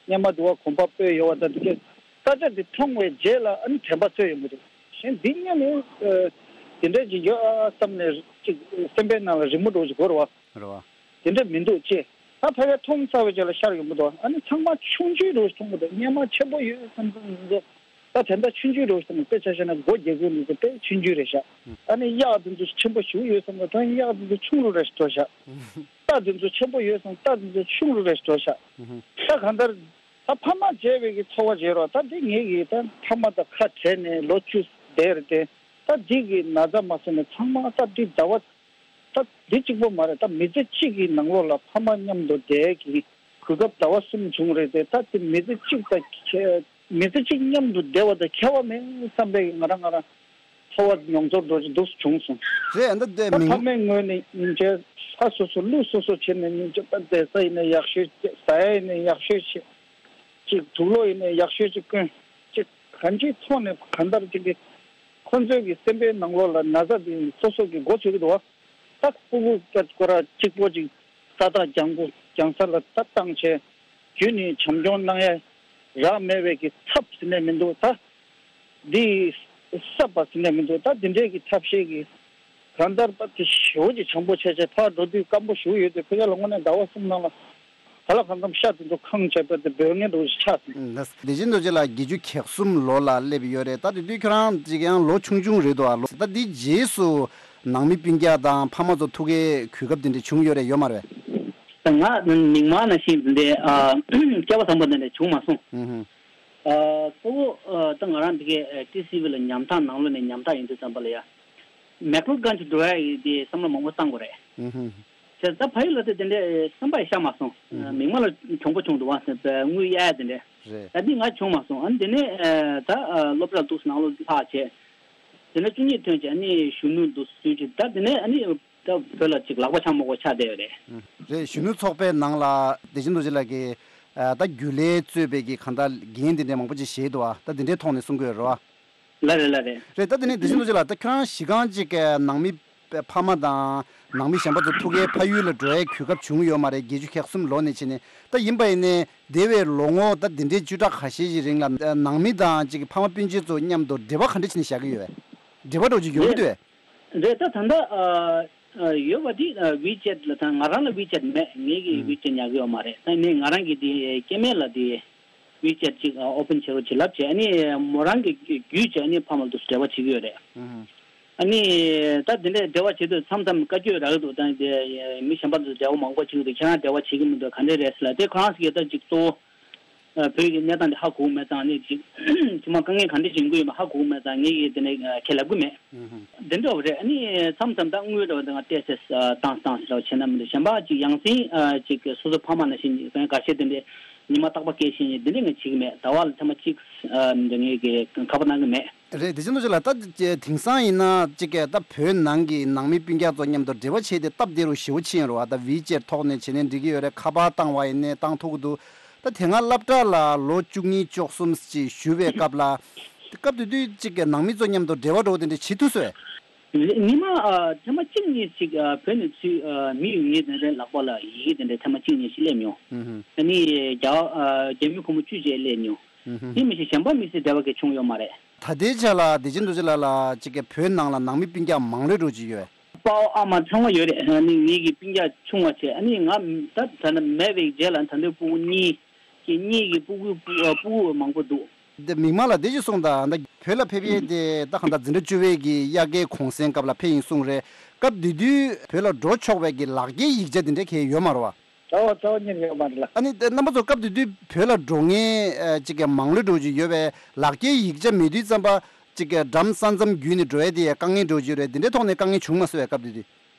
སྔོན་མ་དུ་བ་གོམ་པ་སྤོས་ཡོད་བ་དང་དེ་གས་ས་ཆ་དེ་མཐོང་བའི་རྗེས་ལ་ཨ་ནི་དྲན་པ་ཚོས་ཡོང་གི་རེད། གཞན་འདི་སྔོན་ནས་ཨ་དེ་འདྲ་ཅིག་ཡོད་ཨ་བསམ་ནས་ཅིག་སེམས་པའི་ནང་ལ་རི་མོ་འདྲ་ཅིག་འགོར་བ། རེད་བ། དེ་འདྲ་མི་འདུག་ཅེས་ད་ཕ་གིར་མཐོང་ཚར་བའི་རྗེས་ལ་ཤར་ཡོང་གི་འདུག་ཨ་ནི་ཚང་མ་ཆུང་ཆུང་འདྲ་ཅིག་མཐོང་གི་འདུག་སྔོན་མ་ཆེན་པོ་ཡོད་བསམ་བསམ་ཚོ། ད་དེ་འདྲ་ཆུང་ཆུང་རེད་བསམ་དཔེ་ཆ་བཞག་ན་སྒོ་རྒྱག་གི་མི་འདུག་དཔེ་ཆུང་ཆུང་རེད་ཤག་ཨ་ནི་གཡག་དེ་ཚོ་ཆེན་པོ་ཞིག་ཡོད་བསམ་ན་ད་གཡག་དེ་ཚོ་ཆུང་རུ་རེ་ཞིག་འགྲོ་ཤག་རྟ་དེ་ཚོ་ཆེན་པོ་ཡོད་བསམ་རྟ་དེ་ཚོ་ཆུང་རུ་རེ་ཞིག་འགྲོ་ཤག་ད་གང་ལྟར་ད་ཕ་མ་བརྗེད་པའི་གི་ཚོར་བ་བརྗེད་རོགས། ད་འདི་ངེད་ཀྱི་ད་ཕ་མ་དང་ཁ་བྲལ་ནས་ལོ་བཅུ་བསྡད་རེད་དེ། ད་འདི་གི་ན་ཚ་མ་སོང་ནས་ཚང་མ་ད་འདི་ཟླ་བ། ད་འདི་གཅིག་པོ་མ་རེད། ད་མི་ཚེ་གཅིག་གི་ནང་ལོགས་ལ་ཕ་མ་མཉམ་དུ་བསྡད་ཀྱི་གོ་སྐབས་ཟླ་བ་གསུམ་བྱུང་རེད་དེ། ད་དེ་མི་ཚེ་གཅིག་དང་ཁྱད། མི་ཚེ་གཅིག་མཉམ་དུ་བསྡད་པ་དང་ཁྱད་པར་མེད་བསམ་པའི་ང་རང་ང་རང་ཚོར་བ་མྱོང་ཚོར་འདྲ་ཅིག་འདུག་སེ་བྱུང་སོང་། རེད། ད་དེ་ད་མིང་ཕ་མའི་ངོས་ནས་སྙིང་རྗེ་ལྷ་སོ་སོ་ཀླུ་སོ་སོ་བྱས་ནས་སྙིང་རྗེ་ད་བསྡད་ས་ཡིན་ན་ཡག་ཤོས་བྱས། ཟ་ཡ་ཡིན་ན་ཡག་ཤོས་བྱས། ཅིག་དུག་ལོག་ཡིན་ན་ཡག་ཤོས་ཅིག་གོན། ཅིག་གང་ཅིའི་ཐོག་ནས་གང་ལྟར་ཅིག་གི་ཁོ་ཚོའི་གི་སེམས་པའི་ནང་ལོགས་ལ་ན་ཚ་དེ་སོ་སོ་གི་མགོ་ཚོས་ཀྱི་འདུག་བ། ད་སྤུ་གུ་སྐད་སྐོར་ར་གཅིག་པོ་ཅིག་ས་ཐག་རྒྱང་པོ་རྒྱང་ས་ལ་ད་བཏང་བྱས་རྒྱུན་ནས་བྱམས་སྐྱོང་གནང་ཡ་རག་མེད་པའི་གི་ཚབ་ཟེར་ནས་མི་འདུག་ད་འདི་གསབ་པ་ཟེར་ནས་མི་འདུག་ད་འདི་འདྲའི་གི་ཐབས་ཤེས་གི་གང་ལྟར་ད་དེ་ཞེ་པོ་ཅིག་བྱམས་པོ་བྱས་བྱས་ཕར་འགྲོ་དུས་སྐམ་པོ་ཞེ་པོ་ཡོད་དུས་ཕ་གི་ལ་དངོས་གནས་ཟླ་བ་གསུམ་ནང་ལ། ག་ལ་གང་འཚམ་ཤ་དེ་ཚོ་ཁེངས་བྱས་པ་དེ་འབོད་ངེས་འདྲ་ཞིག་ཆགས་སོང་། བདེ་ཆེན་རྡོ་རྗེ་ལགས་བརྒྱད་ཅུ་གྱ་གསུམ་ལོ་ལ་སླེབས་ཡོད་རེད། ད་དེ་དུས་ཁྱོད་རང་ཅིག་ཡང་ལོ་ཆུང་ཆུང་རེད་འདུག་ཨ། ལོ་ད་འདི་རྗེས་སུ་ནང་མི་སྤུན་ཀྱག་དང་ཕ་མ་ཚོ་ཐུག་གའི་གོ་སྐབས་དེ་འདྲ་བྱུང་ཡོད་རེད་ཡོད་མ་རེད། ང་མིག་དམར་ནང་བཞིན་དེ་འདྲའི་ཨ་སྐལ་བ་བཟང་པོ་དེ་འདྲ་བྱུང་མ་སོང་། ཨུ་ཧུ། ཨ་གཙོ་བོ་ཨ་ད་ང་རང་འདི་གའི་ཨ་ཊི་སི་ཝི་ལ་ཉམ་ཐག་ནང་ལོགས་ནས་ཉམ་ཐག་ཡིན་དུས་ཙམ་པ་ལ་ཡ། མེག་ལོར་གྷན་ཇི་འགྲོ་ཡ་ཡི་དེ་བསམ་བློ་མང་པོ་བཏང་དགོས་རེད། ཨུ་ཧུ། བྱས་ཙང་ཕ་ཡུལ་ལ་དེ་དེ་འདྲའི་བསམ་པ་ཡང་ཤར་མ་སོང་། ཨུ་ཧུ། མིག་དམར་ལ་གྱོང་པོ་བྱུང་འདུག་བ་ཟེར་བའི་དངུལ་གཡར་ཡ་དེ་འདྲ། རེད། ད་འདི་ང་བྱུང་མ་སོང་། ཨ་ནི་དེ་ནས་ཨ་ད་ཨ་སློབ་གྲྭ་འདུག་སེ་ནང་ལོགས་ལྷག་བྱས། དེ་ནས་བཅུ་གཉིས་ཐོན་བྱས་ཨ་ནི་གཞོན་ནུ་འདུག་སེ་བྱས་ད་དེ་ནས་ཨ་ནི་ད་བོད་ལ་ཅིག་ལག་པ་འཆང་མ་དགོས་ཆགས་བསྡད་ཡོད་རེད། ཨུ། རེད། གཞོན་ནུ་ཚོགས་པའི་ནང་ལ་བདེ་ཆེན་རྡོ་རྗེ་ལགས་ཀྱིས་ཨ་ད་རྒྱུན་ལས་གཙོས་པའི་གི་གང་ལྟར་འགན་དེ་འདྲ་མང་པོ་ཅིག་བཞེས་འདུག་ཨ། ད་དེ་འདྲའི་ཐོག་ནས་གསུང་གི་ཡོད་རེད་བ། ལགས་རེད་ལགས་རེད། རེད། ད་དེ་ནས་བདེ་ཆེན་རྡོ་རྗེ་ལགས་ད་ཁྱོད་རང་གཞི་རྐང་གཅིག་གི་ནང་མི་ཕ་མ་དང་ནང་མི་གཞན་པ་ཚོ་ཐུག་གའི་ཕ་ཡུལ་ལ་འགྲོ་ཡའི་གོ་སྐབས་བྱུང་ཡོད་མ་རེད། བརྒྱད་ཅུ་གྱ་གསུམ་ལོ་ནས་བྱས་ནས་ད་ཡིན་པ་ཡིན་ནའི་འདས་པའི་ལོ་ངོ་ད་དེ་འདྲའི་བཅུ་ཕྲག་ཁ་ཤས་ཤིག་རིང་ལ་ནང་མི་དང་གཅིག་གི་ཕ་མ་སྤུན་མཆེད་ཚོ་མཉམ་དུ་འབྲེལ་བ་ག་འདྲ་བྱས་ནས་བཞག་གི་ཡོད་པས། འབྲེལ་བ་འདྲ་བོ་ཅིག་ཡོང་གི་འདུག་པས། རེད། ད་ད་ལྟ་ཨ་ཨ་ཡོད་པ་དེ་ཨ་ཝི་ཅེཊ་ལ་ད་ང་རང་ལ་ཝི་ཅེཊ་མེད། ངེད་ཀྱིས་ཨུ། ཝི་ཅེཊ་ཉར་གི་ཡོད་མ་རེད། ད་ནི་ང་རང་གི་དེ་སྐྱེ་དམན་ལ་དེ་ཝི་ཅེཊ་ཅིག་ཨ་ཨོ་པན་བྱེད་རོགས་བྱེད་ལབ་བྱས། ཨ་ནི་མོ་རང་གི་བརྒྱུད་བྱས་ཨ་ནི་ཕ་མ་ལ་དུ་འབྲེལ་བ་བྱེད་ཀྱི་ཡོད་རེད། ཨུ། ཨ་ནི་ད་དེ་འདྲའི་འབྲེལ་བ་བྱེད་དུས་མཚམས་མཚམས་བཀའ་བཀྱོན་རག་གི་འདུག་ད་དེ་མི་གཞན་པ་ཚོས་འབྲེལ་བ་མང་པོ་བྱེད་ཀྱི་འདུག་ཁྱེད་རང་འབྲེལ་བ་བྱེད་ཀྱི་མི་འདུག་ག་འདྲ་རེད་ཟེར་ལ། དེ་ཁོ་རང་ཚོ་གིས་ད་ཅིག་གཙོ་བོ་ཨ་བོད་ཀྱི་གནས་སྟངས་དེ་ཧ་གོ་མེད་ཙང་ནི་ཅིག་ཁྱིམ་མ་དཀའ་ངལ་ག་འདྲ་བྱུང་གི་ཡོད་མེད་ཧ་གོ་མེད་ཙང་ངས་ཀྱིས་དེ་ནས་ཁས་ལེན་གྱི་མེད། ཨུ་ཧུ། དེ་འདྲ་བ་རེད། ཨ་ནི་མཚམས་མཚམས་ད་དངུལ་འདྲ་བ་དེ་ང་སྤྲད་ཚེ་བཏང་བཏང་ཟེར་བ་བྱས་ན་མི་འདུག་གཞན་པ་ཅིག་ཡང་སེ་ཅིག་སོ་སོ་ཕ་མ་ནང་བཞིན་ཁ་ཤས་དེ་འདྲའི་ཉི་མ་རྟག་པར་སྐྱེལ་བཞིན་དེ་འདྲ་ངས་བྱེད་ཀྱི་མེད། ཟླ་བ་ལ་ཐེངས་མ་གཅིག་འདྲ་ངས་ཀྱི་ཁ་པར་གནང་གི་མེད། རེད། དེ་བཞིན་དུ་ཅིག་ལ་ད་དེང་སང་ཡིན་ན་ཅིག་གི་ད་བོད་ནང་གི་ནང་མི་སྤུན་ཀྱག་ཚོ་མཉམ་དུ་འབྲེལ་བ་བྱས་ཏེ་སྟབས་བདེ་རུ་ཞེ་པོ་ཕྱིན་ཡོད་རེད་བ། ད་ཝི་ཅེཊ་ཐོག་ནས་བྱས་ནས་འགྲིག་གི་ཡོད་རེད། ཁ་པར་བཏང་བ་ཡིན་ནའི་བཏང་ཐུབ་ཀྱི་འདུག་ད་དེ་སྔ་སློབ་གྲྭ་ལ་ལོ་བཅུ་གཉིས་བཅུ་གསུམ་ཅིག་བཞུགས་པའི་སྐབས་ལ། སྐབས་དེ་དུས་ཅིག་གི་ནང་མི་ཚོ་མཉམ་དུ་འབྲེལ་བ་འགྲོ་བ་དེ་འདྲ་བྱེད་ཐུབ་སོང་། ཉི་མ་ཨ་ཐེངས་མ་གཅིག་གཉིས་ཅིག་ཨ་བོད་ནས་ཚུར་ཨ་མི་ཡོང་མཁན་དེ་འདྲའི་ལག་པ་ལ་ཡི་གེ་དེ་འདྲའི་ཐེངས་མ་གཅིག་གཉིས་ཤིག་སླེབས་མྱོང་། ཨུ་ཧུ། ཨ་ནི་རྒྱ་ཨ་རྒྱ་མི་ཕོ་མོ་བཅུ་ཅིག་སླེབས་མྱོང་། ཨུ་ཧུ། དེ་མི་ཤེས་གཞན་པ་མི་སེར་འབྲེལ་བ་གི་བྱུང་ཡོད་མ་རེད། ད་ལྟའི་ཆ་ལ་བདེ་ཆེན་རྡོ་རྗེ་ལགས་ལ་ཅིག་གི་བོད་ནང་ལ་ནང་མི་སྤུན་ཀྱག་མང་ལོས་འགྲོ་གི་ཡོད། པའོ་ཨ་མ་ཚང་མ་ཡོད་རེད། ཨ་ནི་ངེད་ཀྱི་སྤུན་ཀྱག་ཆུང་བ་བྱས། ཨ་ནི་ང་ད་ད་ནི་མེད་པའི་རྗེས་ལ་ད་ལྟའི་སྤུ་གུ་གཉིས་ཀྱི་གཉིས་ཀྱི་སྤུ་གུ་སྤུ་ཨ་སྤུ་གུ་མང་པོ་འདུག་དེ་མིག་དམར་ལགས་དེ་ཅིག་གསུངས་དང་། ད་བོད་ལ་ཕེབས་ཡས་དེ་ད་གང་ལྟར་འཛིན་གྲྭ་བཅུ་པའི་གི་དབྱར་ཁའི་གུང་སེང་སྐབས་ལ་ཕེབས་ཡིན་གསུངས་རེད། སྐབས་དེ་དུས་བོད་ལ་འགྲོ་ཆོག་པའི་གི་ལག་འཁྱེར་ཡིག་ཆ་དེ་འདྲ་གང་ཡང་ཡོད་མ་རེད་བ། རྩ་བ་རྩ་བ་ཉིད་ཡོད་མ་རེད་ལ། ཨ་ནི་རྣམ་པ་ཚོ་སྐབས་དེ་དུས་བོད་ལ་འགྲོ་མཁན་ཨ་ཅིག་གི་མང་ལོས་འགྲོ་གི་ཡོད་པས། ལག་འཁྱེར་ཡིག་ཆ་མེད་དུས་ཙམ་པ་ཅིག་གི་འགྲམ་ས་མཚམས་བརྒྱུད་ནས་འགྲོ་ཡས་དེ་ཡང་དཀའ་ངལ་འགྲོ་གི་ཡོད་རེད། དེ་འདྲའི་ཐོག་ནས་དཀའ་ངལ་བྱུང་མ་སོང་བས་སྐབས་དེ་དུས།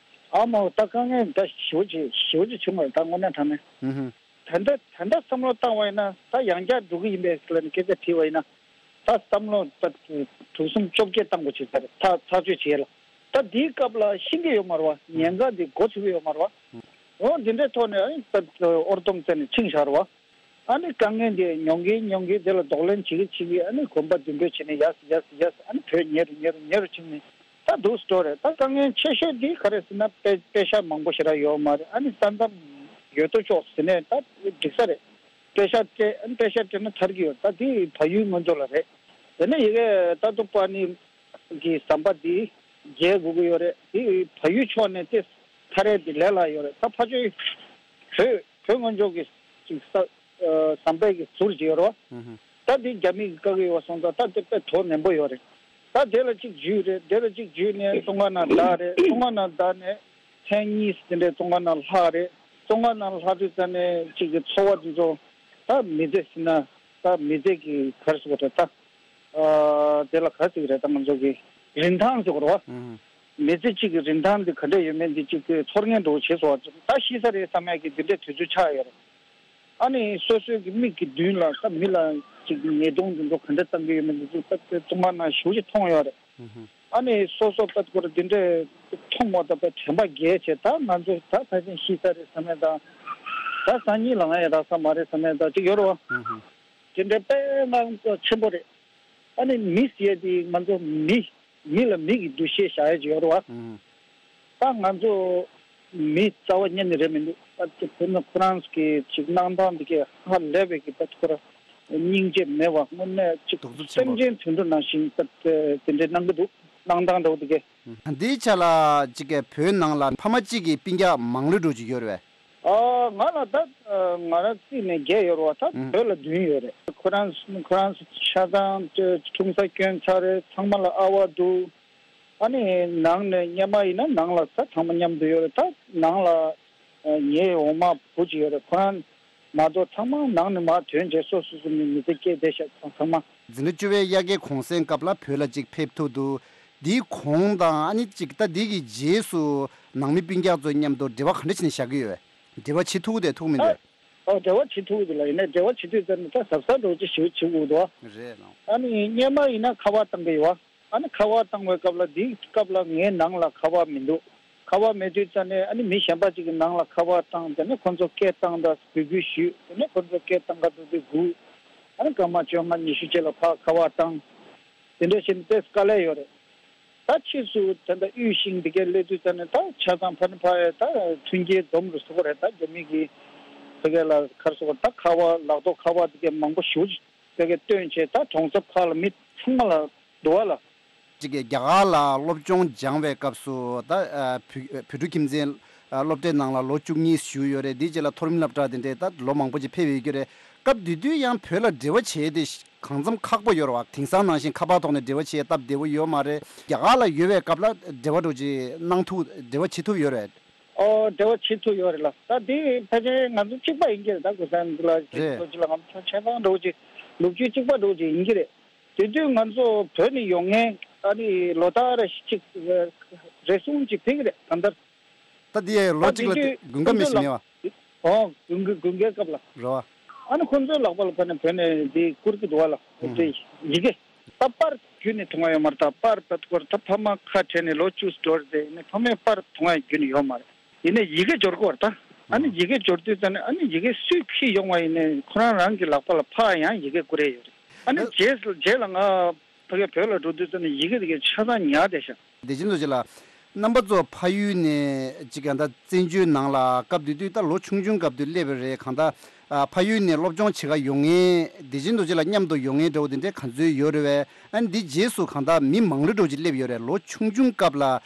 ཨ་མ་ད་དཀའ་ངལ་ད་ཞེ་པོ་ཅིག་ཞེ་པོ་ཅིག་བྱུང་བ་རེད། ད་དངོས་གནས་དྲང་གནས། ཨུ་ཧུ། ད་ལྟ་ད་ལྟ་བསམ་བློ་བཏང་བ་ཡིན་ན་ད་ཡང་བསྐྱར་འགྲོ་གི་ཡིན་པས་ཟེར་ལབ་ནས་སྐད་ཆ་དྲིས་པ་ཡིན་ན། ད་བསམ་བློ་ད་དྲུག་གསུམ་བཅོ་བརྒྱད་བཏང་དགོས་བྱེད་ས་རེད། ད་ཐག་གཅོད་བྱེད་ལ། ད་དེའི་སྐབས་ལ་ཤེས་ཀྱི་ཡོད་མ་རེད་བ། ཉེན་ཁ་འདི་འགོ་ཚུགས་ཀྱི་ཡོད་མ་རེད་བ། འོ་འདི་འདྲའི་ཐོག་ནས་ཨ་ནི་ད་ཨོར་ཏོམ་བཙལ་ནས་ཕྱིན་བཞག་རེད་བ། ཨ་ནི་དཀའ་ངལ་འདི་མྱོང་གིན་མྱོང་གིན་དེ་ལ་གདོང་ལེན་བྱེད་ཀྱི་བྱེད་ཀྱི་ཨ་ནི་གོམ་པ་མདུན་སྤོས་བྱས་ནས་ཡར་སོང་ཡར་སོང་ཡར་སོང་ཨ་ནི་བོད་ཉེ་རུ་ཉེ་རུ་ཉེ་རུ་ཕྱིན་ནས། ད་འདུག་སེ་འགྲོ་རེད། ད་དཀའ་ངལ་ཆེ་ཤོས་འདི་ག་རེ་ཟེར་ན་པེ་པེ་ཤག་མང་པོ་ཞེ་དྲག་ཡོད་མ་རེད། ཨ་ནི་ས་མཚམས་ཡོད་དོ་ཅོག་ཟེར་ནས་ད་འགྲིག་ས་རེད། པེ་ཤག་སྤྲད་ཨ་ནི་པེ་ཤག་སྤྲད་ན་ཐར་གི་ཡོད། ད་འདི་བལ་ཡུལ་ང་ཚོ་ལ་རེད། དེ་ནས་ཡི་གེ་ལྟ་རྟོག་པ་ནི་གི་ཟམ་པ་འདི་རྒྱལ་དགོས་ཀྱི་ཡོད་རེད། འདི་བལ་ཡུལ་ཕྱོགས་ནས་ཏེ་ཐར་ཡས་འདི་ལས་སླ་ཡོད་རེད། ད་ཕ་ཆོས་བོད་བོད་ང་ཚོ་གི་ཅིག་ས་ཨ་ཟམ་པའི་གི་ཟུར་ཅིག་ཡོད་རེད་བ། ཨུ་ཧུ། ད་འདི་རྒྱ་མི་གིས་བཀག་གི་ཡོད་སོང་ཙང་ད་དེ་དཔེ་དོ་ནན་པོ་ཡོད་རེད། ད་དེ་ལ་གཅིག་འཇུས་རེད། དེ་ལ་གཅིག་འཇུས་ནས་བཙོན་ཁང་ནང་བསྡད་རེད། བཙོན་ཁང་ནང་བསྡད་ནས་ཐེངས་གཉིས་དེ་འདྲའི་བཙོན་ཁང་ནང་ལྷག་རེད། བཙོན་ཁང་ནང་ལྷག་དུས་ཙ་ནས་གཅིག་གི་འཚོ་བ་དེ་ཚོ་ད་མི་ཚེ་ཟེར་ན་ད་མི་ཚེ་གི་ག་རེ་ཟེར་དགོས་རེད་ད། ཨ་དེ་ལ་ག་རེ་ཟེར་གི་རེད་ད་ང་ཚོ་གི་རིན་ཐང་ཟེར་དགོས་རེད་བ། ཨུ་ཧུ། མི་ཚེ་གཅིག་གི་རིན་ཐང་འདི་ག་འདྲ་ཡོད་མེད་འདི་གཅིག་གི་ཚོར་སྙེག་འདྲ་བོ་བྱས་སོང་བ། ད་ཤི་ས་རེད་བསམ་ཡག་གི་འདི་འདྲའི་དུས་ཚོད་ཆགས་ཡོད་རེད། ཨ་ནི་སོ་སོའི་གི་མིག་གི་མདུན་ལ་ད་མི་ལ་ཅིག་ཉེས་རྡུང་འདི་ཚོ་ག་འདྲ་བཏང་གི་ཡོད་མེད་འདི་ཚོ་ད་ད་བཙོན་ཁང་ནང་ཞེ་པོ་ཅིག་མཐོང་ཡོད་རེད། ཨུ་ཧུ། ཨ་ནི་སོ་སོ་ད་ཁོ་ར་འདི་འདྲའི་མཐོང་བ་ད་དཔེ་དྲན་པ་བརྒྱལ་བྱས། ད་ང་ཚོ་ད་ཕལ་ཆེར་ཤི་ས་རེད་བསམ་ཡག་དང་། ད་སང་ཉིན་ལ་ང་ཡང་རག་ས་མ་རེད་བསམ་ཡག་ད་ཅིག་ཡོད་རེད་བ། ཨུ་ཧུ། དེ་འདྲའི་དཔེ་ང་ཚོ་ཆེན་པོ་རེད། ཨ་ནི་མི་ཟེར་ཡག་དེ་ང་ཚོ་མི་མི་ལ་མི་གི་འདུ་ཤེས་བཞག་ཡག་ཅིག་ཡོད་རེད་བ། ཨུ། ད་ང་ཚོ་མི་རྩ་བ་ཉིད་ནས་རེད་མི་འདུག་ད་དེ་དཔེར་ན་ཁོ་རང་གི་ཅིག་གནང་སྟངས་དེ་གས་ཧ་ལས་པའི་གི་ད་ཁོ་ར་སྙིང་རྗེ་མེད་པ་དངོས་གནས་ཅིག་གདུག་རྩུབ་ཆེན་པོ། སེམས་ཅན་དུད་འགྲོ་ནང་བཞིན་ད་དེ་འདྲའི་གནང་གི་འདུག་གནང་སྟངས་འདྲ་བོ་དེ་གས། ཨ་འདིའི་ཆ་ལ་ཅིག་གི་བོད་ནང་ལ་ཕ་མ་གཅིག་གི་སྤུན་ཀྱག་མང་ལོས་འགྲོ་གི་ཡོད་རེད་པས། ཨ་ང་ལ་ད་ཨ་ང་རང་རྩིས་ནས་བརྒྱད་ཡོད་རེད་བ། ད་ཨུ། བོད་ལ་བདུན་ཡོད་རེད། ཁོ་རང་ཁོ་རང་ཆ་ཚང་ཁྲུང་ས་སྐྱོན་ཚར་རེད། ཚང་མ་ལ་ཨ་ཕ་འདུག་ཨ་ནི་ནང་ནས་སྔོན་མ་ཡིན་ན་ནང་ལ་ད་ཚང་མ་མཉམ་དུ་ཡོད་རེད། ད་ནང་ལ་ཨ་ངའི་འོག་མ་བུ་གཅིག་ཡོད་རེད། ཁོ་རང་མ་གཏོགས་ཚང་མ་ནང་ནས་མར་ཐོན་རྗེས་སོ་སོ་སོ་ནས་མི་ཚེ་སྐྱེལ་བསྡད་ཤག་ཚང་མ། འཛིན་གྲྭ་བཅུ་པའི་དབྱར་ཁའི་གུང་སེང་སྐབས་ལ་བོད་ལ་ཅིག་ཕེབས་ཐུབ་འདུག་འདིའི་གོང་དང་ཨ་ནི་ཅིག་ད་འདི་གི་རྗེས་སུ་ནང་མི་སྤུན་ཀྱག་ཚོའི་མཉམ་དུ་འབྲེལ་བ་ག་འདྲ་བྱས་ནས་བཞག་གི་ཡོད། འབྲེལ་བ་བྱེད་ཐུབ་ཀྱི་འདུག་ཐུབ་མི་འདུག་ཨ་འབྲེལ་བ་བྱེད་ཐུབ་ཀྱི་འདུག་ལ། ཡིན་ནའི་འབྲེལ་བ་བྱེད་དུས་ཙམ་ནས་ད་གཟབ་གཟབ་འདྲ་བོ་ཅིག་ཞིག་བྱེད་དགོས་འདུག་རེད་ལགས། ཨ་ནི་སྔོན་མ་ཡིན་ན་ཁ་པར་བཏང་གི་ཡོད་བ། ཨ་ནི་ཁ་པར་བཏང་བའི་སྐབས་ལ་འདིའི་སྐབས་ལ་ངའི་ནང་ལ་ཁ་པར་མི་འདུག་ཁ་པར་མེད་དུས་ཙམ་ནས་ཨ་ནི་མི་གཞན་པ་ཅིག་གི་ནང་ལ་ཁ་པར་བཏང་། དེ་ནས་ཁོ་ཚོ་སྐད་བཏང་དང་འབོད་སྐུལ་ཞུས། དེ་ནས་ཁོ་ཚོ་སྐད་བཏང་ག་འདུག་དུས་སྒུག་ཨ་ནི་སྐར་མ་བཅོ་ལྔ་ཉི་ཤུ་རྗེས་ལ་ཕར་ཁ་པར་བཏང་། དེ་འདྲ་བྱས་ནས་ཏོག་ཙམ་དཀའ་ལས་ཡོད་རེད། ད་ཕྱིས་སུ་ད་ལྟ་དབུལ་ཞིང་འདི་གའི་སླེབས་དུས་ཙམ་ནས་ད་ཆ་ཚང་ཕ་ནི་ཕ་ཡ་ད་མཐུན་རྐྱེན་འཛོམས་རུ་སོང་བ་རེད། ད་རྒྱ་མི་གི་ཕ་གི་ལ་ག་རེ་ཟེར་དགོས་རེད། ད་ཁ་པར་ལག་ཐོག་ཁ་པར་འདི་གའི་མང་པོ་ཞེ་པོ་ཅིག་ཕ་གིར་བཏོན་བྱས་ད་གྲོང་གསེབ་ཁག་ལ་མི་ཚང་མ་ལ་འདུག་བ་ལ། གཅིག་གིས་རྒྱ་གར་ལ་སློབ་སྦྱོང་སྦྱངས་པའི་སྐབས་སུ་ད་ཨ་བོད་བོད་ཕྲུག་ཁྱིམ་མཚེས་ཨ་སློབ་གྲྭའི་ནང་ལ་ལོ་བཅུ་གཉིས་བཞུགས་ཡོད་རེད། དེའི་རྗེས་ལ་མཐོ་རིམ་སློབ་གྲྭ་དེ་འདྲའི་ད་ལོ་མང་པོ་ཅིག་ཕེབས་ཡོད་ཀྱི་རེད། སྐབས་དེ་དུས་ཡང་བོད་ལ་འབྲེལ་བ་བྱས་ཏེ་ གང་འཚམ་ཁག་པོ་ཡོད་རེད་བ། དེང་སང་ནང་བཞིན་ཁ་པར་ཐོག་ནས་འབྲེལ་བ་བྱེད་སྟབས་བདེ་བོ་ཡོད་མ་རེད། རྒྱ་གར་ལ་ཡོད་པའི་སྐབས་ལ་འབྲེལ་བ་འགྲོ་ཅིག་གནང་ཐུབ། འབྲེལ་བ་བྱེད་ཐུབ་ཡོད་རེད། ཨོ་འབྲེལ་བ་བྱེད་ཐུབ་ཡོད་རེད་ལ། ད་དེ་ཕལ་ཆེར་ང་ཚོ་གཅིག་པ་ཡིན་གྱི་རེད། ད་གོ་ས་འདི་ལ་རེད། ལོ་གཅིག་ལ་ང་ཚོ་ཆ་ཚང་འགྲོ་ཅིག་ལོ་རྒྱུས་གཅིག་པ་འགྲོ་ཅིག་ཡིན་གྱི་རེད། དེ་དུས་ང་ཚོ་བོད་ནས་ཡོང་མཁན་ཨ་ནི་ལོ་ལྟར་གཅིག་རེ་ཟུང་ཅིག་ཕེབས་ཀྱི་རེད་ད་ལྟར། ད་དེ་ལོ་གཅིག་ལ་དེ་དགུན་ཁ་མི་ཞིག་མེད་བ། ཨོ་དགུན་ཁ་དགུན་ཁའི་སྐབས་ལ། རེད་བ། ཨ་ནི་ཁོང་ཚོའི་ལག་པ་ལ་ཕར་ནས་བོད་ནས་དེ་བསྐུར་གྱི་འདུག་བ་ལ། ཨུ། དེ་ཡི་གེ་ད་པར་བརྒྱུད་ནས་མཐོང་ཡ་ཡོད་མ་རེད། ད་པར་བརྒྱུད་ད་ཕ་མ་ཁ་བྲལ་ནས་ལོ་བཅུ་འགྲོ་རེད་དེ་ནས་ཕ་མས་པར་མཐོང་ཡ་བརྒྱུད་ནས་ཡོད་མ་རེད། ཡིན་ནའི་ཡི་གེ་འབྱོར་གྱི་ཡོད་རེད་ད། ཨ་ནི་ཡི་གེ་འབྱོར་དུས་ཙམ་ནས་ཨ་ནི་ཡི་གེ་སུས་ཕུལ་ཡོང་བ་ཡིན་ནའི་ཁོ་རང་རང་གི་ལག་པ་ལ་ཕར་ཡང་ཡི་གེ་བསྐུར་ཡ་ཡོད་རེད། ཨ་ནི་རྗེས་རྗེས་ལ་ང་ཕ་གིར་བོད་ལ་འགྲོ་དུས་ཙམ་ནས་ཡི་གེ་དེ་གའི་ཆ་ཚང་ཉར་བསྡད་ཤག་བདེ་ཆེན་རྡོ་རྗེ་ལགས། རྣམ་པ་ཚོ་ཕ་ཡུལ་ནས་ཅིག་གང་ལྟར་བཙན་བྱོལ་ནང་ལ་སྐབས་དེ་དུས་ད་ལོ་ཆུང་ཆུང་སྐབས་དུས་སླེབས་པ་རེད། གང་ལྟར་ཨ་ཕ་ཡུལ་ནས་སློབ་སྦྱོང་བྱེད་ག་ཡོང་མཁན་བདེ་ཆེན་རྡོ་རྗེ་ལགས་མཉམ་དུ་ཡོང་མཁན་འདྲ་བོ་དེ་འདྲས་ག་ཚོད་ཡོད་རེད་བས། ཨ་ནི་འདི་རྗེས་སུ་གང་ལྟར་མི་མང་རུ་འགྲོ་ཅིག་སླེབས་ཡོད་རེད། ལོ་ཆུང་ཆུང་སྐབས་ལ་ཨ་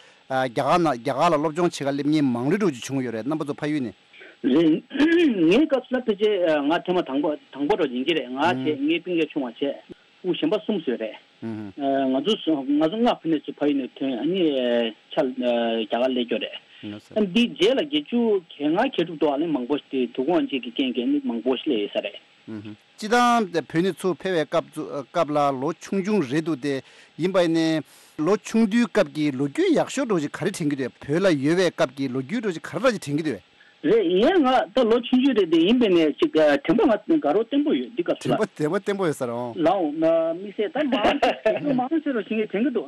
རྒྱ་གར་ནང་རྒྱ་གར་ལ་སློབ་སྦྱོང་བྱེད་ག་སླེབས་མཁན་མང་རུ་འགྲོ་ཅིག་བྱུང་ཡོད་རེད། རྣམ་པ་ཚོ་ཕ་ཡུལ་ནས། རེད། ངའི་སྐབས་སུ་ལ་ཕལ་ཆེར་ང་ཐེངས་མ་དང་པོ་དང་པོ་འགྲོ་ཡིན་གྱི་རེད། ང་བྱས་ངའི་སྤུན་ཀྱག་ཆུང་བ་བྱས། སྤུ་གུ་གཞན་པ་གསུམ་བཟོས་རེད། ཨ་ང་ཚོ་སུ་ང་ཚོ་ལྔ་ཕ་ནས་ཚུར་ཕ་ཡུལ་ནས་ཐོན། ཨ་ནི་ཆ་རྒྱ་གར་སླེབས་ཀྱི་རེད། ཨ་འདིའི་རྗེས་ལ་བརྒྱད་ཅུ་གྱ་ལྔ་གྱ་དྲུག་ཏུ་ཨ་ནི་མང་པོ་དེ་དུས་འཁོར་གཅིག་གི་རྐྱེན་གྱིས་ཨ་ནི་མང་པོ་སླེབས་ཡོད་ས་རེད། སྤྱི་བཏང་བོད་ནས་ཚུར་ཕེབས་པའི་སྐབས་སུ་སྐབས་ལ་ལོ་ཆུང་ཆུང་རེད་འདུག་སྟེ། ཡིན་པ་ཡིན་ནའི་ལོ་ཆུང་དུས་སྐབས་ཀྱི་ལོ་རྒྱུས་ཡག་ཤོས་འདྲ་བོ་ཞིག་ག་རེ་དྲན་གྱི་འདུག་བོད་ལ་ཡོད་པའི་སྐབས་ཀྱི་ལོ་རྒྱུས་འདྲ་བོ་ཞིག་ག་རེ་འདྲ་ཞིག་དྲན་གྱི་འདུག་རེད། ཡིན་ང་ད་ལོ་ཆུང་ཆུང་རེད་དེ་ཡིན་པས་ནས་ཅིག་དྲན་པ་ང་དགའ་རབ་བརྟན་པོ་ཡོད་འདི་སྐབས་སུ་དྲན་པ་ལ། དྲན་པ་བརྟན་པོ་ཡོད་ས་རེད་ཨང་། ལའོ་དམིགས་བསལ་ད་མང་ཆེ་མང་ཆེ་རུ་ཞིག་དྲན་གྱི་འདུག་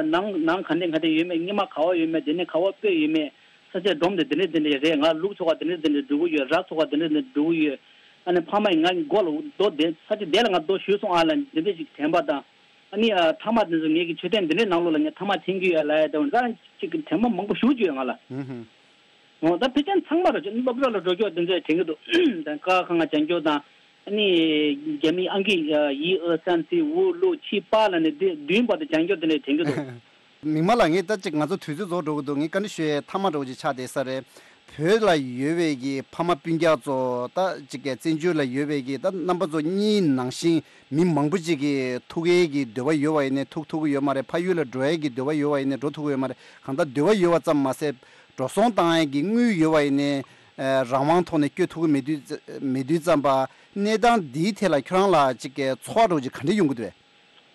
ནང་ནང་ག་འདྲས་ག་འདྲས་ཡོད་མེད། སྙེ་མ་ག་བ་ཡོད་མེད། དེ་ནས་ག་བ་སྤོས་ཡོད་མེད། ས་ཆ་སྒྲོམ་དེ་དེ་འདྲས་དེ་འདྲས་རེད། ང་ལུག་འཚོ་ག་དེ་འདྲས་དེ་འདྲས་འགྲོ་གི་ཡོད། ར་འཚོ་ག་དེ་འདྲས་དེ་འདྲས་འགྲོ་གི་ཡོད། ཨ་ནི་ཕ་མ་ཡིས་ང་མགོ་ལ་རྡོ་དེ་ས་ཆ་དེ་ལ་ང་རྡོ་གཞུས་སོང་ཨ་ལ་འདི་འདྲས་ཞིག་དྲན་པ་དང་། ཨ་ནི་ཨ་ཐ་མག་དེ་ཚོ་ངེད་ཀྱི་མཆོད་རྟེན་འདི་འདྲའི་ནང་ལོགས་ལ་ངས་ཐ་མག་འཐེན་གྱི་ཡོད་ལབ་ཡ་དེ་འདྲ་ཅིག་གི་དྲན་པ་མང་པོ་ཞེ་པོ་ཅིག་ཡོད་ང་ལ། ཨུ་ཧུ། འོ་ད་ཕལ་ཆེར་ཚང་མ་ར་ཅིག་སློབ་གྲྭ་ལ་འགྲོ་སྐྱོར་དེ་ཚོ་ཡང་དྲན་གྱི་འདུག་ད་ཀ་ཁ་ང་སྦྱང་སྐྱོར་དང་། ཨ་ནི་རྒྱ་མིའི་ཨང་ཀི་ཡི་ཨ་སན་སི་འུ་ལུ་ཆི་པ་ལ་ནི་དེ་བདུན་བར་དུ་སྦྱང་སྐྱོར་དེ་འདྲ་དྲན་གྱི་འདུག་མིག་དམར་ལགས། ངས་ད་ཅིག་ང་ཚོ་དུས་ཚོད་རྫོགས་འགྲོ་གི་འདུག་ངས་བཀའ་འདྲི་ཞུ་ཡའི་མཐའ་མ་འདྲ་བོ་ཅིག་ཆགས་བསྡད་ས་རེད། བོད་ལ་ཡོད་པའི་གི་ཕ་མ་སྤུན་ཀྱག་ཚོ་ད་ཅིག་གི་བཙན་བྱོལ་ལ་ཡོད་པའི་གི་ད་རྣམ་པ་ཚོ་གཉིས་ནང་བཞིན་མི་མང་པོ་ཅིག་གི་ཐུག་ཡས་ཀྱི་འདོད་པ་ཡོད་པ་ཡིན་ནའི་ཐུག་ཐུབ་ཀྱི་ཡོད་མ་རེད། ཕ་ཡུལ་ལ་འགྲོ་ཡས་ཀྱི་འདོད་པ་ཡོད་པ་ཡིན་ནའི་འགྲོ་ཐུབ་ཀྱི་ཡོད་མ་རེད། གང་ལྟར་འདོད་པ་ཡོད་པ་ཙམ་མ་ཟད་འགྲོ་སོང་བཏང་ཡས་ཀྱི་དངུལ་ཡོད་པ་ཡིན་ནའི་རང་དབང་ཐོག་ནས་སྐྱོད་ཐུབ་ཀྱི་མེད་དུས་མེད་དུས་ཙམ་པ། གནས་སྟངས་འདིའི་ཐད་ལ་ཁྱོད་རང་ལ་ཅིག་གི་ཚོར་བ་འདྲ་བོ་ཅིག་ག་འདྲ་ཡོང་གི་འདུག་གས།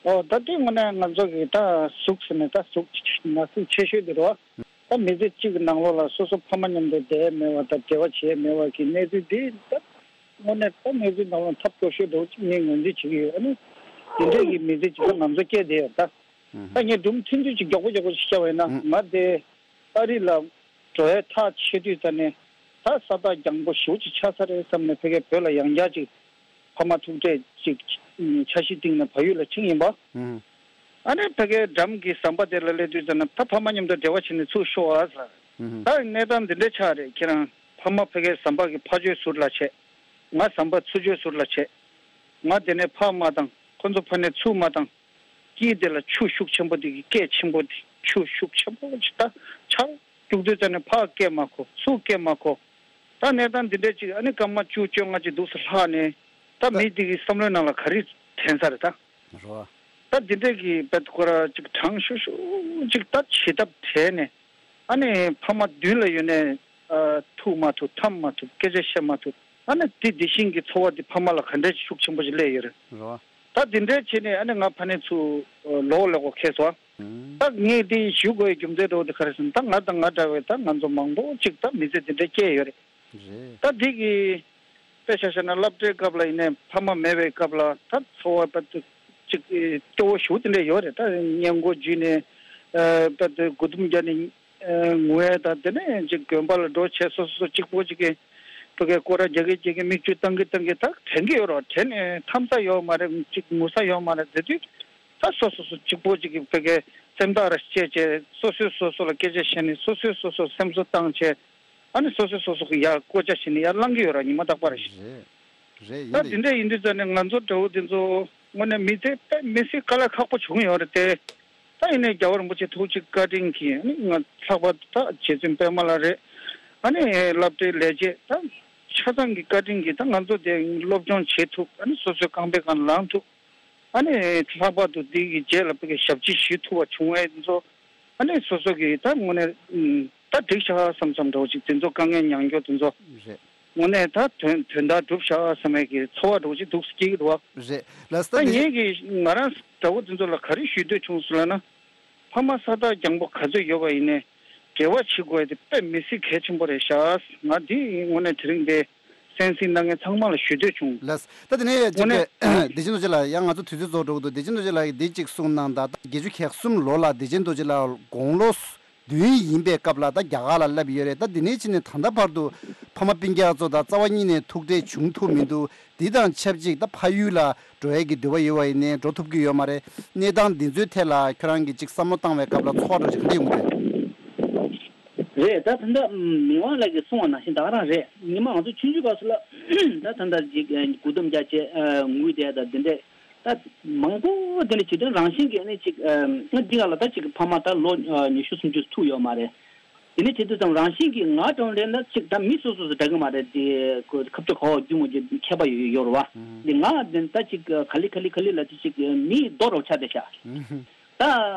ཨོ་ད་དེ་དངོས་གནས་ང་ཚོ་གི་ད་གཟུགས་ཟེར་ནས་ད་གཟུགས་ན་ཟུག་ཆེ་ཤོས་དེ་རེད་བ། ད་མི་ཚེ་གཅིག་གི་ནང་ལོགས་ལ་སོ་སོ་ཕ་མ་མཉམ་དུ་བསྡད་མེད་པ་དང་འབྲེལ་བ་བྱས་མེད་པ་གི་གནས་ཚུལ་འདི་ད་དངོས་གནས་ད་གནས་ཚུལ་ནང་ལ་ཐབས་སྐྱོ་ཤོས་འདྲ་བོ་ཅིག་ངས་ངོས་འཛིན་བྱེད་ཀྱི་ཡོད། ཨ་ནི་དེ་འདྲས་ཀྱི་མི་ཚེ་གཅིག་ད་ང་ཚོ་སྐྱེལ་བསྡད་ཡོད་ད། ད་ངས་སྒྲུང་ཐུང་ཐུང་ཅིག་མགྱོགས་པོ་མགྱོགས་པོ་ཅིག་བཤད་པ་ཡིན་ན་ང་དེ་ཨ་རི་ལ་འགྲོ་ཡའི་ཐག་ཆོད་དུས་ཙ་ནས་ད་ས་ཐག་རྒྱང་པོ་ཞེ་པོ་ཅིག་ཆགས་ས་རེད་བསམ་ནས་ཕ་གིར་བོད་ལ་ཡང་བསྐྱར་ཅིག་ཕ་མ་ཐུག་འཕྲད་ཅིག་འཆར་གཞི་བཏིང་ནས་བལ་ཡུལ་ལ་ཕྱིན་ཡིན་པ། ཨ་ནི་ཕ་གིའི་འགྲམ་གྱི་ཟམ་པ་དེ་ལ་སླེབས་དུས་ཙམ་ན་ད་ཕ་མ་མཉམ་དུ་འབྲེལ་བ་བྱས་ནས་ཚུར་ཤོག་ཨ་ཟེར། ད་གནས་སྟངས་འདི་འདྲ་ཆགས་རེད། ཁྱེད་རང་ཕ་མ་ཕ་གིའི་ཟམ་པ་གི་ཕར་ཕྱོགས་ཟུར་ལ་བྱས། ང་ཟམ་པ་ཚུར་ཕྱོགས་ཟུར་ལ་བྱས། ང་དེ་ནས་ཕར་མ་བཏང་། ཁོ་ཚོ་ཕར་ནས་ཚུར་མ་བཏང་། དཀྱིལ་དེ་ལ་ཆུ་ཤུགས་ཆེན་པོ་དེ་གི་སྐད་ཆེན་པོ་དེ་ཆུ་ཤུགས་ཆེན་པོ་ཅིག་ད་ཆར་རྒྱུག་དུས་ཙམ་ནས་ཕར་སྐད་མ་གོ་ཚུར་སྐད་མ་གོ། ད་གནས་སྟངས་འདི་འདྲ་ཅིག་ཨ་ནི་སྐར་མ་བཅུ་བཅོ་ལྔ་ཅིག་འདུག་སེ་ལྷག་ནས་ད་མི་དེ་གི་བསམ་བློའི་ནང་ལ་ག་རེ་དྲན་ས་རེད་ད། རོ། ད་འདི་འདྲ་གི་བེད་ཁོ་ར་ཅིག་གྲང་ཤུར་ཤུར་ཅིག་ད་བྱེད་ཐབས་བྲལ་ནས་ཨ་ནི་ཕ་མ་མདུན་ལ་ཡོད་ནས་ཨ་ཐུག་མ་ཐུབ་འཐམ་མ་ཐུབ་སྐད་ཆ་བཤད་མ་ཐུབ་ཨ་ནི་དེ་དེ་བཞིན་གྱི་ཚོར་བ་དེ་ཕ་མ་ལ་ག་འདྲ་ཅིག་ཤུགས་ཆེན་པོ་ཅིག་སླེབས་ཡོད་རེད། རོ། ད་འདི་འདྲ་བྱས་ནས་ཨ་ནི་ང་ཕ་ནས་ཚུར་ལོག་ལས་གོ་ཁེལ་སོང་། ད་ངས་འདི་ཞུ་དགོས་རྒྱུ་མཚན་འདྲ་བོ་དེ་ག་རེ་ཟེར་ན་ད་ང་དང་ང་འདྲ་བའི་ད་ང་ཚོ་མང་པོ་ཅིག་ད་མི་ཚེ་འདི་འདྲ་སྐྱེལ་ཡོད་རེད། རེད། ད་འདི་གི་དཔེ་ཆ་བཞག་ན་སློབ་གྲྭའི་སྐབས་ལ་ཡིན་ནའི་ཕ་མ་མེད་པའི་སྐབས་ལ་ད་ཚོར་བ་དཔེ་ཅིག་སྐྱོ་བོ་ཞེ་པོ་དེ་འདྲ་ཡོད་རེད། ད་སྔས་མགོ་འཇུས་ནས་དཔེ་དེ་མགོ་ཟླུམ་རྒྱག་ནས་ངུ་ཡས་ད་དེ་ནས་ཅིག་དགོན་པ་ལ་འགྲོ་བྱས་སོ་སོ་སོ་གཅིག་པོ་ཅིག་གི་ཕ་གིའི་སྐོར་ར་རྒྱག་གི་རྒྱག་གི་མིག་ཆུ་བཏང་གི་བཏང་གི་ད་དྲན་གི་ཡོད་རེད། དྲན་ནས་འཐམ་ས་ཡོད་མ་རེད། ཅིག་ངུ་ས་ཡོད་མ་རེད་ཟེར་དུས། ད་སོ་སོ་སོ་གཅིག་པོ་གཅིག་གི་ཕ་གིའི་སེམས་ཐག་ར་བཅད་བྱས་སོ་སོས་སོ་སོ་ལ་སྐད་ཆ་བཤད་ནས་སོ་སོས་སོ་སོར་སེམས་གསོ་བཏང་བྱས་ཨ་ནི་སོ་སོས་སོ་སོ་གི་ཡར་བསྐོ་བྱ་བྱས་ནས་ཡར་ལངས་ཀྱི་ཡོད་ར་ཉི་མ་རྟག་པར་རེད། རེད་ཡིན་ད་དེ་འདྲ་ཡིན་དུས་ཙང་ནས་ང་ཚོ་འདྲ་བོ་དེ་ཚོ་དངོས་གནས་མི་ཚེ་དཔེ་མི་སྲིད་དཀའ་ལས་ཁག་པོ་བྱུང་ཡོད་རེད་དེ། ད་ཡིན་ནའི་རྒྱལ་བ་རིན་པོ་ཆེ་ཐུགས་རྗེ་བཀའ་དྲིན་གྱིས་ཨ་ནི་ང་ལྷག་པར་དུ་ད་རྗེ་བཙུན་པད་མ་ལགས་རེད། ཨ་ནི་སློབ་གྲྭའི་ལས་བྱེད་ད་ཆ་ཚང་གི་བཀའ་དྲིན་གྱིས་ད་ང་ཚོ་དེ་སློབ་སྦྱོང་བྱེད་ཐུབ། ཨ་ནི་སོ་སོའི་རྐང་པའི་སྒང་ལངས་ཐུབ། ཨ་ནི་ལྷག་པར་དུ་འདི་གི་རྗེས་ལ་བོད་ཀྱི་ཞབས་ཕྱི་ཞུ་ཐུབ་པ་བྱུང་བའི་དེ་ཚོ་ཨ་ནི་སོ་སོ་གི་ད་དངོས་གནས་ཨམ་ད་འགྲིག་ཤག་བསམ་བསམ་འདྲ་བོ་ཅིག་དེ་ཚོ་དཀའ་ངལ་མྱངས་རྒྱུ་དེ་ཚོ་རེད། དངོས་གནས་ད་དོན་དོན་དག་འགྲུབ་ཤག་བསམ་པའི་གི་ཚོར་བ་འདྲ་བོ་ཅིག་འདུག་སྐྱེ་གི་འདུག་བ། རེད་ལགས་སོ། ད་ད་དེ་ངས་གི་ང་རང་འདྲ་བོ་དེ་ཚོ་ལ་ག་རེ་ཞུ་འདོད་བྱུང་སོང་ལབ་ན། ཕ་མ་ས་ཐག་རྒྱང་པོ་ག་ཚོད་ཡོད་པ་ཡིན་ནའི་འབྲེལ་བ་བྱེད་དགོས་དེ་དཔེ་མི་སྲིད་གལ་ཆེན་པོ་རེད་ཤག་ང་འདི་དངོས་གནས་དེ་རིང་འདི་གསན་གཟིགས་གནང་མཁན་ཚང་མ་ལ་ཞུ་འདོད་བྱུང་། ལགས། ད་དེ་ནས་དངོས་གནས་བདེ་ཆེན་རྡོ་རྗེ་ལགས། ཡང་ང་ཚོ་དུས་ཚོད་རྫོགས་འགྲོ་གི་འདུག་བདེ་ཆེན་རྡོ་རྗེ་ལགས་ཀྱིས་འདི་གཅིག་གསུངས་གནང་དང་། ད་བརྒྱད་ཅུ་གྱ་གསུམ་ལོ་ལ་བདེ་ཆེན་རྡོ་རྗེ་ལགས་དགུང་ལོ་བདུན་ཡིན་པའི་སྐབས་ལ་ད་རྒྱ་གར་ལ་སླེབས་ཡོད་རེད། ད་དེ་ནས་ཕྱིན་ནས་ད་ལྟ་བར་དུ་ཕ་མ་སྤུན་ཀྱག་ཚོ་དང་རྩ་བ་ཉིད་ནས་ཐུག་འཕྲད་བྱུང་ཐུབ་མི་འདུག་འདི་དང་ཆབས་ཅིག་ད་ཕ་ཡུལ་ལ་འགྲོ་ཡས་ཀྱི་འདོད་པ་ཡོད་པ་ཡིན་ནའི་འགྲོ་ཐུབ་ཀྱི་ཡོད་མ་རེད། གནས་སྟངས་འདི་ཚོའི་ཐད་ལ་ཁྱོད་རང་གིས་ཅིག་བསམ་བློ་བཏང་བའི་སྐབས་ལ་ཚོར་བ་འདྲ་ཅིག་ག་འདྲ་ཡོང་གི་རེད། རེད། ད་ད་ལྟ་མི་དབང་ལགས་ཀྱིས་གསུངས་པ་ནང་བཞིན་ད་ག་རང་རེད། ཉི་མ་ང་ཚོ་ཆུང་ཆུང་སྐབས་སུ་ལ་ད་ད་ལྟ་ཅིག་དགུ་ཐུམ་རྒྱག་བྱས་ངུས་བསྡད་ད་འདི་འདྲས་ད་མང་པོ་འདི་འདྲ་བྱེད་དོན་རང་བཞིན་གྱིས་ནི་ཅིག་ང་འདི་ག་ལ་ད་ཅིག་ཕ་མ་ད་ལོ་ཉི་ཤུ་སུམ་ཅུ་ཐུག་ཡོད་མ་རེད། དེ་ནས་བྱེད་དུས་ཙམ་རང་བཞིན་གྱིས་ང་གྲོང་རེད་ན་ཅིག་ད་མི་སོ་སོ་སོ་འདྲ་གི་མ་རེད། དེ་ཁ་ཕྱོགས་ག་བ་རྒྱུ་མོ་ཅིག་ཁྱད་པར་ཡོད་ཡོད་རེད་བ། དེ་ང་ད་ཅིག་ག་ལེ་ག་ལེ་ག་ལེ་ལ་དེ་ཅིག་མི་རྡོ་རོ་ཆགས་བསྡད་ཤག་ད་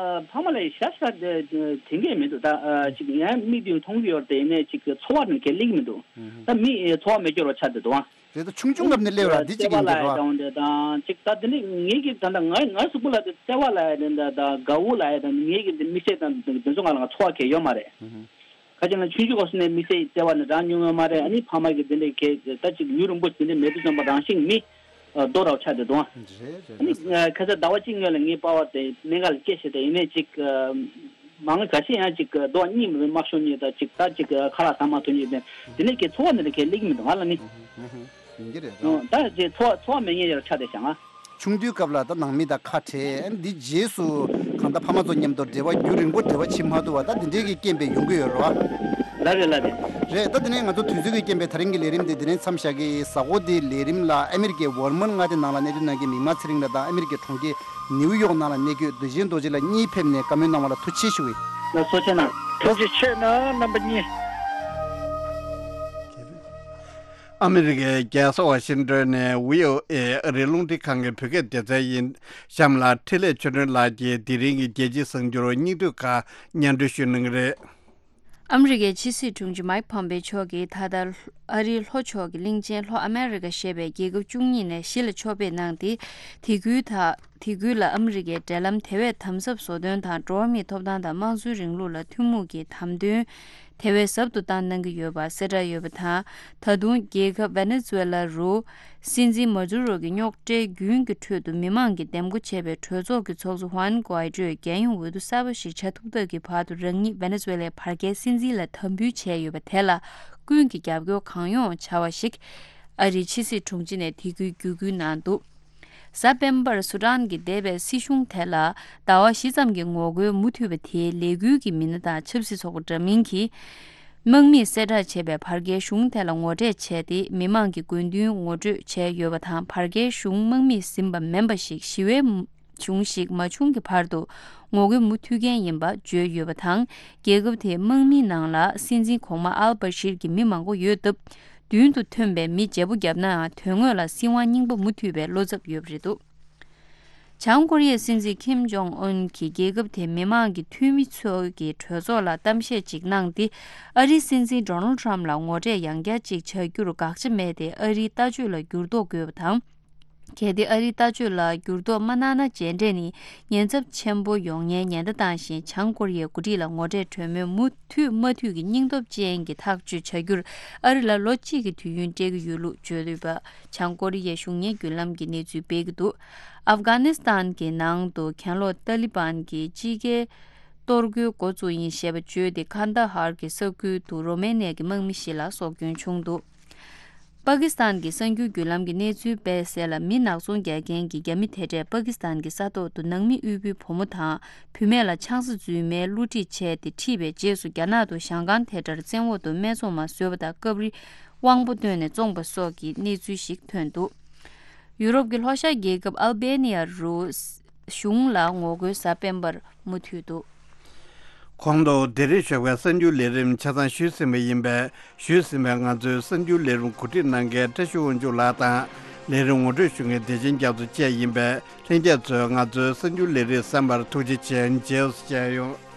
ཕ་མ་ལ་ཡི་ཤ་ཤ་དེ་དེ་འགས་མི་འདུག་ད་ཅིག་ཡང་མིག་དེ་མཐོང་གི་ཡོད་དེ་ཡིན་ནས་ཅིག་ཚོར་བ་ནི་ག་ལེ་གི་མི་འདུག་ད་མི་ཚོར་བ་མེད་སྐྱོ་རོ་ཆགས་བསྡད་འདུག་ཨ། རེད། ད་ཆུང་ཆུང་སྐབས་ནས་སླེབས་ར་འདི་གཅིག་ཡིན་འདུག་ར། ལྟ་བ་འདྲ་དང་ཅིག་ད་དེ་ནི་ངེད་ཀྱི་ད་ལྟ་ང་ང་གཟུགས་པོ་ལ་དེ་བརྩེ་བ་ལ་ཡ་དེ་འདྲ་ད་དགའ་བོ་ལ་ཡ་དེ་ངེད་ཀྱི་དེ་མི་ཚེ་དང་དེ་ཚོ་ང་ལ་ང་ཚོར་བ་གལ་ཡོད་མ་རེད། ཁ་ཅིག་ན་ཆུང་ཆུང་སྐབས་སུ་ནས་མི་ཚེ་བརྩེ་བ་ནི་རག་མྱོང་ཡོད་མ་རེད། ཨ་ནི་ཕ་མ་གི་དེ་འདྲ་གལ་ད་ཅིག་ཡུན་རིང་པོ་དེ་འདྲ་མེད་དུས་ཙམ་པ་རང་བཞིན་མི་རྡོ་ར་བ་ཆགས་བསྡད་འདུག་ཨ། རེད་རེད། ཨ་ནི་ཁ་སང་ཟླ་བ་གཅིག་སྔོན་ལ་ངའི་པ་ཕ་དེ་གནད་འགག་ལ་སྐྱེས་ཤེས་དེ་ཡིན་ནས་ཅིག་མང་ག་ཤེས་ཡང་ཅིག་རྡོ་གཉིས་མི་དམར་ཤོག་གཉིས་དང་ཅིག་ད་ཅིག་ཁ་ལག་ཟ་མ་ཐུབ་གཉིས་དེ་དེ་ནས་ཀྱི་ཚོར་བ་འདི་འདྲ་གལ་སླེབས་ཀྱི་མི་འདུག་ང་ལ་ནི། ཡིན་གྱི་རེད་ར། ད་ཅིག་ཚོར་བ་ཚོར་བ་མེད་མཁན་ཡར་ཆགས་བསྡད་ཤག་ང་། ཆུང་དུས་སྐབས་ལ་ད་ནང་མི་དང་ཁ་བྲལ། འདི་རྗེས་སུ་གང་ལྟར་ཕ་མ་ཚོ་མཉམ་དུ་འབྲེལ་བ་རྒྱུན་རིང་པོ་འབྲེལ་བ་བྱེད་མ་ཐུབ་པ་ད་འདི་འདྲའི་གི་རྐྱེན་པས་ཡོང་གི་ཡོད་རེད་བ། ལགས་རེད་ལགས་རེད། རེད། ད་དེ་ནས་ང་ཚོ་དུས་ཚོད་ཀྱི་རྐྱེན་པས་ད་རིང་གི་ལས་རིམ་འདི་འདི་ནས་མཚམས་བཞག་གི། གཟའ་འཁོར་འདིའི་ལས་རིམ་ལ་ཨ་མི་རི་ཀའི་ཝར་མོན་མངའ་སྡེ་ནང་ལ་གནས་སྡོད་གནང་མཁན་མིག་དམར་ཚེ་རིང་ལགས་དང་ཨ་མི་རི་ཀའི་གྲོང་ཁྱེར་ནིའུ་ཡོག་ནང་ལ་གནས་འཁོད་བདེ་ཆེན་རྡོ་རྗེ་ལགས་གཉིས་ཕེབས་ནས་བཀའ་མོལ་གནང་བ་ལ་ཐུགས་རྗེ་ཆེ་ཞུ་གི་ཡིན། ལགས་སོ། ཐུགས་རྗེ་གནང་། ཐུགས་རྗེ་ཆེ་གནང་རྣམ་པ་གཉིས། ཨ་མི་རི་ཀའི་རྒྱལ་ས་ཝ་ཤིང་ཏོན་ནས་བྷི་ཨོ་ཨེ་ཨ་རིའི་རླུང་འཕྲིན་ཁང་གི་བོད་སྐད་སྡེ་ཚན་ཡིན། གཤམ་ལ་འཕྲིན་ལས་ཆོས་སྒྲོན་ལགས་ཀྱིས་དེ་རིང་གི་རྒྱལ་སྤྱིའི་གསར་འགྱུར་སྙིང་བསྡུས་ཁག་སྙན་སྒྲོན་ཞུ་གནང་གི་རེད། ཨ་མི་རི་ཀའི་ཕྱི་སྲིད་དྲུང་ཆེ་མའིག་ཕོམ་པེ་མཆོག་གིས་ད་ལྟ་ཨ་རིའི་ལྷོ་ཕྱོགས་ཀྱི་གླིང་ཆེན་ལྷོ་ཨ་མེ་རི་ཀ་ཞེས་པའི་རྒྱལ་ཁབ་བཅུ་གཉིས་ནས་གཞིས་ལ་ཕྱོགས་ཕེབས་གནང་སྟེ། དེ་ཁུལ་དང་དེ་ཁུལ་ལ་ཨ་མི་རི་ཀའི་འབྲེལ་ལམ་དེ་བས་དམ་ཟབ་བཟོ་དོན་དང་། འགྲོ་བ་མིའི་ཐོབ་ཐང་དང་དམངས་གཙོའི་རིང་ལུགས་ལ་ཐུན་མོང་གི་དམ་དོན་དེ་བས་ཟབ་ཏུ་བཏང་གནང་གི་ཡོད་པ་གསལ་བསྒྲགས་ཡོད་པ་དང་། ད་དུང་རྒྱལ་ཁབ་ཝེ་ནེ་ཛུ་ཝེ་ལ་རུ་སྲིད་འཛིན་མ་དུ་རོ་གི་རྙོག་དྲའི་རྒྱུན་གྱི་ཁྲོད་དུ་མི་མང་གིས་འདེམས་བསྐོ་བྱས་པའི་གྲོས་ཚོགས་ཀྱི་ཚོགས་གཙོ་ཧུའན་གུའེ་ཏྲོས་རྒྱལ་ཡོངས་འོས་བསྡུ་གསར་པ་ཞིག་བྱ་ཐུབ་ཐབས་ཀྱི་བར་དུ་རང་ཉིད་ཝེ་ནེ་ཛུ་ཝེ་ལའི་བར་བརྒལ་སྲིད་འཛིན་ལ་དམ་འབུལ་བྱས་ཡོད་པ་དེ་ལ་ཀུན་གྱིས་རྒྱབ་སྐྱོར་གང་ཡོང་བྱ་བ་ཞིག་ཨ་རིའི་ཕྱི་སྲིད་དྲུང་ཆེ་ནས་དེ་ཁུལ་བརྒྱུད་སྐུལ་གནང་འདུག་གཟའ་སྤེན་པར་སུ་ཌན་གྱི་འདས་པའི་སྲིད་གཞུང་དེ་ལ་ཟླ་བ་བཞི་ཙམ་གྱི་ངོ་རྒོལ་མུ་མཐུད་པ་དེའི་ལས་འགུལ་གྱི་མི་སྣ་དང་ཆབ་སྲིད་ཚོགས་པ་འདྲ་མིན་གྱིས་དམག་མིས་གསལ་བསྒྲགས་བྱས་པའི་བར་བརྒལ་གཞུང་དེ་ལ་ངོ་འཕྲད་བྱས་ཏེ། མི་མང་གི་དགོས་འདུན་ངོ་སྤྲོད་བྱས་ཡོད་པ་དང་། བར་བརྒལ་གཞུང་དམག་མིས་ཟིན་པ་མིན་པ་ཞིག་ཞི་བའི་གཞུང་ཞིག་མ་བྱུང་གི་བར་དུ་ངོ་རྒོལ་མུ་མཐུད་མཁན་ཡིན་པ་བརྗོད་ཡོད་པ་དང་། རྒྱལ་ཁབ་དེའི་དམག་མིའི་ནང་ལ་སྲིད་འཛིན་གོང་མ་ཨལ་བྷ་ཤིར་གྱི་མི་མང་པོ་ཡོད་སྟབས། མདུན་དུ་ཐོན་པའི་མི་བརྗེ་པོ་བརྒྱབ་ནའང་། དོན་དངོས་ལ་སྲིད་དབང་རྙིང་པ་མུ་མཐུད་པའི་བློ་འཚབ་ཡོད་པ་རེད་འདུག་བྱང་ཀོ་རི་ཡའི་སྲིད་འཛིན་ཁིམ་ཇོང་ཨུན་གྱིས་རྒྱལ་ཁབ་དེའི་མི་མང་གི་འཐུས་མི་ཚོ་གི་གྲོས་ཚོགས་ལ་གཏམ་བཤད་ཅིག་གནང་སྟེ། ཨ་རིའི་སྲིད་འཛིན་ཌོ་ནལ་ཌི་ཊརམ་ཕ་ལ་ངོ་འཕྲད་ཡང་བསྐྱར་ཅིག་བྱ་རྒྱུར་དགག་བྱ་མེད་དེ། ཨ་རིའི་ལྟ་སྤྱོད་ལ་འགྱུར་ལྡོག་དགོས་པ་དང་། གལ་ཏེ་ཨ་རིའི་ལྟ་སྤྱོད་ལ་འགྱུར་ལྡོག་མ་གནང་ན། མཇལ་འཕྲད་ནི་ཉེན་ཚབས་ཆེན་པོ་ཡོང་མཁན་ཉེན་བརྡ་བཏང་བཞིན། བྱང་ཀོ་རི་ཡའི་འགོ་ཁྲིད་ལ་ངོ་འཕྲད་གྲོས་མོལ་མུ་མཐུད་མ་མཐུད་ཀྱི་སྙིང་སྟོབས་ཅན་གྱི་ཐག་གཅོད་བྱ་རྒྱུར་ཨ་རི་ལ་ལོ་གཅིག་གི་དུས་ཡུན་སྤྲད་ཀྱི་ཡོད་ལུགས་བརྗོད་ཡོད་པ། བྱང་ཀོ་རི་ཡའི་གཞུང་གཉེར་བརྒྱུད་ལམ་གྱིས་གནས་ཚུལ་སྤེལ་གྱི་འདུག་ཨབ་གྷ་ནི་སི་ཐན་གྱི་ནང་དུ་གྱེན་ལོག་ཏཱ་ལི་བན་གྱིས་དཔྱིད་ཀའི་གཏོར་རྒོལ་འགོ་བཙུགས་ཡིན་ཞེས་པ་བརྗོད་དེ། ཁན་དཱ་ཧར་གྱི་ས་ཁུལ་དུ་རོ་མེ་ནི་ཡ་གི་དམག་མི་ཞིག་ལ་སྲོག་སྐྱོན་བྱུང་འདུག་པ་ཀི་སི་ཐན་གྱི་གསར་འགྱུར་བརྒྱུད་ལམ་གྱིས་གནས་ཚུལ་སྤེལ་གསལ་ལ། མི་ནག་ཚོང་རྒྱག་མཁན་གྱི་རྒྱ་མི་དེ་འདྲས་པ་ཀི་སི་ཐན་གྱི་ས་ཐོག་ཏུ་ནང་མི་དབུལ་པོའི་བུ་མོ་དང་བུད་མེད་ལ་ཆང་ས་རྫུན་མའི་བསླུ་བྲིད་བྱས་ཏེ་ཁྲིད་པའི་རྗེས་སུ། རྒྱ་ནག་ཏུ་ཞང་ཀང་དེ་འདྲར་བཙན་འོག་ཏུ་སྨད་འཚོང་མ་བཟོས་པ་དང་། སྐབས་རེ་དབང་པོ་བཏོན་ནས་བཙོངས་པ་སོགས་ཀྱི་གནས་ཚུལ་ཞིག་ཐོན་འདུག་ཡུ་རོབ་ཀྱི་ལྷོ་ཤར་རྒྱལ་ཁབ་ཨལ་བེ་ནི་ཡ་རུ་གཞུང་ལ་ངོ་རྒོལ་གཟའ་སྤེན་པར་མུ་མཐུད་འདུག་གོང་དུ་འདིར་ཞུགས་པའི་གསར་འགྱུར་ལས་རིམ་ཆ་ཚང་ཞུས་ཟིན་པ་ཡིན་པས། ཞུས་ཟིན་པའི་ང་ཚོའི་གསར་འགྱུར་ལས་རིམ་གོ་སྒྲིག་གནང་མཁན་བཀྲ་ཤིས་དབང་ཕྱུག་ལགས་དང་ ལས་རིམ་ངོ་སྤྲོད་ཞུ་མཁན་བདེ་ཆེན་རྒྱ་མཚོ་བཅས་ཡིན་པས། ལྷན་རྒྱས་ཚོས་ང་ཚོའི་གསར་འགྱུར་ལས་རིམ་གསན་པར་ཐུགས་རྗེ་ཆེ། རྗེས་སུ་མཇལ་ཡོང་།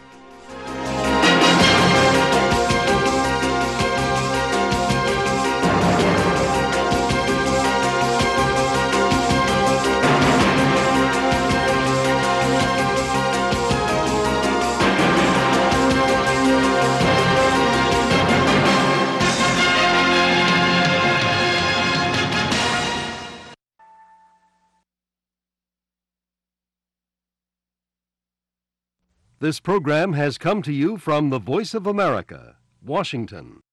This program has come to you from the Voice of America, Washington.